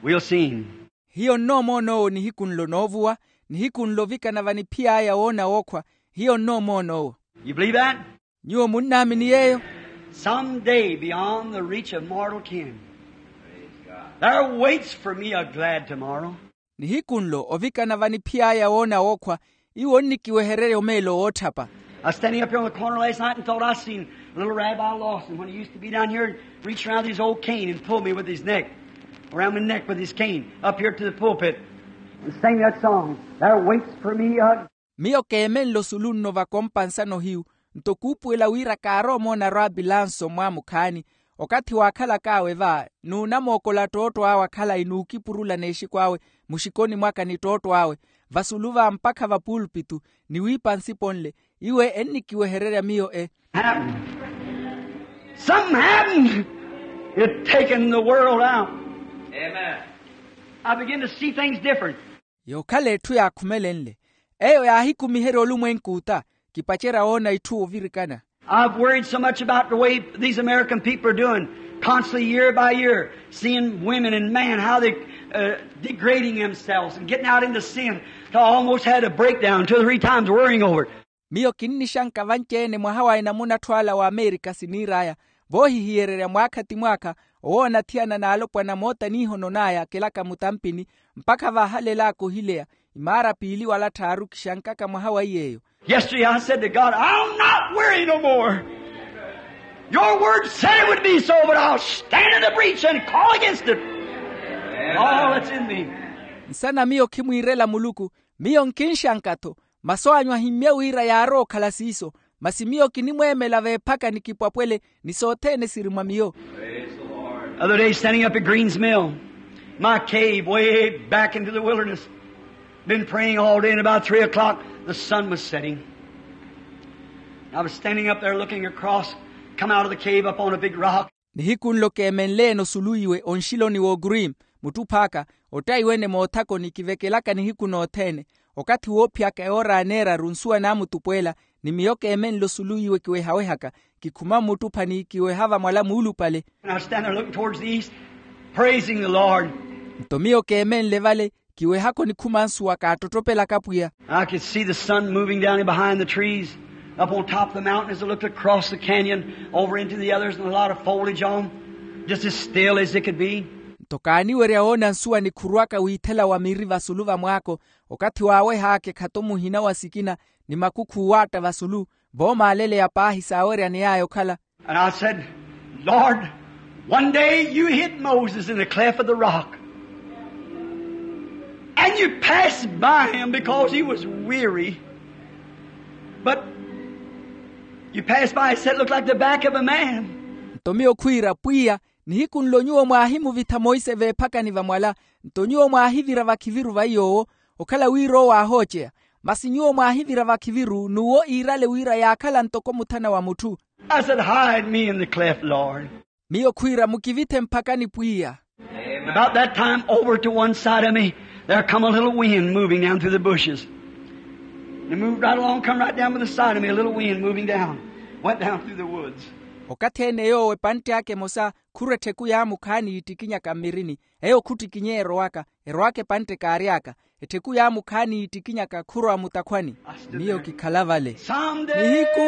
we'll see him. Hiyo nnoomoona owo nihiku nlo noovuwa, nihiku nlo ovikana vaniphiy'aya woona wookhwa. Hiyo nnoomoona owo. You believe that? Nyuwo munnaamini yeeyo? Some day beyond the reach of mortal kin, there waits for me a glad tomorrow. Nihiku nlo ovikana vaniphiy'aya woona wookhwa, iwo onnikiwehererya omeelo wootthapa. I was standing up here on the corner last night and thought I seen a little rabbi Lawson when he used to be down here and reach around his old cane and pull me with his neck, around my neck with his cane, up here to the pulpit and sing that song, there waits for me a. Miyo keemenle osulu nno vakompa nsano hiyu, nto kuupuwela wira kaarowa omoona raabi lanso mwaamukhaani, okathi waakhalak'awe va, n'unamookola ttootto awe akhalayi n'ukipurula n'exiku awe muxikoni mwaka ni ttootto awe, vasulu va mpakha vapuulpitu, ni wiipa nsipo nle, iwe ennikiwehererya miyo e. Happened. Something happened. It taken the world out. Amen. I begin to see things different. Yookhala etthu yaakhumelenle, eyo yaahikumiherya olumwenku ota. Kipacerya woona itthu ovirikana. I've worried so much about the way these American people are doing, constantly year by year, seeing women and men, how they uh, degrading themselves and getting out into sin. So I almost had a breakdown two or three times worrying over it. Miyo kinnixanka vanci-ene mwaha wa enamuna atthu ala wa amerika siniir'aya, voohihiyererya mwaakha ti mwaakha, owoona athiyana n'alopwana moota n'ihono n'aya akelaka mutampini, mpakha vaahalel'aka ohileya, imaara piili wala tthaaru kixankaka mwaha wa iy'eyo. Yesterday I said to God, I'll not worry no more. Your word said it would be so, but I'll stand in the breach and call against it. All that's in me. Nsana miyo khimwiirela muluku, miyo nkinxanka-tho, masu anyu ahimmye wira yaarowa okhala siiso, masi miyo kinimweemela veephaka ni kipwapwele ni sothene siri mwa miyo. Other day standing up at Green's Mill, my cave way back into the wilderness, been praying all day, and about three o'clock The sun was setting. I was standing up there looking across, come out of the cave up on a big rock. Nihiku nlo keemenle-ene osuluwiwe onxiloni w'okurim, muttuphaaka ottayiwene moothakoni kivekelaka nihiku nothene. Okathi woophiyaka ewoora ya neeraru nsuwa naamutupweela, ni miyo keemenle osuluwiwe kiwehawehaka, kikhuma mmuttuphani kiweha vamwala muulupale. And I was standing there looking towards the east, praising the Lord. Nto miyo keemenle vale, kiwehaka onikhuma nsuwa kaattottopelaka pwiya. I could see the sun moving down in behind the trees, up on top of the mountain as I looked across the canyon over into the others, and a lot of foliage on, just as still as it could be. Nto kaaniwerya woona nsuwa nikhuruwaka wiithela wa miri vasulu vamwaako, okathi waaweh'aka ekhato muhina wa sikina, ni makukhu owaatta vasulu, voomaaleleya paahi saaweryaney'aya okhala. And I said, Lord, one day you hid Moses in the cleft of the rock. And you passed by him because he was weary. But you passed by, it said, looked like the back of a man. Nto miyo khwiira, pwiya, nihiku nlo nyuwo mwaahimuvitha monse veephakani vamwala, nto nyuwo mwaahivira vakhiviru va iy'owo, okhala wira owo aahooceya. Masi nyuwo mwaahivira vakhiviru n'uwo iirale wira yaakhala ntoko muthana wa mutthu. I said, hide me in the cleft, Lord. Miyo khwiira, mukivithe mphakani pwiya. About that time, over to one side of me, there come a little wind moving down through the bushes. It moved right along, come right down by the side of me, a little wind moving down, went down through the woods. Okathi ene yoowo epantte aka emosa, khurwa ettheku yaamukhaani yiittikinyaka mmirini. Eyo khuttikinyeya erowaka, erowaka epantte kaary'aka. Ettheku yaamukhaani yiittikinyaka khurwa mutakhwani. Miyo kikhala vale. Nihiku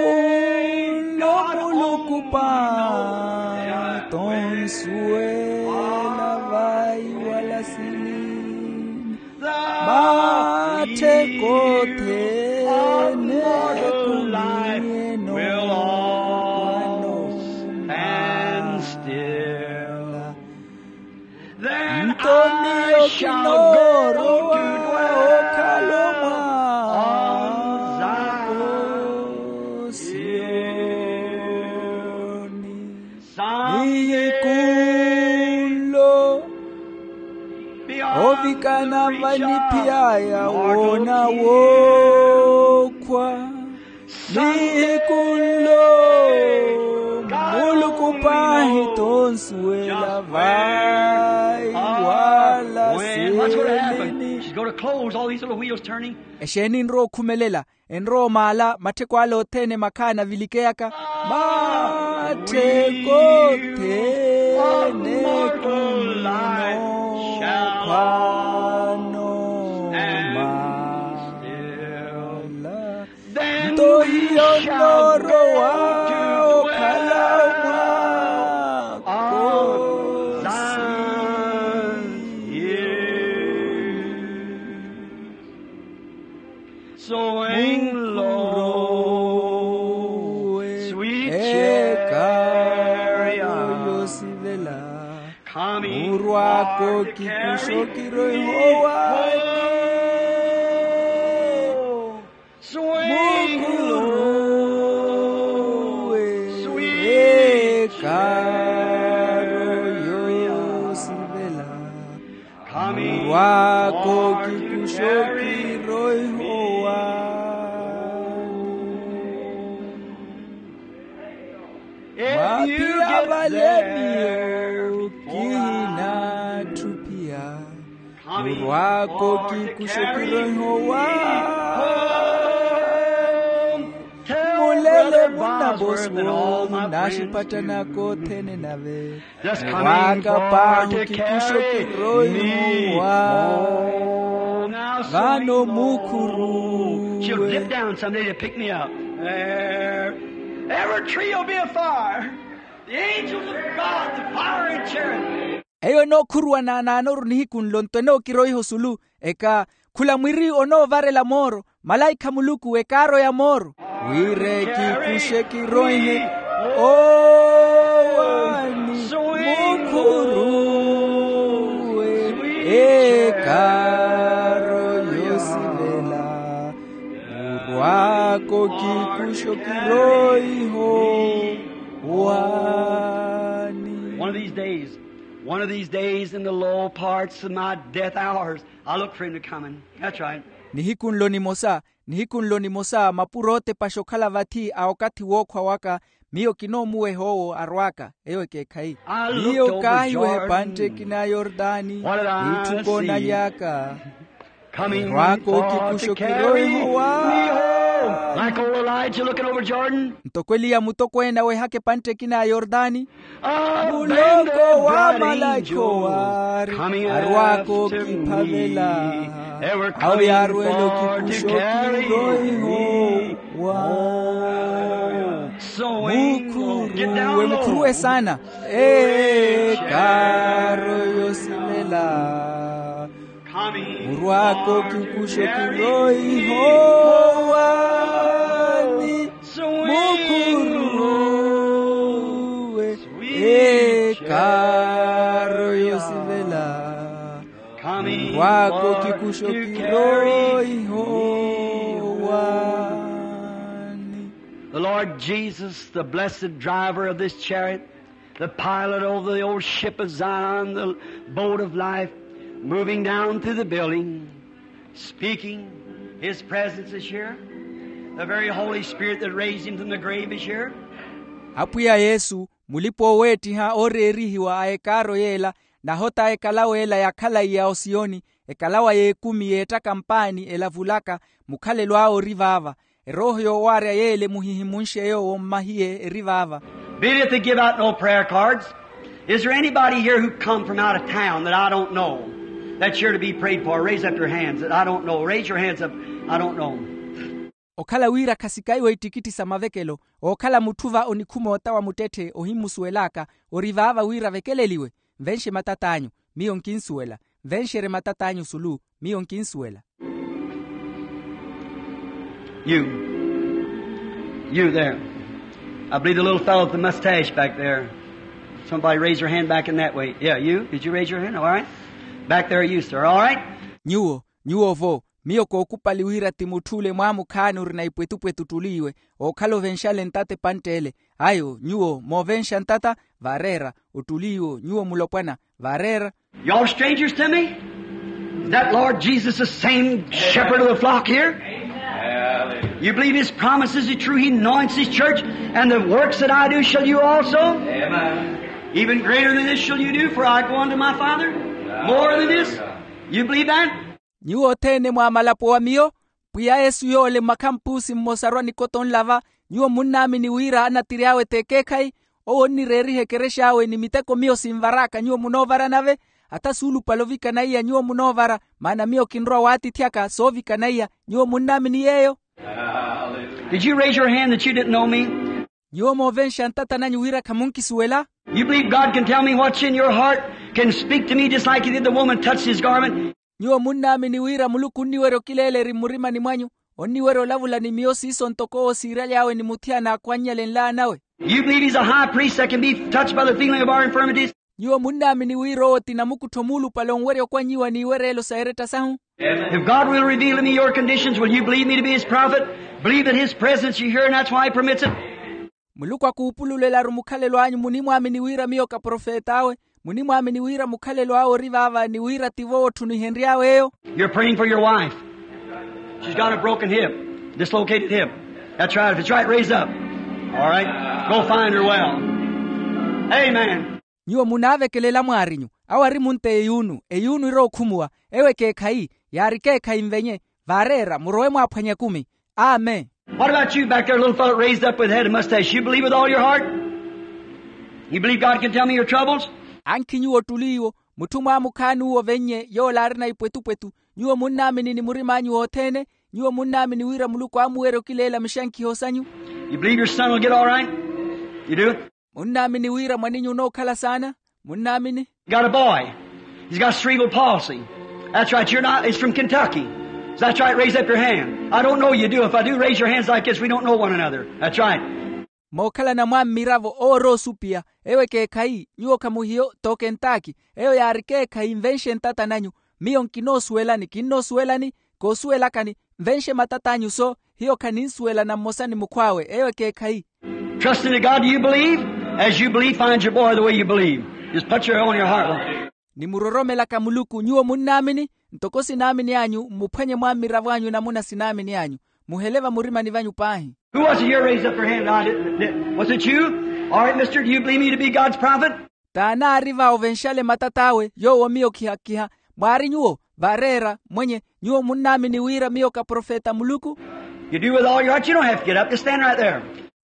nlo muluku paahi tonsuwela vai wala silini, mattheko othene ekumiyeno. Nto miyo kinoorowa okhala omwaako siyoni. Nihiku nlo ovikana vaniphiy'aya woona wookhwa. Nihiku nlo muluku paahi tonsuwela vai wala silini. Exeeni enrowa okhumelela? Enrowa omaala mattheko ale othene makhaani avilikeyaka. Mattheko othene ekumiyeno khwano maala. Nto hiyo nnoorowa okhala omwaako siyoni. Sowing low, sweet chariot, coming for to carry me home. Swing low, sweet chariot, coming for to carry me home. If you get there before I, khurwako kikuxe kiroihowa. Mulele munavosi woowu naxipattanaka othene nave. Khurwaka paahi kikuxe kiroihowa. Vano mukhuruwe. She'll dip down someday to pick me up. There. Every tree will be afire. The angels of God, the fire and cherub. Eyo enookhuruwa naanaanoru nihiku nlo nto enookiroiha osulu, eka, khula mwiri onoovarela mooro, malaikha a Muluku ekaaroya mooro. Wira ekikuxe kiroihe owaani, mukhuruwe ekaaro yoosivela, khurwako kikuxe kiroiho. One of these days, one of these days in the low parts of my death hours, I'll look for him to come in. That's right. Nihiku nlo nimosa, Nihiku nlo nimosa mapuro otepaxa okhala vathi a okathi wookhwa waka, miyo kinoomuweha owo arw'aka. Eyo ekeekhayi. Miyo kaahiweha epantte ekina ya yortani, n'itthu koonaly'aka. Erw'aka okikuxa okirooiho wa. Ntoko eliya mutokweene awehaka epantte ekina ya yortani, muloko wa malakhi owaari arw'aka okiphavela. Awo yaarwela okikuxa okirooiho wa. Mukhuruwe mukhuruwe saana. Ekaaro yosivela. Murw'aka okikuxa okirooiho waani. Mukhuruwe. Ekaaro yosivela. Murw'aka okikuxa okirooiho waani. The Lord Jesus, the blessed driver of this chariot, the pilot of the old ship of Zion, the boat of life, moving down through the building, speaking. His presence is here. The very Holy Spirit that raised him from the grave is here. Apwiya yesu, mulipa-oweettiha ooreerihiwa a ekaaro yeela, nahota ekalawa ela yakhalaiya osiyoni, ekalawa y'ekumi yeettaka mpaani elavulaka, mukhalelo awe ori vaava. Erooho yoowaarya yeele muhihimunxe yoowo mmahiye eri vaava. Being that they give out no prayer cards, is there anybody here who come from out of town that I don't know, that's here to be prayed for? Raise up your hands that I don't know. Raise your hands up. I don't know. Okhala wira khasikaiwa ittikitthi sa mavekelo, ookhala mutthu va onikhuma ota wa muttetthe ohimusuwel'aka, ori vaava wira avekeleliwe. Nvenxe matat'anyu, miyo nkinsuwela. Nvenxerye matat'anyu sulu, miyo nkinsuwela. You. You there. I believe the little fellow with the mustache back there. Somebody raise your hand back in that way. Yeah, you. Did you raise your hand? All right. Back there, you, sir. All right. Nyuwo, nyuwo vo. Miyo kookupali wira ti mutthu ole mwaamukhaani orina ipwetupwetu ottuli iwe, ookhala ovenxale ntata epantte ele. Ayo, nyuwo moovenxa ntata, vaareera. Ottuli iwo, nyuwo mulopwana, vaareera. You all strangers to me? Is that Lord Jesus the same shepherd of the flock here? You believe his promises are true? He anoints his church, and the works that I do shall you also. Even greater than this shall you do, for I go unto my Father. More than this. You believe that? Nyuwo othene mwaamalapo wa miyo, pwiya yesu yoole mmakhampusi mmosa arwa nikoto nlava. Nyuwo munnaamini wira anattiri awe t'ekeekhayi? Owo onnireeriha ekerexa awe ni miteko miyo sinvar'aka nyuwo munoovara nave. Ata suulupale ovikana iya nyuwo munoovara, maana miyo kinrowa waatithi aka soovikana iya. Nyuwo munnaamini yeeyo? Did you raise your hand that you didn't know me? Nyuwo moovenxa ntata nanyu wira khamunkisuwela? You believe God can tell me what's in your heart, can speak to me just like he did the woman touched his garment? Nyuwo munnaamini wira muluku onniwerya okileela eri mmurimani mwanyu, onniwerya olavula ni miyo siiso ntoko owo siiraly'awe ni muthiyana aakhwannyale nlaan'awe? You believe he's a high priest that can be touched by the feeling of our infirmities? Nyuwo munnaamini wira owo ti namukuttho muulupale onwerya okwannyiwa n'iwereelo sa eretta sahu? If God will reveal to me your conditions, will you believe me to be his prophet? Believe that his presence is here, and that's why he permits it. Muluku akuupululelaru mukhalelo anyu, munimwaamini wira miyo ka profet'awe? Munimwaamini wira mukhalelo awe ori vaava ni wira tivo otthu nihenry'awe eyo? You're praying for your wife. She's got a broken hip, dislocated hip. That's right. If it's right, raise up. All right. Go find her well. Amen. Nyuwo munaavekelela mwaarinyu. Awo ari munta eyuunu, eyuunu irookhumuwa. Eyo ekeekhayi, yaari ekeekhayi nvenye. Vaareera, murowe mwaaphwanye ekumi. Amen. What about you back there, little fellow raised up with head and mustache? You believe with all your heart? You believe God can tell me your troubles? Ankhi nyuwo ottuli iwo, mutthu mwaamukhaani uwo ovennye yoola arina ipwetupwetu? Nyuwo munnaamini ni murim'anyu wothene? Nyuwo munnaamini wira muluku aamuwerya okileela mixankhiho sanyu? You believe your son will get all right? You do? Munnaamini wira mwan'inyu onookhala saana? Munnaamini? Got a boy. He's got cerebral palsy. That's right. You're not. He's from Kentucky. So that's right. Raise up your hand. I don't know you do. If I do, raise your hands like this. We don't know one another. That's right. Mookhalana mwa mmiravo owo ori osupiya. Eyo ekeekhayi, nyuwo khamuhiyo t'okentaki. Eyo yaari ekeekhayi nvenxe ntata nanyu. Miyo nkinoosuwelani kinnoosuwelani, koosuwelakani. Nvenxe matat'anyu so, hiyo khaninsuwelana mmosa ni mukhw'awe. Eyo ekeekhayi. Trust in God, do you believe? As you believe, find your boy the way you believe. Just put your on your heart. Ni muroromelaka muluku nyuwo munnaamini? Ntoko sinaamini anyu mmuphwanye mwa mmiravo anyu namuna sinaamini anyu. muhele vamurimani vanyu paahi. Who was it here raised up your hand? I didn't, did, was it you? All right, mister, do you believe me to be God's prophet? T'ani aari va ovenxale matat'awe yoowo miyo kihakiha? Mwaari nyuwo? Vaareera mwenye, nyuwo munnaamini wira miyo ka profeta a muluku? You do with all your heart. You don't have to get up. Just stand right there.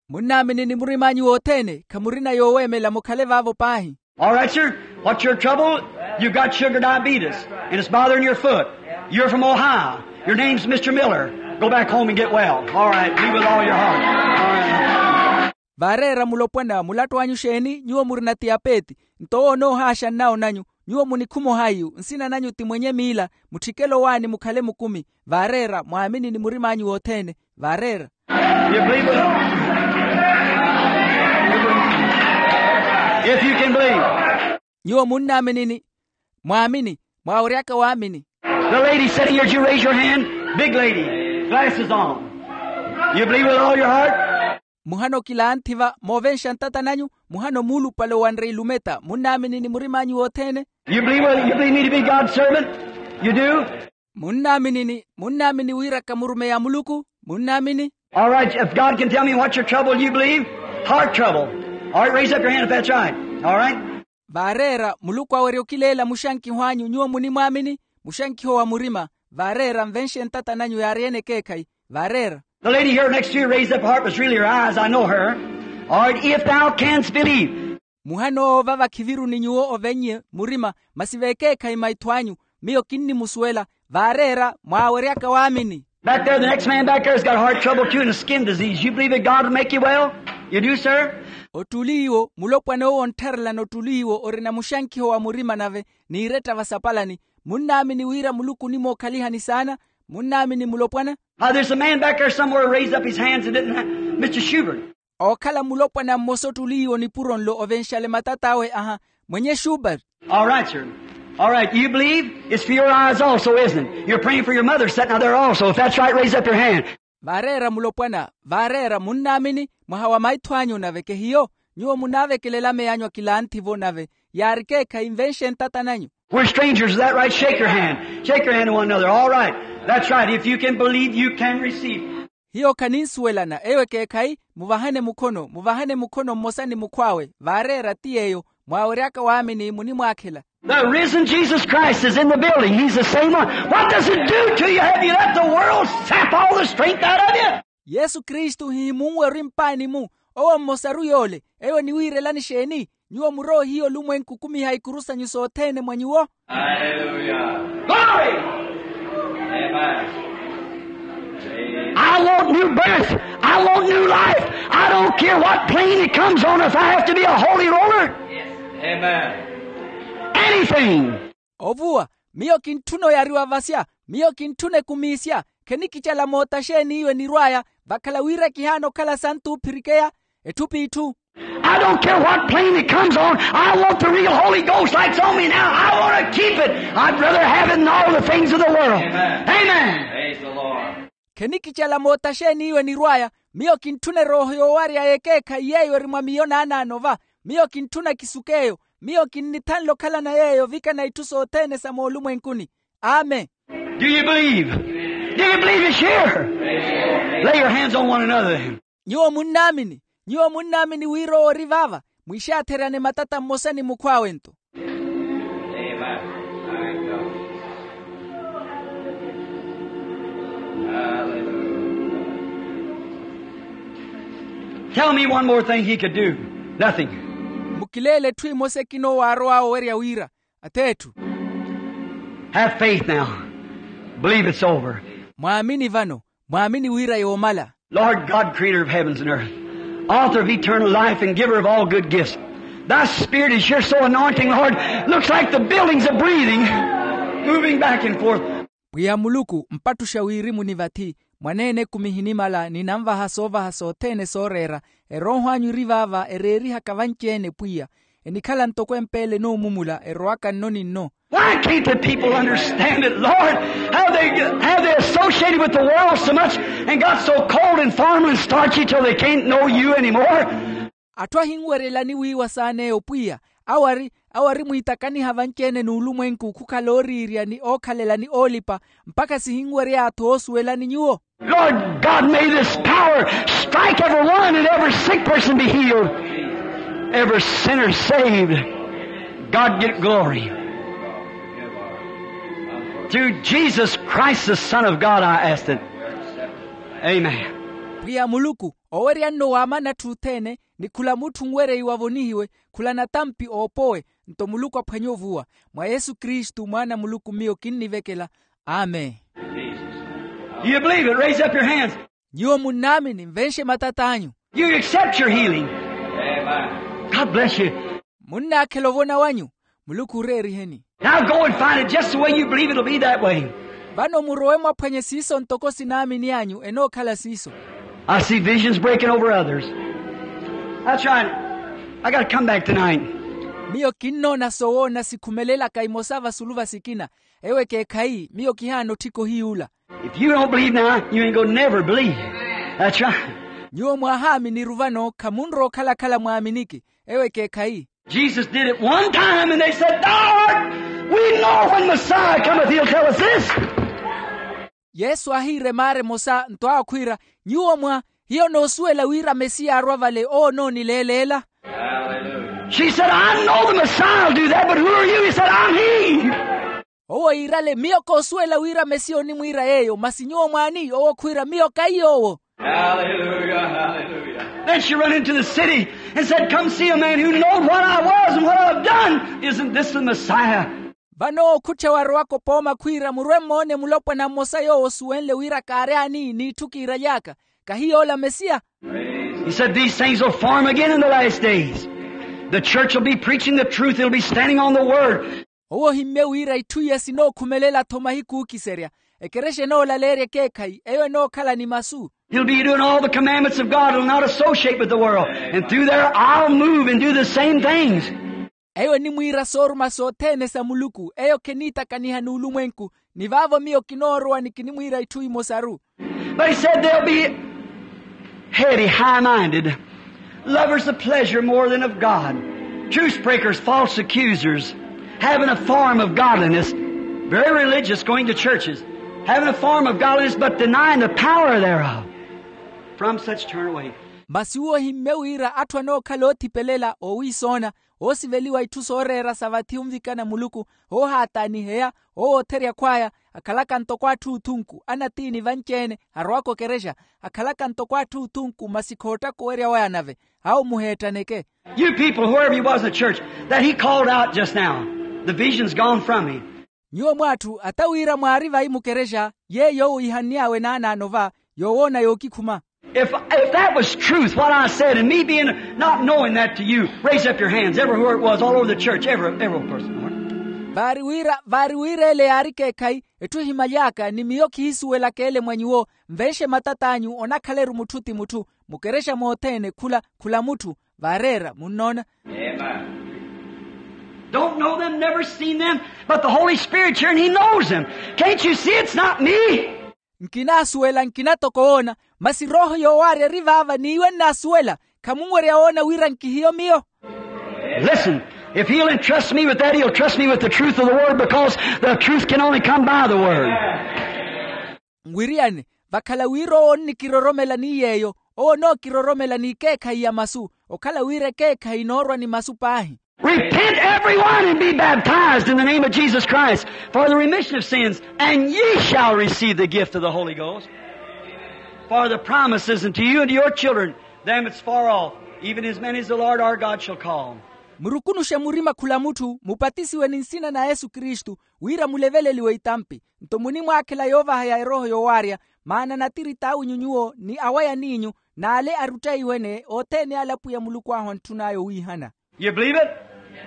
Munnaamini ni murim'anyu wothene, khamurina yooweemela, mukhale vaavo paahi. All right, sir. What's your trouble? You've got sugar diabetes, and it's bothering your foot. You're from Ohio. Your name's Mister Miller. Go back home and get well. All right. Be with all your heart. All right. Vaareera mulopwana, mulattu anyu xeeni? Nyuwo murina tiyapeeti, nto owo onoohaaxa nnawo nanyu. Nyuwo munikhumo hayu, nsina nanyu ti mwenye miila, mutthikele owaani mukhale mukumi. Vaareera mwaamini ni murim'anyu wothene. Vaareera. You believe it? If you can believe. Nyuwo munnaaminini? Mwaamini? Mwaaweryaka waamini? The lady sitting here, did you raise your hand? Big lady, glasses on. You believe with all your heart? Muhano kilaanthi va moovenxa ntata nanyu? Muhano muulupale owanre ilumeta, munnaaminini murim'anyu wothene? You believe, well, you believe me to be God's servant? You do? Munnaaminini? Munnaamini wira ka murumeyi a muluku? Munnaamini? All right, if God can tell me what's your trouble, you believe? Heart trouble. All right, raise up your hand if that's right. All right. Vaareera muluku awerya okileela muxankiho anyu nyuwo munimwaamini? Muxankiho wa murima. Vaareera nvenxe ntata nanyu yaari-ene ekeekhayi. Vaareera. The lady here next to you raised up her heart, was really her eyes, I know her. All right, if thou canst believe. Muhano owo vava khiviruni nyuwo ovennye murima, masi vekeekhayi maitho anyu, miyo kinnimusuwela. Vaareera mwaaweryaka waamini. Back there, the next man back there has got heart trouble too and a skin disease. You believe that God will make you well? You do, sir? Ottuli iwo, mulopwana owo onttharelana ottuli iwo orina muxankiho wa murima nave, n'iretta vasapalani. Munnaamini wira muluku onimookhalihani saana? Munnaamini mulopwana? Now, there's a man back there somewhere raised up his hands and didn't have, Mister Schubert. Ookhala mulopwana mmosa ottuli iwo nipuro nlo ovenxale matat'awe aha, mwenye Schubert. All right, sir. All right, you believe? It's for your eyes also, isn't it? You're praying for your mother sitting out there also. If that's right, raise up your hand. Vaareera mulopwana. Vaareera munnaamini? Mwaha wa maitho anyu nave kehiyo? Nyuwo munaavekelela meyanyu akilaanthi-vo nave, yaari ekeekhayi nvenxe ntata nanyu. We're strangers, is that right? Shake your hand. Shake your hand to one another. All right. That's right. If you can believe, you can receive. Hiyo khaninsuwelana, eyo ekeekhayi. Muvahane mukhono, muvahane mukhono mmosa ni mukhw'awe. Vaareera ti yeeyo, mwaaweryaka waamini munimwaakhela. The risen Jesus Christ is in the building. He's the same one. What does it do to you? Have you let the world sap all the strength out of you? Yesu kristu hihimunwe ori mpaani-mu? Owo mmosaru yoole. Eyo eniwiirelani xeeni? Nyuwo muroohiya olumwenku okumiha ikuru sanyu sothene mwa nyuwo. Hallelujah. Glory. Amen. I want new birth. I want new life. I don't care what plane it comes on, if I have to be a holy roller. Amen. Anything. Ovuwa, miyo kintthuna oyariwa vasya. Miyo kintthuna ekumiisya. Khenikicala moota xeeni iyo enirw'aya, vakhala wira kihaana okhala santu oophirikeya, etthu p'itthu. I don't care what plane it comes on. I want the real Holy Ghost like it's on me now. I want to keep it. I'd rather have it than all the things of the world. Amen. Amen. Praise the Lord. Khenikicala moota xeeni iyo enirw'aya. Miyo kintthuna erooho yoowarya y'ekeekhayi yeeyo eri mwa miyo naanaano va. Miyo kintthuna kisukeeyo. Miyo kinnithanle okhalana yeeyo ovikana itthu sothene sa moolumwenkuni. Amen. Do you believe? Do you believe it's here? Lay your hands on one another then. Nyuwo munnaamini? Nyuwo munnaamini wira owo ori vaava? Mwiixaatheryane matata mmosa ni mukhw'awe-nto. Tell me one more thing he could do. Nothing. Mukileele etthu emosa ekina owo aarow'awe owerya wira. Ath'etthu. Have faith now. Believe it's over. Mwaamini vano. Mwaamini wira yoomala. Lord God, creator of heavens and earth, author of eternal life and giver of all good gifts, thy spirit is here so anointing, Lord. Looks like the buildings are breathing, moving back and forth. Pwiya muluku, mpattuxa wirimu ni vathi, mwaneene ekumihi nimala ninanvaha soovaha sothene sooreera. Erooho anyu eri vaava ereerihaka vanci-ene pwiya. Enikhala ntoko empeele enoomumula erowaka nno ni nno. Why can't the people understand it, Lord? How they, how they associated with the world so much and got so cold and formal and starchy till they can't know you anymore? Atthu ahinweryelani wiiwa saana eyo pwiya, awo ari, awo ari mwiitakaniha vanci-ene n'ulumwenku khukhala ooriirya ni ookhalela ni oolipa, mpakha sihinwery'aya atthu oosuwelani nyuwo. Lord God, may this power strike every one and every sick person be healed, every sinner saved. God get glory. Through Jesus Christ, the Son of God, I ask it. Amen. Pwiya muluku, owerya nno waamana atthu othene, ni khula mutthu nwerya iwavonihiwe, khula natampi oopowe. Nto muluku aphwanye ovuwa. Mwa yesu kristu mwaana a muluku miyo kinnivekela. Amen. Do you believe it? Raise up your hands. Nyuwo munnaamini, nvenxe matat'anyu. You accept your healing. God bless you. Munnaakhela ovona wanyu. Muluku oreeriheni. Now go and find it just the way you believe it'll be that way. Vano murowe mwaphwanye siiso ntoko sinaamini anyu enookhala siiso. I see visions breaking over others. That's right. I got to come back tonight. Miyo kinnoona sowoona sikhumelelaka imosa vasulu va sikina. Ewo ekeekhayi, miyo kihaana otthika ohiyuula. If you don't believe now, you ain't gonna never believe. That's right. Nyuwo mwahaaminiru vano khamunrowa okhala-khala mwaaminiki. Ewo ekeekhayi. Jesus did it one time and they said, "Thou art, we know when Messiah cometh, he'll tell us this." Yesu aahiira emaara emosa nto awo khwiira, nyuwo mwa, hiyo noosuwela wira mesiya arwa vale owo onoonileeleela. She said, "I know the Messiah will do that, but who are you?" He said, "I'm he." Owo iirale, miyo koosuwela wira mesiya onimwiira yeeyo masi nyuwo mwaani? Owo khwiira, miyo kahi yoowo. Then she run into the city and said, "Come see a man who knows what I was and what I've done. Isn't this the Messiah?" Vano owo khutthe warowaka opooma khwiira, murwe mmoone mulopwana mmosa yoowo osuwenle wira kaari ani n'itthu kiiraly'aka. Kahi yoola mesiya? He said, "These things will form again in the last days. The church will be preaching the truth. It'll be standing on the word." Owo ohimmye wira itthu iya sinookhumelela-tho mahiku ookiserya. Ekerexa enoolaleerya ekeekhayi eyo enookhala ni masu. He'll be doing all the commandments of God. He'll not associate with the world. And through there, I'll move and do the same things. Eyo enimwiira sooruma sothene sa muluku eyo kheniitakaniha n'ulumwenku. Ni vaavo miyo kinoorowa ni kinimwiira itthu imosaru. But he said they'll be heady, high-minded, lovers of pleasure more than of God, truce breakers, false accusers, having a form of godliness, very religious, going to churches, having a form of godliness but denying the power thereof. From such turn away. Masi uwo ohimmye wira atthu anookhala oothipelela oowiisoona, oosiveliwa itthu sooreera sa vathi onvikana muluku, oohaataaniheya, oowootherya khw'aya, akhalaka ntoko atthu oothunku anatiini vanci-ene arowaka okerexa, akhalaka ntoko atthu oothunku masi khoottaka owerya waya nave. Awo muheettaneke. You people, whoever you was in the church that he called out just now, the vision's gone from me. Nyuwo mw'atthu ata wira mwaari vayi mukerexa, yeeyo owo iihann'awe naanaano va, yoowoona yookikhuma. If, if that was truth, what I said, and me being not knowing that to you, raise up your hands everywhere it was, all over the church, every, every person. Vaari wira, vaari wira ele yaari ekeekhayi, etthu ehimyaly'aka ni miyo khihisuwelaka ele mwa nyuwo, nvenxe matat'anyu onakhala-ru mutthu ti mutthu, mukerexa mothene khula, khula mutthu, vaareera munnoona. Don't know them, never seen them, but the Holy Spirit's here and he knows them. Can't you see it's not me? Nkinaasuwela, nkina toko woona, masi rooho yoowaarya eri vaava n'iwe nnaasuwela. Khamunwerya woona wira nkihiyo miyo? Listen, if he'll entrust me with that, he'll trust me with the truth of the word, because the truth can only come by the word. Nwiriyane, vakhala wira owo onnikiroromela ni yeeyo, owo onookiroromela n'ikeekhayi ya masu, okhala wira ekeekhayi inoorwa ni masu paahi. Repent every one and be baptized in the name of Jesus Christ for the remission of sins, and ye shall receive the gift of the Holy Ghost. For the promise is unto you and to your children, them that's far off, even as many as the Lord our God shall call. Murukunuxe murima khula mutthu mupatisiwe ni nsina na yesu kristu, wira muleveleliwe itampi. Nto munimwaakhela yoovahaya erooho yoowaarya, maana natirita awe nyuwo ni awa yaniinyu, n'ale aruttaiwe-ne othene ale apwiya muluku ahu antthun'aya owiihana. You believe it?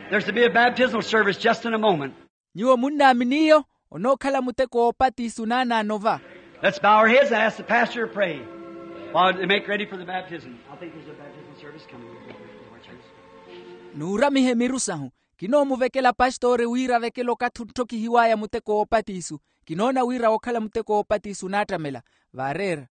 There's to be a baptismal service just in a moment. Nyuwo munnaamini iyo? Onookhala muteko woopatisu naanaano va. Let's bow our heads and ask the pastor to pray while they make ready for the baptism. I think there's a baptismal service coming. Nuuramihe miru sahu. Kinoomuvekela pastore wira avekele okathi ontthokihiw'aya muteko woopatisu. Kinoona wira wookhala muteko woopatisu onaattamela. Vaareera.